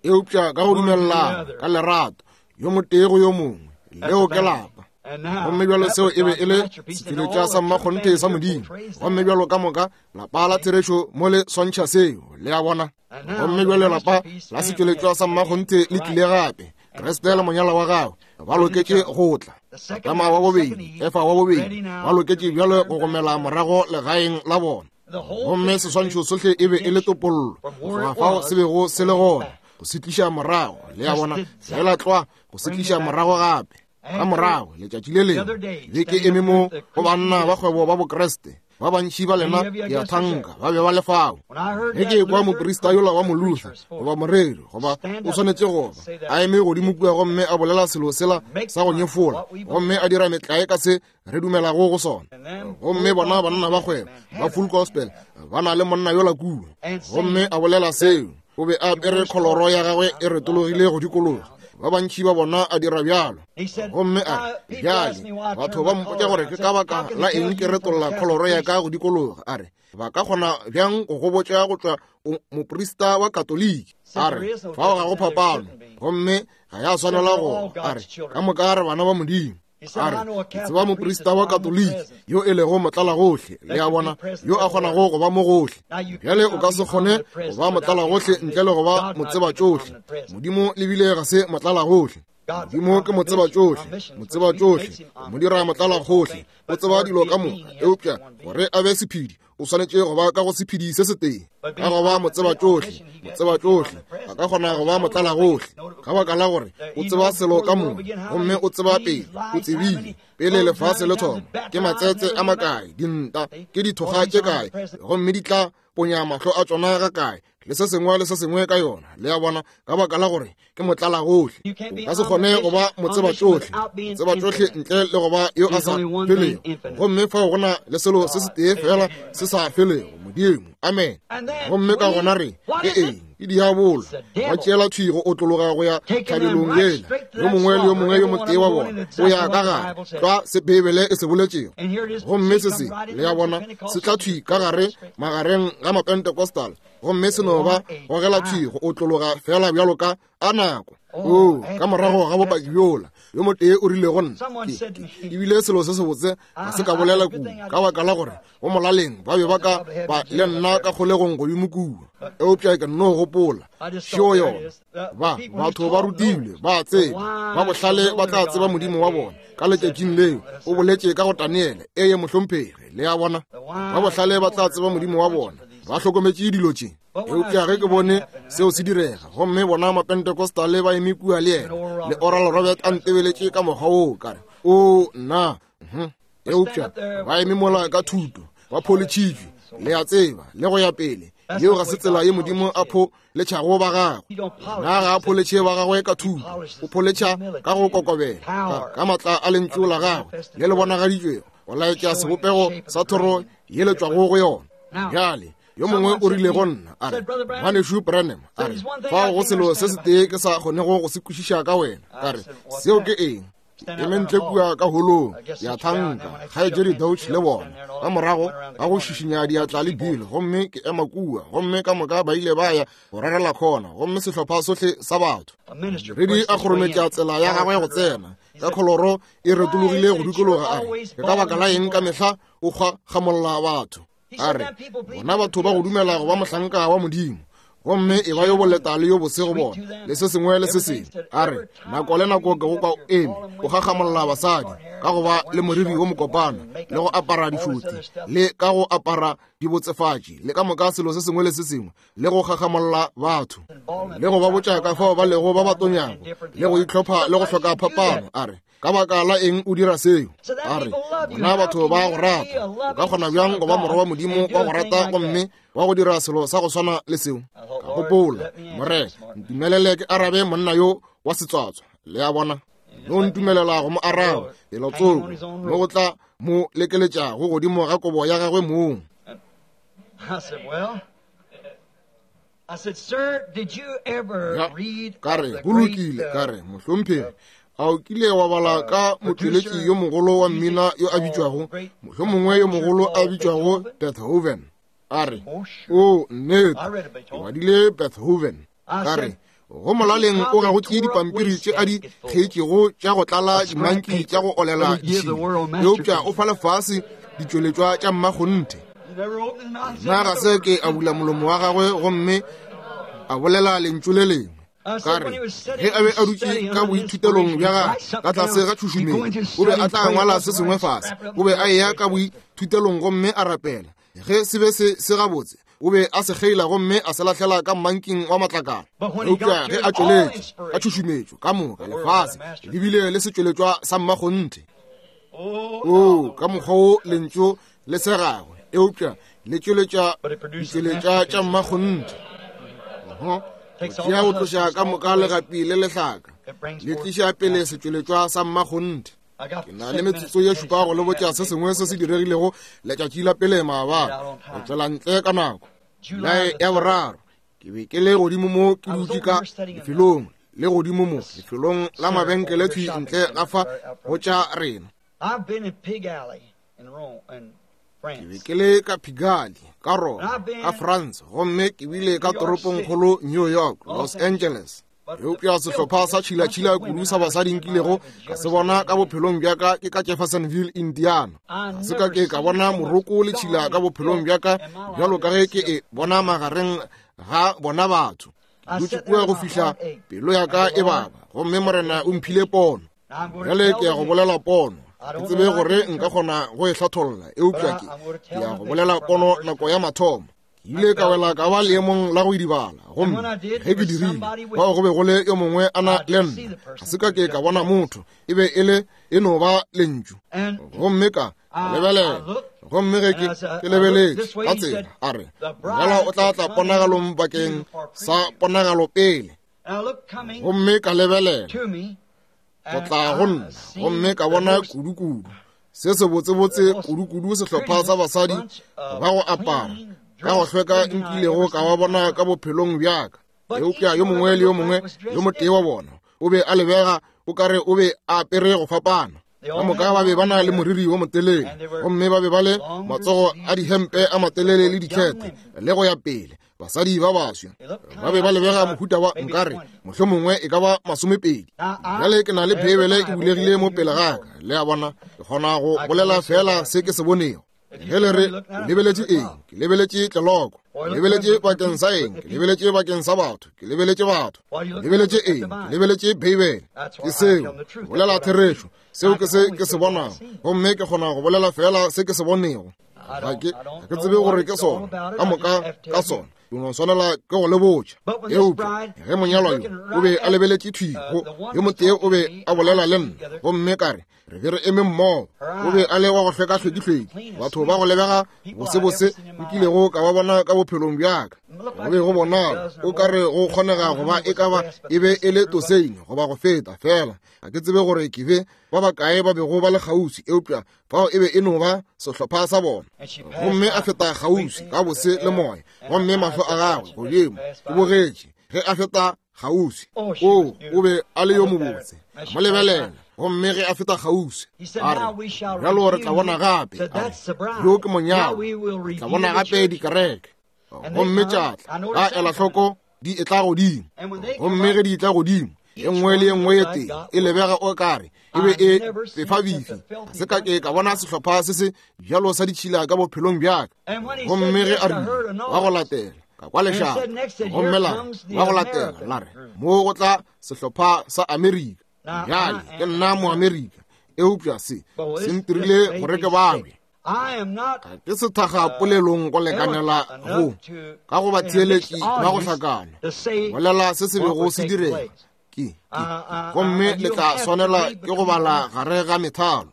Eupša ka go dumellana ka lerato, yo motee go yo mongwe, leo ke lapa. Gomme bjalo seo e be e le setšweletšwa sa mmakgonthe sa Modimo. Gomme bjalo ka moka lapa la therešo mo le swantšha seo, le a bona. Gomme bjale lapa la setšweletšwa sa mmakgonthe le tlile gape, Kriste le monyalwa wa gagwe ba loketše go tla. Adama wa bobedi, Efa wa bobedi, ba loketše bjalo go gomela morago legaeng la bona. Gomme seswantšho sohle e be e le topollo, go tloga fao se bego se le gona, go se tliša morago, le a bona, fela tlwa go se tliša morago gape. Ka morago letšatši le lengwe be ke eme mo go banna ba kgwebo ba Bokriste, ba bantši ba lena ke a thanka ba be ba le fao. Ge ke kwa moprista yola wa Moluther goba moreri goba o swanetše go ba a eme godimo kua gomme a bolela selo sela sa go nyefola, gomme a dira metlae ka se re dumelago go sona, gomme bona banna ba kgwebo ba full gospel ba na le monna yola kua, gomme a bolela seo, o be a apere kholoro ya gagwe e retologile go dikologa. Ba bantši ba bona a dira bjalo. Gomme a re, bjale batho ba mpotša gore ke ka baka la eng ke retolla kholoro ya ka go dikologa. A re, ba ka kgona bjang go go botša go tšwa moprista wa Katoliki? A re, fao ga go phapano, gomme ga ya swanela go. A re, ka moka re bana ba Modimo. A re, ke tseba moprista wa Katoliki yo e lego motlalagohle, le a bona, yo a kgonago go ba mo gohle. Bjale o ka se kgone go ba motlalagohle ntle le go ba motseba tšohle. Modimo le bile ga se motlalagohle. Modimo ke motseba tšohle, motseba tšohle, o mo dira motlalagohle, o tseba dilo ka moka, eupša gore a be sephedi O swanetše go ba ka go sephedi se setee. Ka go ba motsebatšohle, motsebatšohle a ka kgona go ba motlalagohle, ka baka la gore o tseba selo ka moka, gomme o tseba pele, o tsebile pele lefase le thoma, ke matsetse a makae, dinta, ke dithokga tše kae, gomme di tla ponya mahlo a tšona ga kae, le se sengwe le se sengwe ka yona. Le a bona, ka baka la gore ke motlalagohle. O ka se kgone go ba motsebatšohle, motsebatšohle ntle le go ba yo a sa felego. Gomme fao go na le selo se setee fela se sa felego, Modimo. Amen. Gomme ka gona re ke eng? Ke diabolo. Ba tšeela thwi go otlologa go ya tlhabelong yela. Yo mongwe le yo mongwe yo motee wa bona o ya ka gare tlwa se Beibele e se boletšego. Gomme se se, le a bona, se tla thwi ka gare magareng ga Mapentecostal, gomme se no ba gogela thwi go otlologa fela bjalo ka a nako. O, ka morago ga bopaki bjola, yo motee o rile go nna, ebile selo se sebotse ga se ka bolela kudu, ka baka la gore go molaleng ba be ba ka ba le nna ka kgolegong godimo kua. Eupša ke nno gopola šeo yona. Ba batho ba rutilwe, ba tseba, ba bohlale ba tla tseba Modimo wa bona ka letšatšing leo. O boletše ka go Daniele, eye mohlomphegi. Le a bona, ba bohlale ba tla tseba Modimo wa bona, ba hlokometše dilo tše. Eupša ge ke bone seo se direga, gomme bona Mapentecostale ba eme kua le yena, le Oral Robert a ntebeletše ka mokgwa woo, ka re, o nna. Eupša ba eme mola ka thuto, ba pholetšhitšwe, le a tseba, le go ya pele. Yeo ga se tsela ye Modimo a pholetšhago ba gagwe. Na ga a pholetšhe ba gagwe ka thuto, o pholetšha ka go kokobela, ka, ka matla a lentšu la gagwe le le bonagaditšwego, go laetša sebopego sa thoro ye le tšwago go yona. Bjale yo mongwe o rile go nna, a re, Ngwanešu Branham, a re, fao go selo se setee ke sa kgonego go se kwešiša ka wena. Ka re, seo ke eng? Eme ntle kua ka holong ya thanka, kgaetšedi Dauch le bona, ka morago ga go šišinya diatla le Bill, gomme ke ema kua, gomme ka moka ba ile ba ya go rarela khona, gomme sehlopha sohle sa batho. Redi a kgorometša tsela ya gagwe go tsena, ka kholoro e retologile go dikologa, a re, ke ka baka la eng ka mehla o kgwa gamolla batho? A re, bona batho ba go dumela go ba mohlanka wa Modimo, gomme e ba yo boleta le yo bose go bona, le se sengwe le se sengwe. A re, nako le nako ke go kwa o eme o gagamolla basadi ka go ba le moriri wo mokopana, le go apara dišothi, le ka go apara dibotsefatši, le ka moka selo se sengwe le se sengwe, le go gagamolla batho, le go ba botša ka fao ba lego ba ba tonyago, le go itlhopha le go hloka phapano. A re, ka baka la eng o dira seo? A re, bona batho ba go rata, o ka kgona bjang go ba morwa wa Modimo wa go rata gomme wa go dira selo sa go swana le seo? Ka gopola, Morena, ntumelele ke arabe monna yo wa setswatswa. Le a bona, no ntumelela go mo araba pelo tsoko, mo go tla mo lekeletša go godimo ga kobo ya gagwe mong. Ka re, go lokile. Ka re, mohlomphegi, a o kile wa bala ka motšweletši yo mogolo wa mmina yo a bitšwago, mohlomongwe yo mogolo a bitšwago Beethoven? A re, o nnete, ke badile Beethoven. Ka re, go molaleng o ga go tšee dipampiri tše a di kgeetšego tša go tlala dimanki tša go olela ditšhila, eupša o fa lefase ditšweletšwa tša mmakgonthe. Nna ga se ke a bula molomo wa gagwe gomme a bolela lentšu le lengwe. Ka re, ge a be a dutše ka boithutelong bja gagwe ka tlase ga tšhušumetšo, o be a tla ngwala se sengwe fase. O be a eya ka boithutelong gomme a rapela. Ge se be se se gabotse, o be a se kgeila gomme a se lahlela ka mmanking wa matlakala. Eupša ge a tšweletše ka tšhušumetšo ka moka lefase le bile le setšweletšwa sa mmakgonthe. O ka mokgwa wo lentšu le se gagwe, eupša le tšweletša ditšweletša tša mmakgonthe. Tšea go tloša ka moka legapi le lehlaka, le tliša pele setšweletšwa sa mmakgonthe. Ke na le metsotso ye šupa go le botša se sengwe se se diregilego letšatši la pele maabane, go tšwela ntle ka nako Julae ya boraro. Ke be ke le godimo mo ke dutše ka lefelong le godimo mo lefelong la mabenkele thwi ntle ga fa go tša rena. Ke be ke le ka Pigalle, ka Roma, ka France, gomme ke bile ka toropongkgolo New York, Los Angeles. Eupša sehlopha sa tšhilatšhila kudu sa basadi nkilego ka se bona ka bophelong bja ka ke ka Jeffersonville, Indiana. Ga se ka ke ka bona moroko le tšhila ka bophelong bja ka bjalo ka ge ke e bona magareng ga bona batho. Ke dutše kua go fihla pelo ya ka e baba, gomme Morena o mphile pono. Bjale ke ya go bolela pono. Ke tsebe gore nka kgona go e hlatholla, eupša ke ya go bolela pono nako ya mathomo. Ke ile ka wela ka ba leemong la go idibala, gomme ge ke dirile, fao go be go le yo mongwe a na le nna. Ga se ka ke ka bona motho, e be e le e no ba lentšu. Gomme ka lebelela, gomme ge ke ke lebeletše ka tsela, a re, monyalwa o tla tla ponagalong bakeng sa ponagalo pele. Gomme ka lebelela go tla go nna, gomme ka bona kudu-kudu se sebotsebotse kudu-kudu sehlopha sa basadi ba go apara ka go hlweka nkilego ka ba bona ka bophelong bjaka. Eupša yo mongwe le yo mongwe yo motee wa bona o be a lebega o kare o be a apere go fapana. Ka moka ba be ba na le moriri wo motelele, gomme ba be ba le matsogo a dihempe a matelele le dikhete le go ya pele. Basadi ba baswa ba be ba lebega mohuta wa nkare mohlomongwe e ka ba masomepedi. Bjale ke na le Beibele e bulegile mo pele ga ka, le a bona, ke kgona go bolela fela se ke se bonego. Ge le re lebeletše eng, ke lebeletše tleloko. Lebeletše bakeng sa eng, ke lebeletše bakeng sa batho, ke lebeletše batho. Lebeletše eng, ke lebeletše Beibele. Ke seo, bolela therešo, seo ke se ke se bonago, gomme ke kgona go bolela fela se ke se bonego. Ga ke ga ke tsebe gore ke sona ka moka ka sona, ke no swanela ke go le botša. Eupša ge monyalwa yo o be a lebeletše thwi go yo motee, o be a bolela le nna, gomme ka re re be re eme mmogo. O be a le wa go hlweka hlwekihlweki, batho ba go lebega bosebose nkilego ka ba bona ka bophelong bjaka. Go be go bonala o ka re go kgonega go ba e ka ba e be e le toseine goba go feta fela. Ga ke tsebe gore ke be ba bakae ba bego ba le kgauswi, eupša fao e be e no ba sehlopha sa bona. Gomme a feta kgauswi ka bose le moya, gomme mahlo a gagwe godimo ke bogetše ge a feta kgauswi. O o be a le yo mobotse, mo lebelela. Gomme ge a feta kgauswi a re, bjalo re tla bona gape, a re, yo ke monyalwa, re tla bona gape dikereke. Gomme tša tla, ka ela hloko di etla godimo. Gomme ge di etla godimo, e nngwe le e nngwe ye tee e lebega o kare e be e fefabifi. Ga se ka ke ka bona sehlopha se se bjalo sa ditšhila ka bophelong bjaka. Gomme ge a rile wa go latela, ka kwa lešata, gomme la re wa go latela, la re mo go tla sehlopha sa Amerika. Bjale ke nna Moamerika, eupša se se ntirile gore ke babje. Ga ke sethakga polelong go lekanela go ka go ba theeletši ba go hlakana bolela se se bego se direga. Ke ke gomme le tla swanela ke go bala gare ga methalo.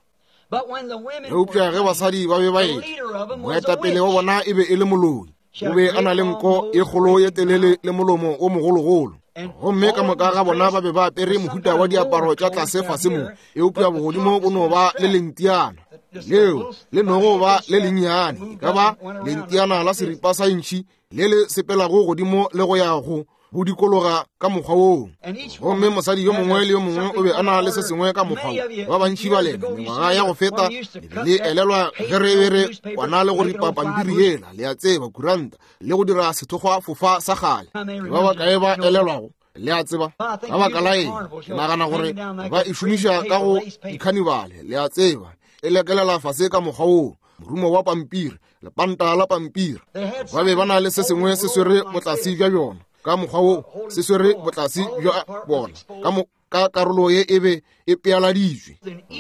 Eupša ge basadi ba be ba etla, moetapele wa bona e be e le moloi. O be a na le nko e kgolo ye telele le molomo o mogologolo. Gomme ka moka ga bona ba be ba apere mohuta wa diaparo tša tlase fase mo, eupša bogodimo bo no ba le lentiana leo le nogo ba le lennyane, e ka ba lentiana la seripa sa intšhi le le sepelago godimo le go ya go go dikologa ka mokgwa woo. Gomme mosadi yo mongwe le yo mongwe o be a na le se sengwe ka mokgwa wo. Ba bantši ba lena mengwaga ya go feta le elelwa ge re be re kwana le go ripa pampiri yela, le a tseba, kuranta, le go dira sethokgwa fofa sa kgale. Ke ba bakae ba elelwago, le a tseba? Ka baka la eng, ke nagana gore ba e šomiša ka go dikhanibale, le a tseba, e lekelela fase ka mokgwa woo, morumo wa pampiri, lepanta la pampiri. Ba be ba na le se sengwe se swere botlase bja bjona ka mokgwa wo, se swere botlase bja bona ka mo ka karolo ye e be e pealaditšwe.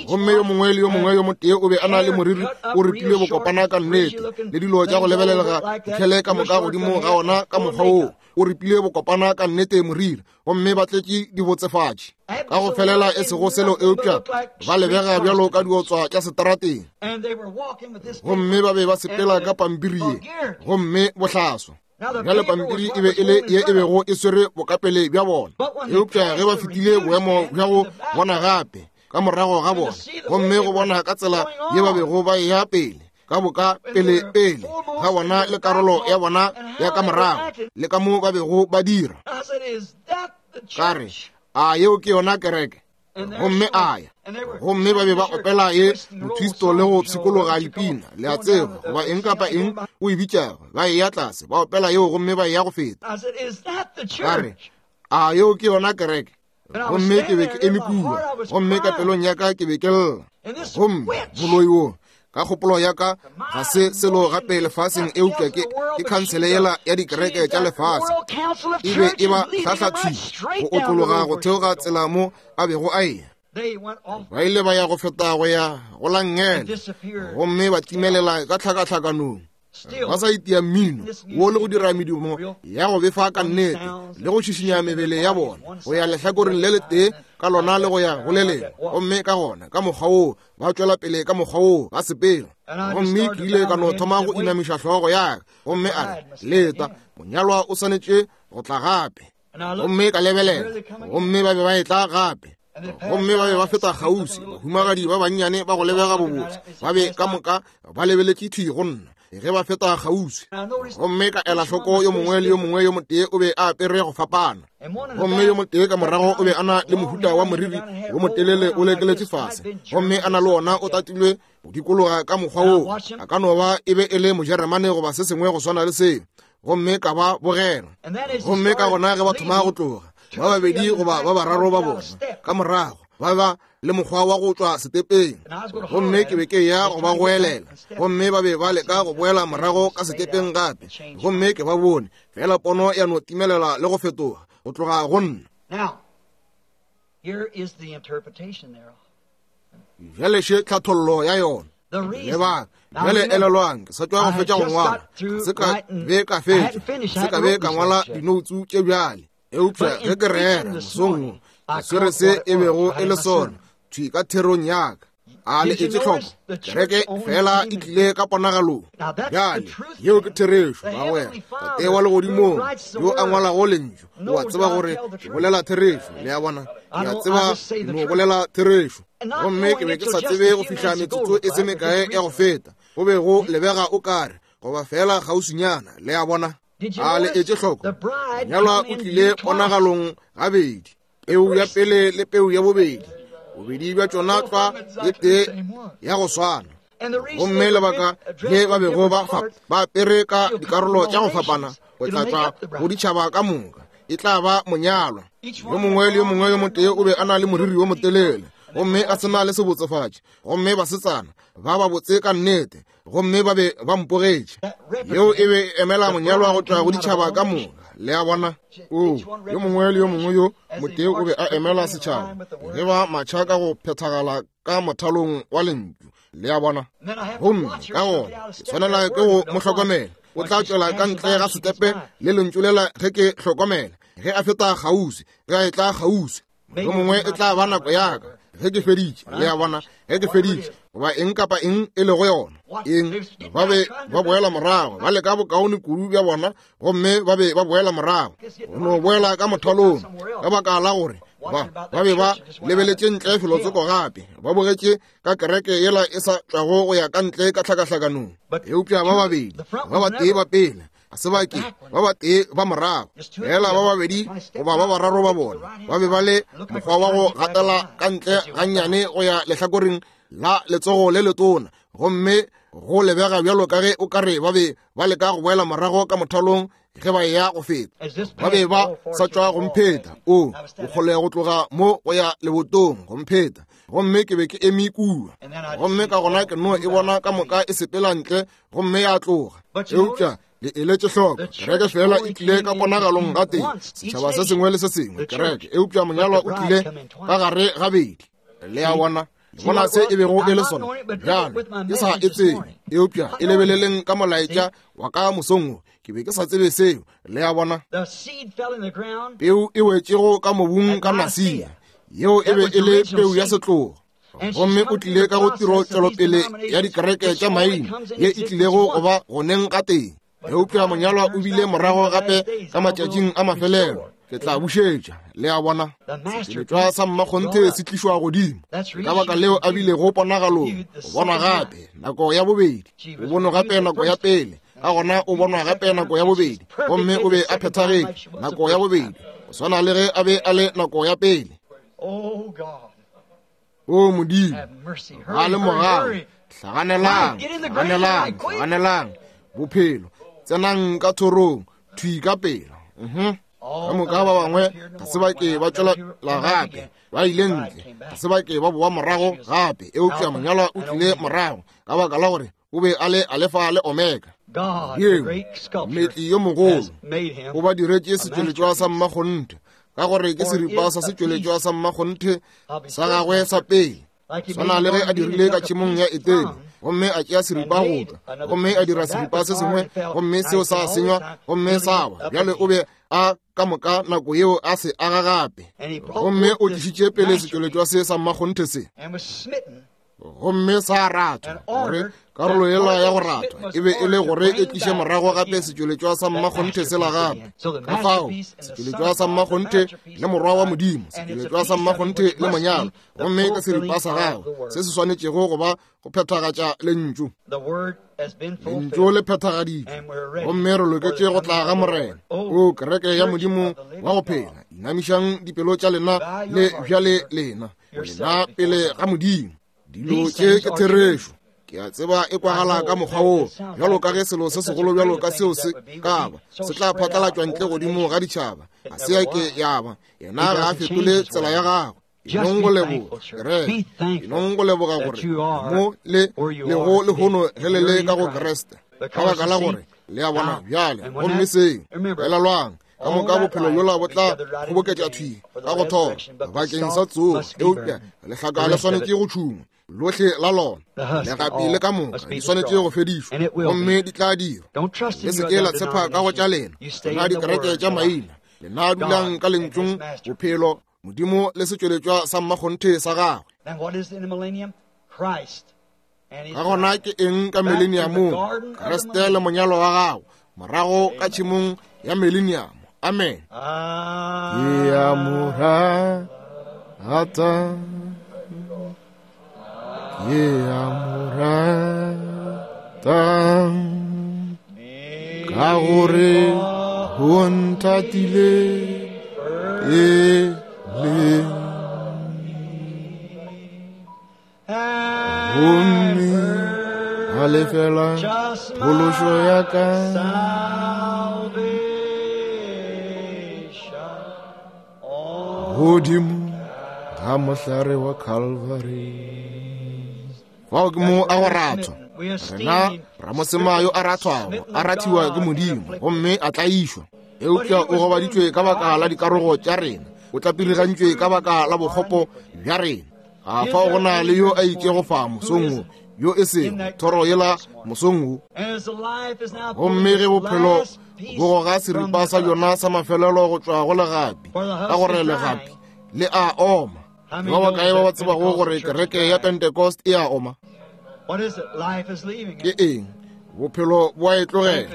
Gomme yo mongwe le yo mongwe yo motee o be a na le moriri o ripilwe bokopana ka nnete, le dilo tša go lebelelega dikhele ka moka godimo ga ona ka mokgwa wo, o ripilwe bokopana ka nnete moriri, gomme ba tletše dibotsefatši ka go felela e sego selo, eupša ba lebega bjalo ka diotswa tša seterateng. Gomme ba be ba sepela ka pampiri ye, gomme bohlaswa. Bjale pampiri e be e le ye e bego e swere bokapele bja bona, eupša ge ba fetile boemo bja go bona gape ka morago ga bona, gomme go bona ka tsela ye ba bego ba eya pele ka boka pele pele ga bona le karolo ya bona ya ka morago le ka mo ba bego ba dira, ka re, a yeo ke yona kereke? Gomme a ya, gomme ba be ba opela ye motwisto le go pshikologa dipina, le a tseba, goba eng kapa eng o e bitšago. Ba eya tlase, ba opela yeo, gomme ba eya go feta. Ka re, a yeo ke yona kereke? Gomme ke be ke eme kua, gomme ka pelong ya ka ke be ke lla. Gomme moloi wo, ka kgopolo ya ka, ga se selo gape lefaseng eupša ke ke khansele yela ya dikereke tša lefase. E be e ba hlahla thwi go otlologa go theoga tsela mo a bego a eya. Ba ile ba ya go feta go ya go la nngele, gomme ba timelela ka tlhakatlhakanong. Ba sa itia mmino wo le go dira medumo ya go befa ka nnete le go šišinya mebele ya bona go ya lehlakoreng le letee ka lona le go ya go le lengwe, gomme ka gona ka mokgwa woo ba tšwela pele ka mokgwa woo ba sepela. Gomme ke ile ka no thoma go inamiša hlogo ya ka, gomme a re, leta, monyalwa o swanetše go tla gape. Gomme ka lebelela, gomme ba be ba etla gape, gomme ba be ba feta kgauswi. Bahumagadi ba bannyane ba go lebega bobotse ba be ka moka ba lebeletše thwi go nna ge ba feta kgauswi. Gomme ka ela hloko yo mongwe le yo mongwe yo motee o be a apere go fapana, gomme yo motee ka morago o be a na le mohuta wa moriri wo motelele o lekeletše fase, gomme a na le wona o tatilwe go dikologa ka mokgwa woo. A ka no ba e be e le Mojeremane goba se sengwe go swana le seo. Gomme ka ba bogela, gomme ka gona ge ba thoma go tloga, ba babedi goba ba bararo ba bona ka morago ba ba le mokgwa wa go tšwa setepeng, gomme ke be ke ya go ba goelela, gomme ba be ba leka go boela morago ka setepeng gape, gomme ke ba bone fela pono ya no timelela le go fetoga go tloga go nna. Bjale še tlhathollo ya yona. Lebaka bjale elelwang, ke sa tšwa go fetša go ngwala, se ka be ka fetša, se ka be ka ngwala dinoutsu tše bjale. Eupša ge ke rera mosong wo, ke swere se e bego e le sona thwi ka therong ya ka. A le etše hloko, kereke fela e tlile ka ponagalong. Bjale yeo ke therešo, bagwera. Tate wa legodimong yo a ngwalago lentšu o a tseba gore ke bolela therešo. Le a bona, ke a tseba no bolela therešo. Gomme ke be ke sa tsebe go fihla metsotso e se mekae ya go feta, go be go lebega o kare goba fela kgauswinyana. Le a bona, a le etše hloko, monyalwa o tlile ponagalong gabedi, peu ya pele le peu ya bobedi, bobedi bja tšona tlwa e tee ya go swana. Gomme lebaka le ba bego ba ba apere ka dikarolo tša go fapana go tla tšwa go ditšhaba ka moka, e tla ba monyalwa. Yo mongwe le yo mongwe yo motee o be a na le moriri wo motelele, gomme a se na le sebotsefatši, gomme basetsana ba ba botse ka nnete, gomme ba be ba mpogetše. Yeo e be emela monyalwa go tšwa go ditšhaba ka moka. Le a bona, o yo mongwe le yo mongwe yo motee o be a emela setšhaba ge ba matšha ka go phethagala ka mothalong wa lentšu. Le a bona, gomme ka gona ke swanela ke go mo hlokomela. O tla tšwela ka ntle ga setepe le lentšu lela ge ke hlokomela, ge a feta kgauswi, ge a etla kgauswi. Yo mongwe e tla ba nako ya ka ge ke feditše. Le a bona, ge ke feditše goba eng kapa eng e lego yona, eng ba be ba boela morago, ba leka bokaone kudu bja bona, gomme ba be ba boela morago go no boela ka mothalong, ka baka la gore ba ba be ba lebeletše ntle felotsoko gape, ba bogetše ka kereke yela e sa tšwago go ya ka ntle ka tlhakahlakanong. Eupša ba babedi ba batee ba pele ga se ba ke ba batee ba morago, fela ba babedi goba ba bararo ba bona ba be ba le mokgwa wa go gatela ka ntle gannyane go ya lehlakoreng la letsogo le letona, gomme go lebega bjalo ka ge o ka re ba be ba leka go boela morago ka mothalong ge ba ya go feta. Ba be ba sa tšwa go mpheta, o bokgole go tloga mo go ya lebotong go mpheta, gomme ke be ke eme kua. Gomme ka gona ke no e bona ka moka e sepela ntle gomme ya tloga. Eupša le eletše hloko, kereke fela e tlile ka ponagalong ga teng, setšhaba se sengwe le se sengwe kereke, eupša monyalwa o tlile ka gare gabedi. Le a bona, bona se e bego e le sona. Bjale ke sa e tsebe, eupša e lebeleleng ka molaetša wa ka mosong wo, ke be ke sa tsebe seo. Le a bona, peu e wetšego ka mobung ka Nasia, yeo e be e le peu ya setlogo, gomme o tlile ka go tiro tšwelopele ya dikereke tša maina ye e tlilego go ba goneng ga teng. Eupša monyalwa o bile morago gape ka matšatšing a mafelelo, ke tla bušetša. Le a bona, setšweletšwa sa mmakgonthe se tlišwa godimo. Ka baka leo a bilego ponagalong, o bonwa gape nako ya bobedi, o bonwa gape nako ya pele, ka gona o bonwa gape nako ya bobedi, gomme o be a phethagetše nako ya bobedi, go swana le ge a be a le nako ya pele. O Modimo, ba le mogau, hlaganelang, hlaganelang, hlaganelang bophelo, tsenang ka thorong thwi ka pela. Ka moka ba bangwe ga se ba ke ba tšwela gape, ba ile ntle, ga se ba ke ba boa morago gape, eupša monyalwa o tlile morago ka baka la gore o be a le Alefa le Omega. Yeo mmetli yo mogolo o ba diretše setšweletšwa sa mmakgonthe ka gore ke seripa sa setšweletšwa sa mmakgonthe sa gagwe sa pele. Swana le ge a dirile ka tšhemong ya Etene, gomme a tšea seripa go tšwa, gomme a dira seripa se sengwe, gomme seo sa senywa, gomme sa wa. Bjale o be a ka moka nako yeo a se aga gape, gomme o tlišitše pele setšweletšwa se sa mmakgonthe se, gomme sa rathwa, gore karolo yela ya go rathwa e be e le gore e tliše morago gape setšweletšwa sa mmakgonthe sela gape. Ka fao setšweletšwa sa mmakgonthe le morwa wa Modimo, setšweletšwa sa mmakgonthe le monyalo, gomme ke seripa sa gagwe se se swanetšego go ba go phethagatša lentšu. Lentšu le phethagaditšwe, gomme re loketše go tla ga Morena. O kereke ya Modimo wa go phela, inamišang dipelo tša lena le bjale lena, lena pele ga Modimo. Dilo tše ke therešo. Ke a tseba e kwagala ka mokgwa woo, bjalo ka ge selo se segolo bjalo ka seo se ka ba se tla phatlalatšwa ntle godimo ga ditšhaba. Ga se ya ke ya ba. Yena ga a fetole tsela ya gagwe. Enong go leboga, kereke. Enong go leboga gore mo le lego lehono ge le le ka go Kriste, ka baka la gore le a bona bjale. Gomme seo elelwang, ka moka bophelo bjola bo tla kgoboketša thwi ka go thoma bakeng sa tsogo, eupša lehlaka le swanetše go tšhungwa lohle la lona, legapi le ka moka di swanetše go fedišwa, gomme di tla dirwa. Le se ke la tshepa ka go tša lena, lena dikereke tša maina. Lena dulang ka lentšung bophelo, Modimo le setšweletšwa sa mmakgonthe sa gagwe. Ka gona ke eng ka mileniamong? Kriste le monyalo wa gagwe morago ka tšhemong ya mileniamo. Amen. Ke a mo rata, ke a mo rata, ka gore o nthatile pele, gomme a lefela phološo ya ka. Godimo ga mohlare wa Calvary. Fao ke mo a go rathwa. Rena ramosema yo a rathwago a rathiwa ke Modimo, gomme a tlaišwa. Eupša o gobaditšwe ka baka la dikarogo tša rena, o tlapirigantšwe ka baka la bokgopo bja rena. Ga fao go na le yo a itšego fa mosong wo, yo e sego thoro yela mosong wo. Gomme ge bophelo bo goga seripa sa bjona sa mafelelo go tšwa go legapi, ka gore legapi le a oma. Ke ba bakae ba ba tsebago gore kereke ya Pentecost e a oma? Ke eng? Bophelo bo a e tlogela.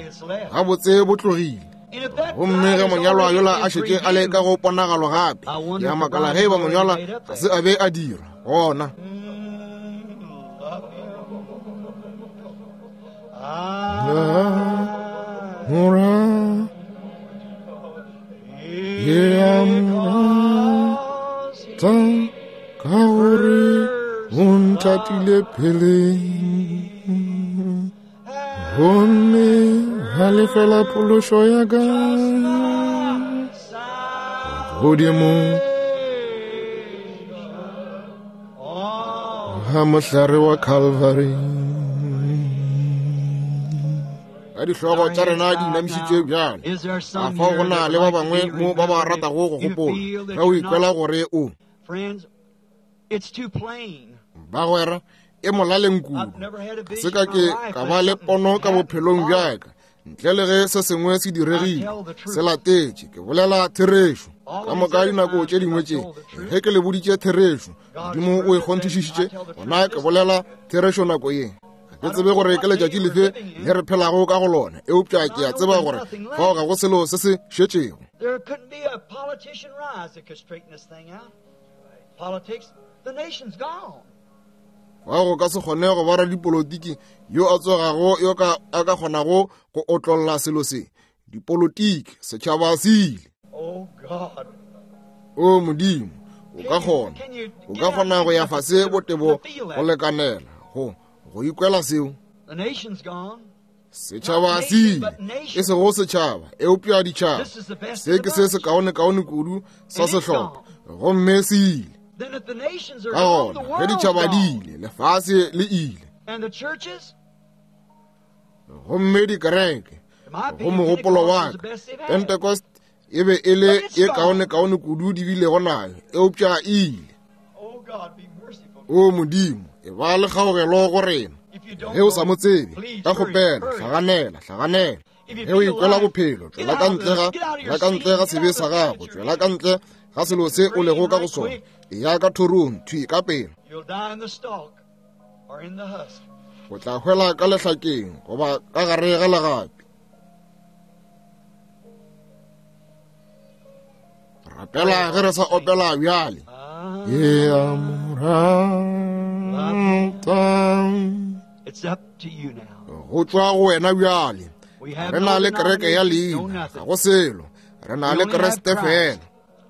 Gabotse bo tlogile. Gomme ge monyalwa yola a šetše a le ka go ponagalo gape, ke a makala ge ba monyalwa ga se a be a dira gona. Ka gore o nthatile pele, gomme a lefela phološo ya ka godimo ga mohlare wa Calvary. Ka dihlogo tša rena di inamišitšwe bjale, a fao go na le ba bangwe mo ba ba ratago go gopola ge o ikwela gore o bagwera e molaleng kudu. Ga se ka ke ka ba le pono ka bophelong bja ka ntle le ge se sengwe se diregile se latetše. Ke bolela therešo ka moka dinako tše dingwe tše ge ke le boditše therešo, Modimo o e kgonthišišitše, gona ke bolela therešo nako ye. Ga ke tsebe gore ke letšatši lefe le re phelago ka go lona, eupša ke a tseba gore fao ga go selo se se šetšego. Fao go ka se kgone go ba radipolotiki yo a tsogago yo ka a ka kgonago go otlolla selo se. Dipolotiki, setšhaba se ile. O Modimo, o ka kgona, o ka kgona go ya fase botebo go lekanela go go ikwela seo. Setšhaba se ile, e sego setšhaba, eupša ditšhaba. Se ke se sekaonekaone kudu sa sehlopha, gomme se ile. Ka gona ge ditšhaba di ile, lefase le ile. Gomme dikereke, go mogopolo wa ka, Pentecost E be e le ye kaonekaone kudu di bilego nayo, eupša e ile. O Modimo, e ba le kgaogelo go rena. Ge o sa mo tsebe, ka kgopela, hlaganela, hlaganela. Ge o ikwela bophelo, tšwela ka ntle ga, tšwela ka ntle ga sebe sa gago, tšwela ka ntle ga selo se o lego ka go sona. Eya ka thorong, thwi ka pela. O tla hwela ka lehlakeng goba ka gare ga legapi. Rapela ge re sa opela bjale. Ke a mo rata. Go tšwa go wena bjale. Re na le kereke ya leina, ga go selo. Re na le Kriste fela.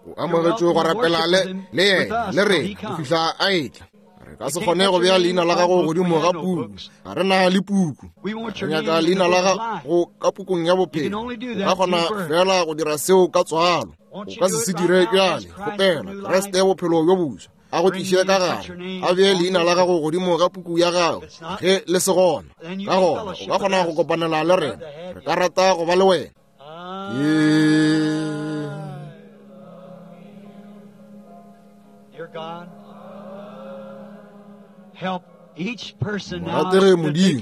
O amogetšwe go rapela le le yena le rena go fihla a etla. Re ka se kgone go bea leina la gago godimo ga puku. Ga re na le puku. Re nyaka leina la gago ka pukung ya bophelo. O ka kgona fela go dira seo ka tswalo. O ka se se dire bjale. Kgopela Kriste bophelo bjo boswa a go tliše ka gare, a bee leina la gago godimo ga puku ya gago. Ge le se gona, ka gona o ka kgona go kopanela le rena. Re ka rata go ba le wena. Morategi Modimo,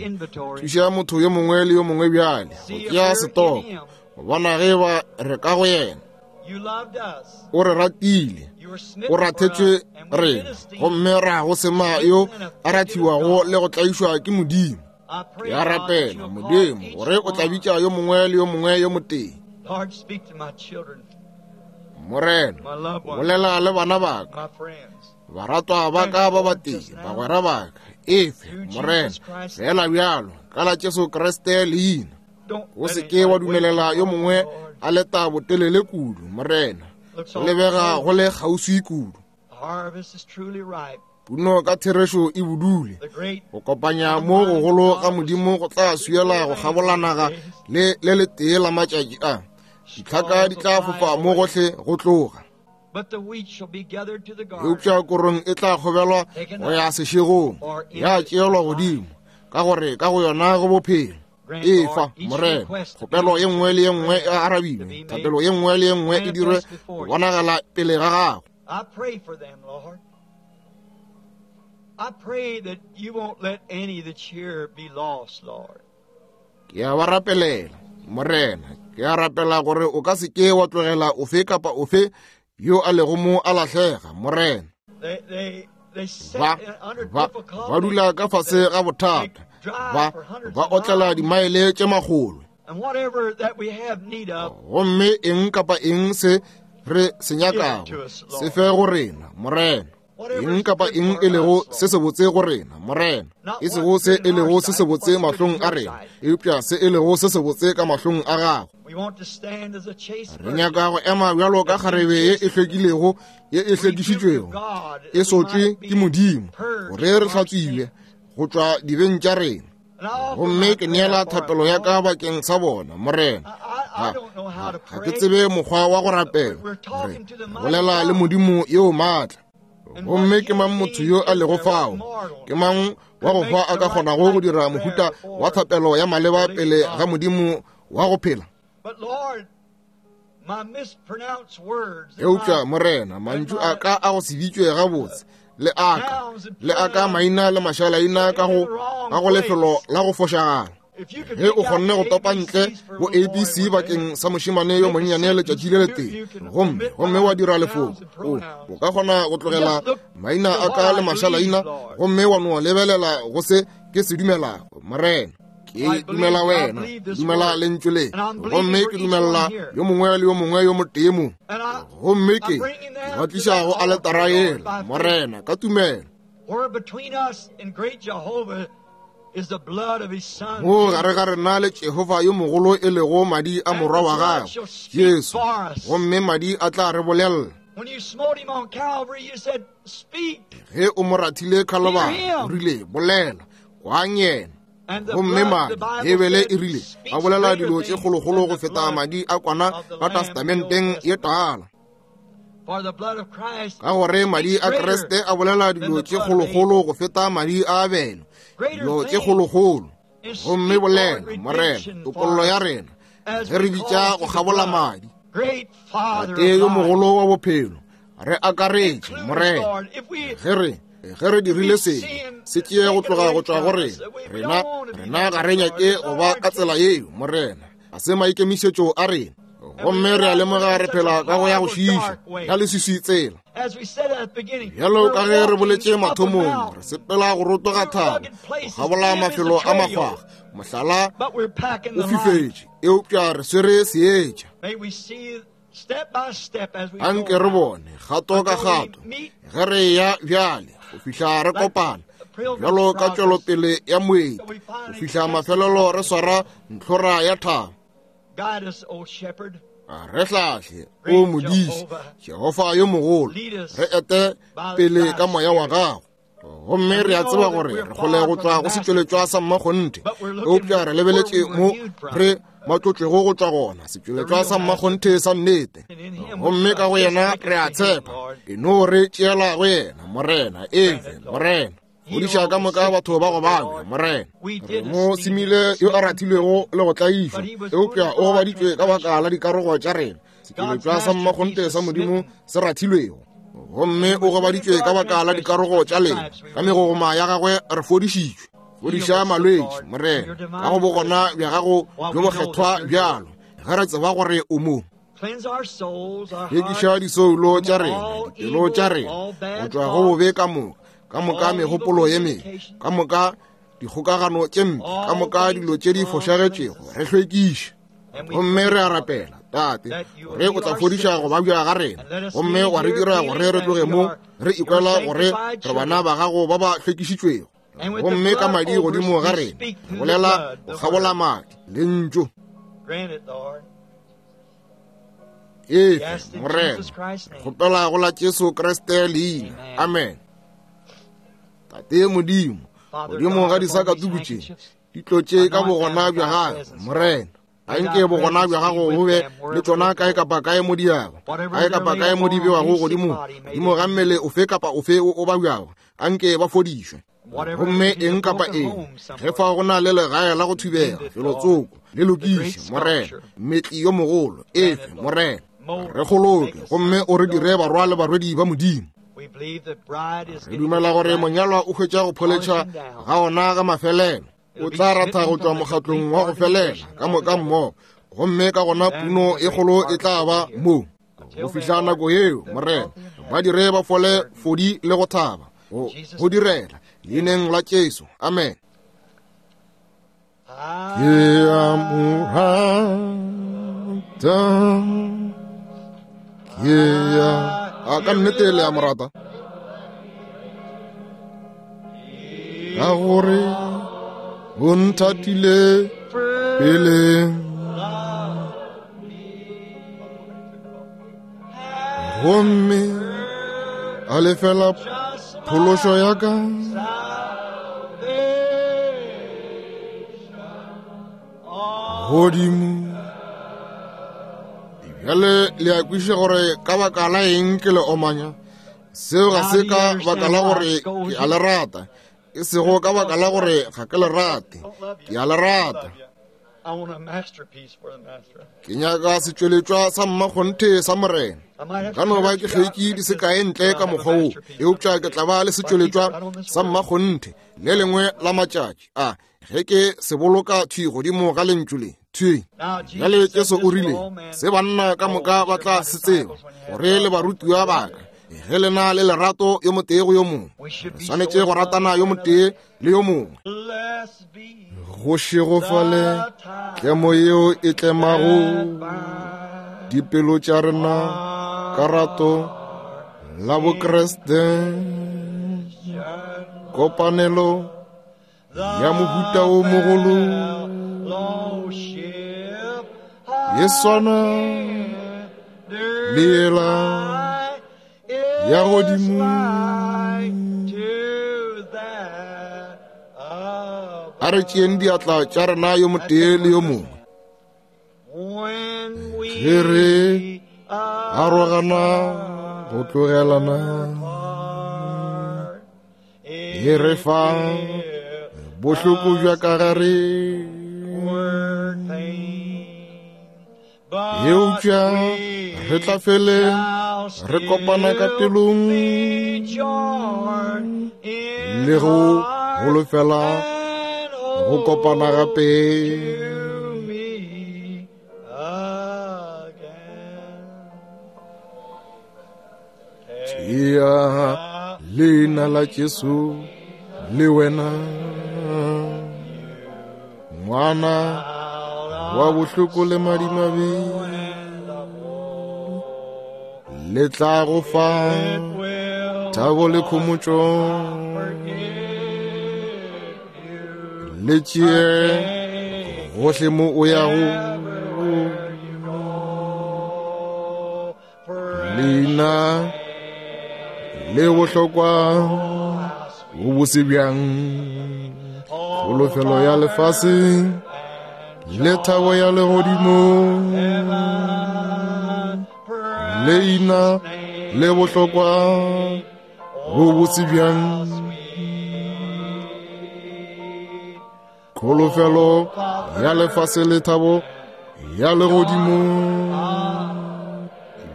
thuša motho yo mongwe le yo mongwe bjale go tšea setoko, go bona ge ba re ka go yena. O re ratile, o rathetšwe rena, gomme ra go sema yo a rathiwago le go tlaišwa ke Modimo. Ke a rapela, Modimo, gore o tla bitša yo mongwe le yo mongwe yo motee. Morena, bolela le bana ba ka, baratwa ba ka ba batee, bagwera ba ka, efe, Morena, fela bjalo, ka la Jesu Kriste leina. O se ke wa dumelela yo mongwe a leta botelele kudu, Morena. Go lebega go le kgauswi kudu. Puno ka therešo e budule. Go kopanya mo gogolo ga Modimo go tla swiela go kgabola naga le le letee la matšatši a. Ditlhaka di tla fofa mo gohle go tloga. Eupša korong e tla kgobelwa go ya sešegong, ya tšeelwa godimo, ka gore ka go yona go bophelo. Efa, Morena, kgopelo ye nngwe le ye nngwe e arabiwe, thapelo ye nngwe le ye nngwe e dirwe go bonagala pele ga gago. Ke a ba rapelela, Morena. Ke a rapela gore o ka se ke wa tlogela ofe kapa ofe yo a lego mo a lahlega, Morena. Ba, ba, ba dula ka fase ga bothata. Ba, ba otlela dimaele tše makgolo. Gomme eng kapa eng se re se nyakago, se fe go rena, Morena. Eng kapa eng e lego se sebotse go rena, Morena. E sego se e lego se sebotse mahlong a rena, eupša se e lego se sebotse ka mahlong a gago. Re nyaka go ema bjalo ka kgarebe ye e hlwekilego, ye e hlwekišitšwego, e sotšwe ke Modimo, gore re hlatswiwe go tšwa dibeng tša rena. Gomme ke neela thapelo ya ka bakeng sa bona, Morena. Ga, ga, ga ke tsebe mokgwa wa go rapela. Re bolela le Modimo yo maatla. Gomme ke mang motho yo a lego fao? Ke mang wa go hwa a ka kgonago go dira mohuta wa thapelo ya maleba pele ga Modimo wa go phela? Eupša, Morena, mantšu a ka a go se bitšwe gabotse, le aka, le aka maina le mašalaina ka go, ka go lefelo la go fošagala. Ge o kgonne go topa ntle bo A B C bakeng sa mošemane yo monnyane letšatši le letee, gomme gomme wa dira lefoko, o, o ka kgona go tlogela maina a ka le mašalaina gomme wa no lebelela go se ke se dumelago, Morena. Ke dumela wena, dumela lentšu le, gomme ke dumela yo mongwe le yo mongwe yo motee mo. Gomme ke ba tliša go aletara yela, Morena, ka tumelo. Mo gare ga rena le Jehova yo mogolo e lego madi a morwa wa gagwe, Jesu, gomme madi a tla re bolella. Ge o mo rathile Khalibari, o rile, bolela, kwang yena. Gomme madi, Bibele e rile, a bolela dilo tše kgolokgolo go feta madi a kwana ka testamenteng ye tala. Ka gore madi a Kriste a bolela dilo tše kgolokgolo go feta madi a Abele, dilo tše kgolokgolo. Gomme bolela, Morena, topollo ya rena, ge re bitša go kgabola madi. Tate yo mogolo wa bophelo, re akaretše, Morena, ge re ge re dirile sebe, se tšee go tloga go tšwa go rena. Rena, rena ga re nyake go ba ka tsela yeo, Morena. Ga se maikemišetšo a rena. Gomme re a lemoga re phela ka go ya go šiiša ya leswiswi tsela. Bjalo ka ge re boletše mathomong, re sepela go rotoga thaba, go kgabola mafelo a makgwakgwa, mohlala o fifetše, eupša re swere seetša. Anke re bone kgato ka kgato ge re ya bjale go fihla re kopana, bjalo ka tšwelopele ya moeti, go fihla mafelelo re swara ntlhora ya thaba. Re hlahle, o Modiši, Jehofa yo mogolo, re ete pele ka moya wa gago. Gomme re a tseba gore re kgole go tšwa go setšweletšwa sa mmakgonthe, eupša re lebeletše mo re matlotšwego go tšwa gona, setšweletšwa sa mmakgonthe sa nnete. Gomme ka go yena re a tshepa, e no re tšeela go yena, Morena, efe, Morena. Fodiša ka moka batho ba go babja, Morena. Re mo semile yo a rathilwego le go tlaišwa, eupša o gobaditšwe ka baka la dikarogo tša rena, setšweletšwa sa mmakgonthe sa Modimo se rathilwego. Gomme o gobaditšwe ka baka la dikarogo tša lena, ka megogoma ya gagwe re fodišitšwe. Fodiša malwetši, Morena, ka go bogona bja gago bjo bokgethwa bjalo, ge re tseba gore o mo. Hlwekiša disoulo tša rena, dipelo tša rena, go tšwa go bobe ka moka, ka moka megopolo ye mebe, ka moka dikgokagano tše mpe, ka moka dilo tše di fošagetšego, re hlwekiše. Gomme re a rapela, Tate, gore o tla fodiša go babja ga rena, gomme wa re dira gore re tloge mo re ikwela gore re bana ba gago ba ba hlwekišitšwego. Gomme ka madi godimo ga rena, re bolela go kgabola madi, lentšu. Efe, Morena, re kgopela go la Jesu Kriste leina. Amen. Tate Modimo, godimo ga disakatuku tše, di tlotše ka bogona bja gago, Morena. Anke bogona bja gago bo be le tšona kae kapa kae mo di yago, kae kapa kae mo di bewago godimo, godimo ga mmele ofe kapa ofe o o babjago, anke ba fodišwe. Gomme eng kapa eng, ge fa go na le legae la go thubega, felotsoko, le lokiše, Morena, mmetli yo mogolo, efe, Morena, re kgoloke, gomme o re dire barwa le barwedi ba Modimo. Re dumela gore monyalwa o hwetša go pholetšha ga ona ga mafelelo, o tla ratha go tšwa mokgatlong wa go felela ka moka mmogo, gomme ka gona puno e kgolo e tla ba mo. Go fihla nako yeo, Morena, ba dire ba fole fodi le go thaba, go go direla leineng la Jesu. Amen. Ke a mo rata, ke a a ka nnete le a mo rata, ka gore o nthatile pele. Gomme a lefela phološo ya ka, godimo. Bjale le a kwešiša gore ka baka la eng ke le omanya. Seo ga se ka baka la gore ke a le rata, e sego ka baka la gore ga ke le rate, ke a le rata. Ke nyaka setšweletšwa sa mmakgonthe sa Morena. Ka no ba ke hlweki di se kae ntle ka mokgwa wo, eupša ke tla ba le setšweletšwa sa mmakgonthe le lengwe la matšatši a, ge ke se boloka thwi godimo ga lentšu le. Thwi bjale Jesu o rile, se banna ka moka ba tla se tseba, gore le barutiwa ba ka, ge le na le lerato yo motee go yo mongwe. Re swanetše go ratana yo motee le yo mongwe. Go šegofale tlemo yeo e tlemago dipelo tša rena ka rato la Bokriste, kopanelo ya mohuta o mogolo ye swana le yela ya godimo. A re tšeeng diatla tša rena yo motee le yo mongwe. Ge re arogana go tlogelana, e re fa bohloko bja ka gare. Eupša re tla fele re kopana ka pelong le go holofela go kopana gape. Tšea leina la Jesu le wena, ngwana wa bohloko le madimabe, le tla go fa thabo le khomotšo. Le tšee gohle mo o yago, leina le bohlokwa bo bose bjang, kholofelo ya lefase le thabo ya legodimo. Leina le bohlokwa bo bose bjang, kholofelo ya lefase le thabo ya legodimo.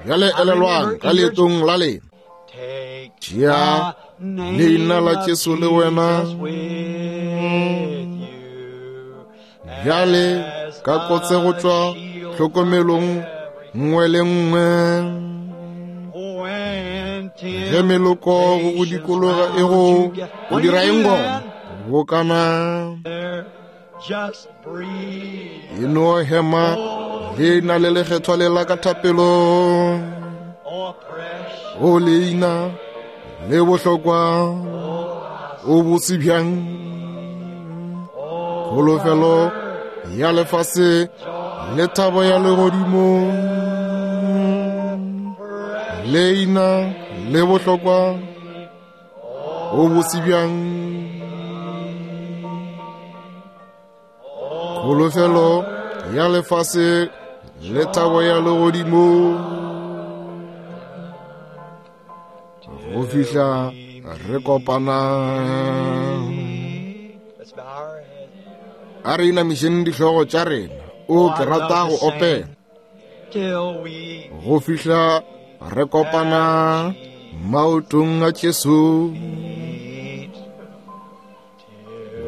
Bjale elelwang ka leetong la lena, tšea leina la Jesu le wena. Bjale ka kotse go tšwa tlhokomelong nngwe le nngwe, ge meloko go go dikologa e go o dira eng gona, bokana e no hema leina le lekgethwa le la ka thapelong. O leina le bohlokwa o bose bjang, kholofelo ya lefase le thabo ya legodimo. Leina le bohlokwa o bose bjang, kholofelo ya lefase le thabo ya legodimo. Go fihla re kopana. A re inamišeng dihlogo tša rena. O ke rata go opela. Go fihla re kopana maotong a Jesu.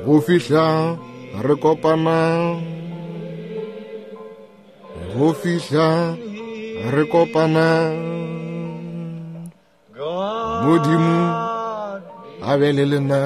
Go fihla re kopana. Go fihla re kopana. Modimo a be le lena.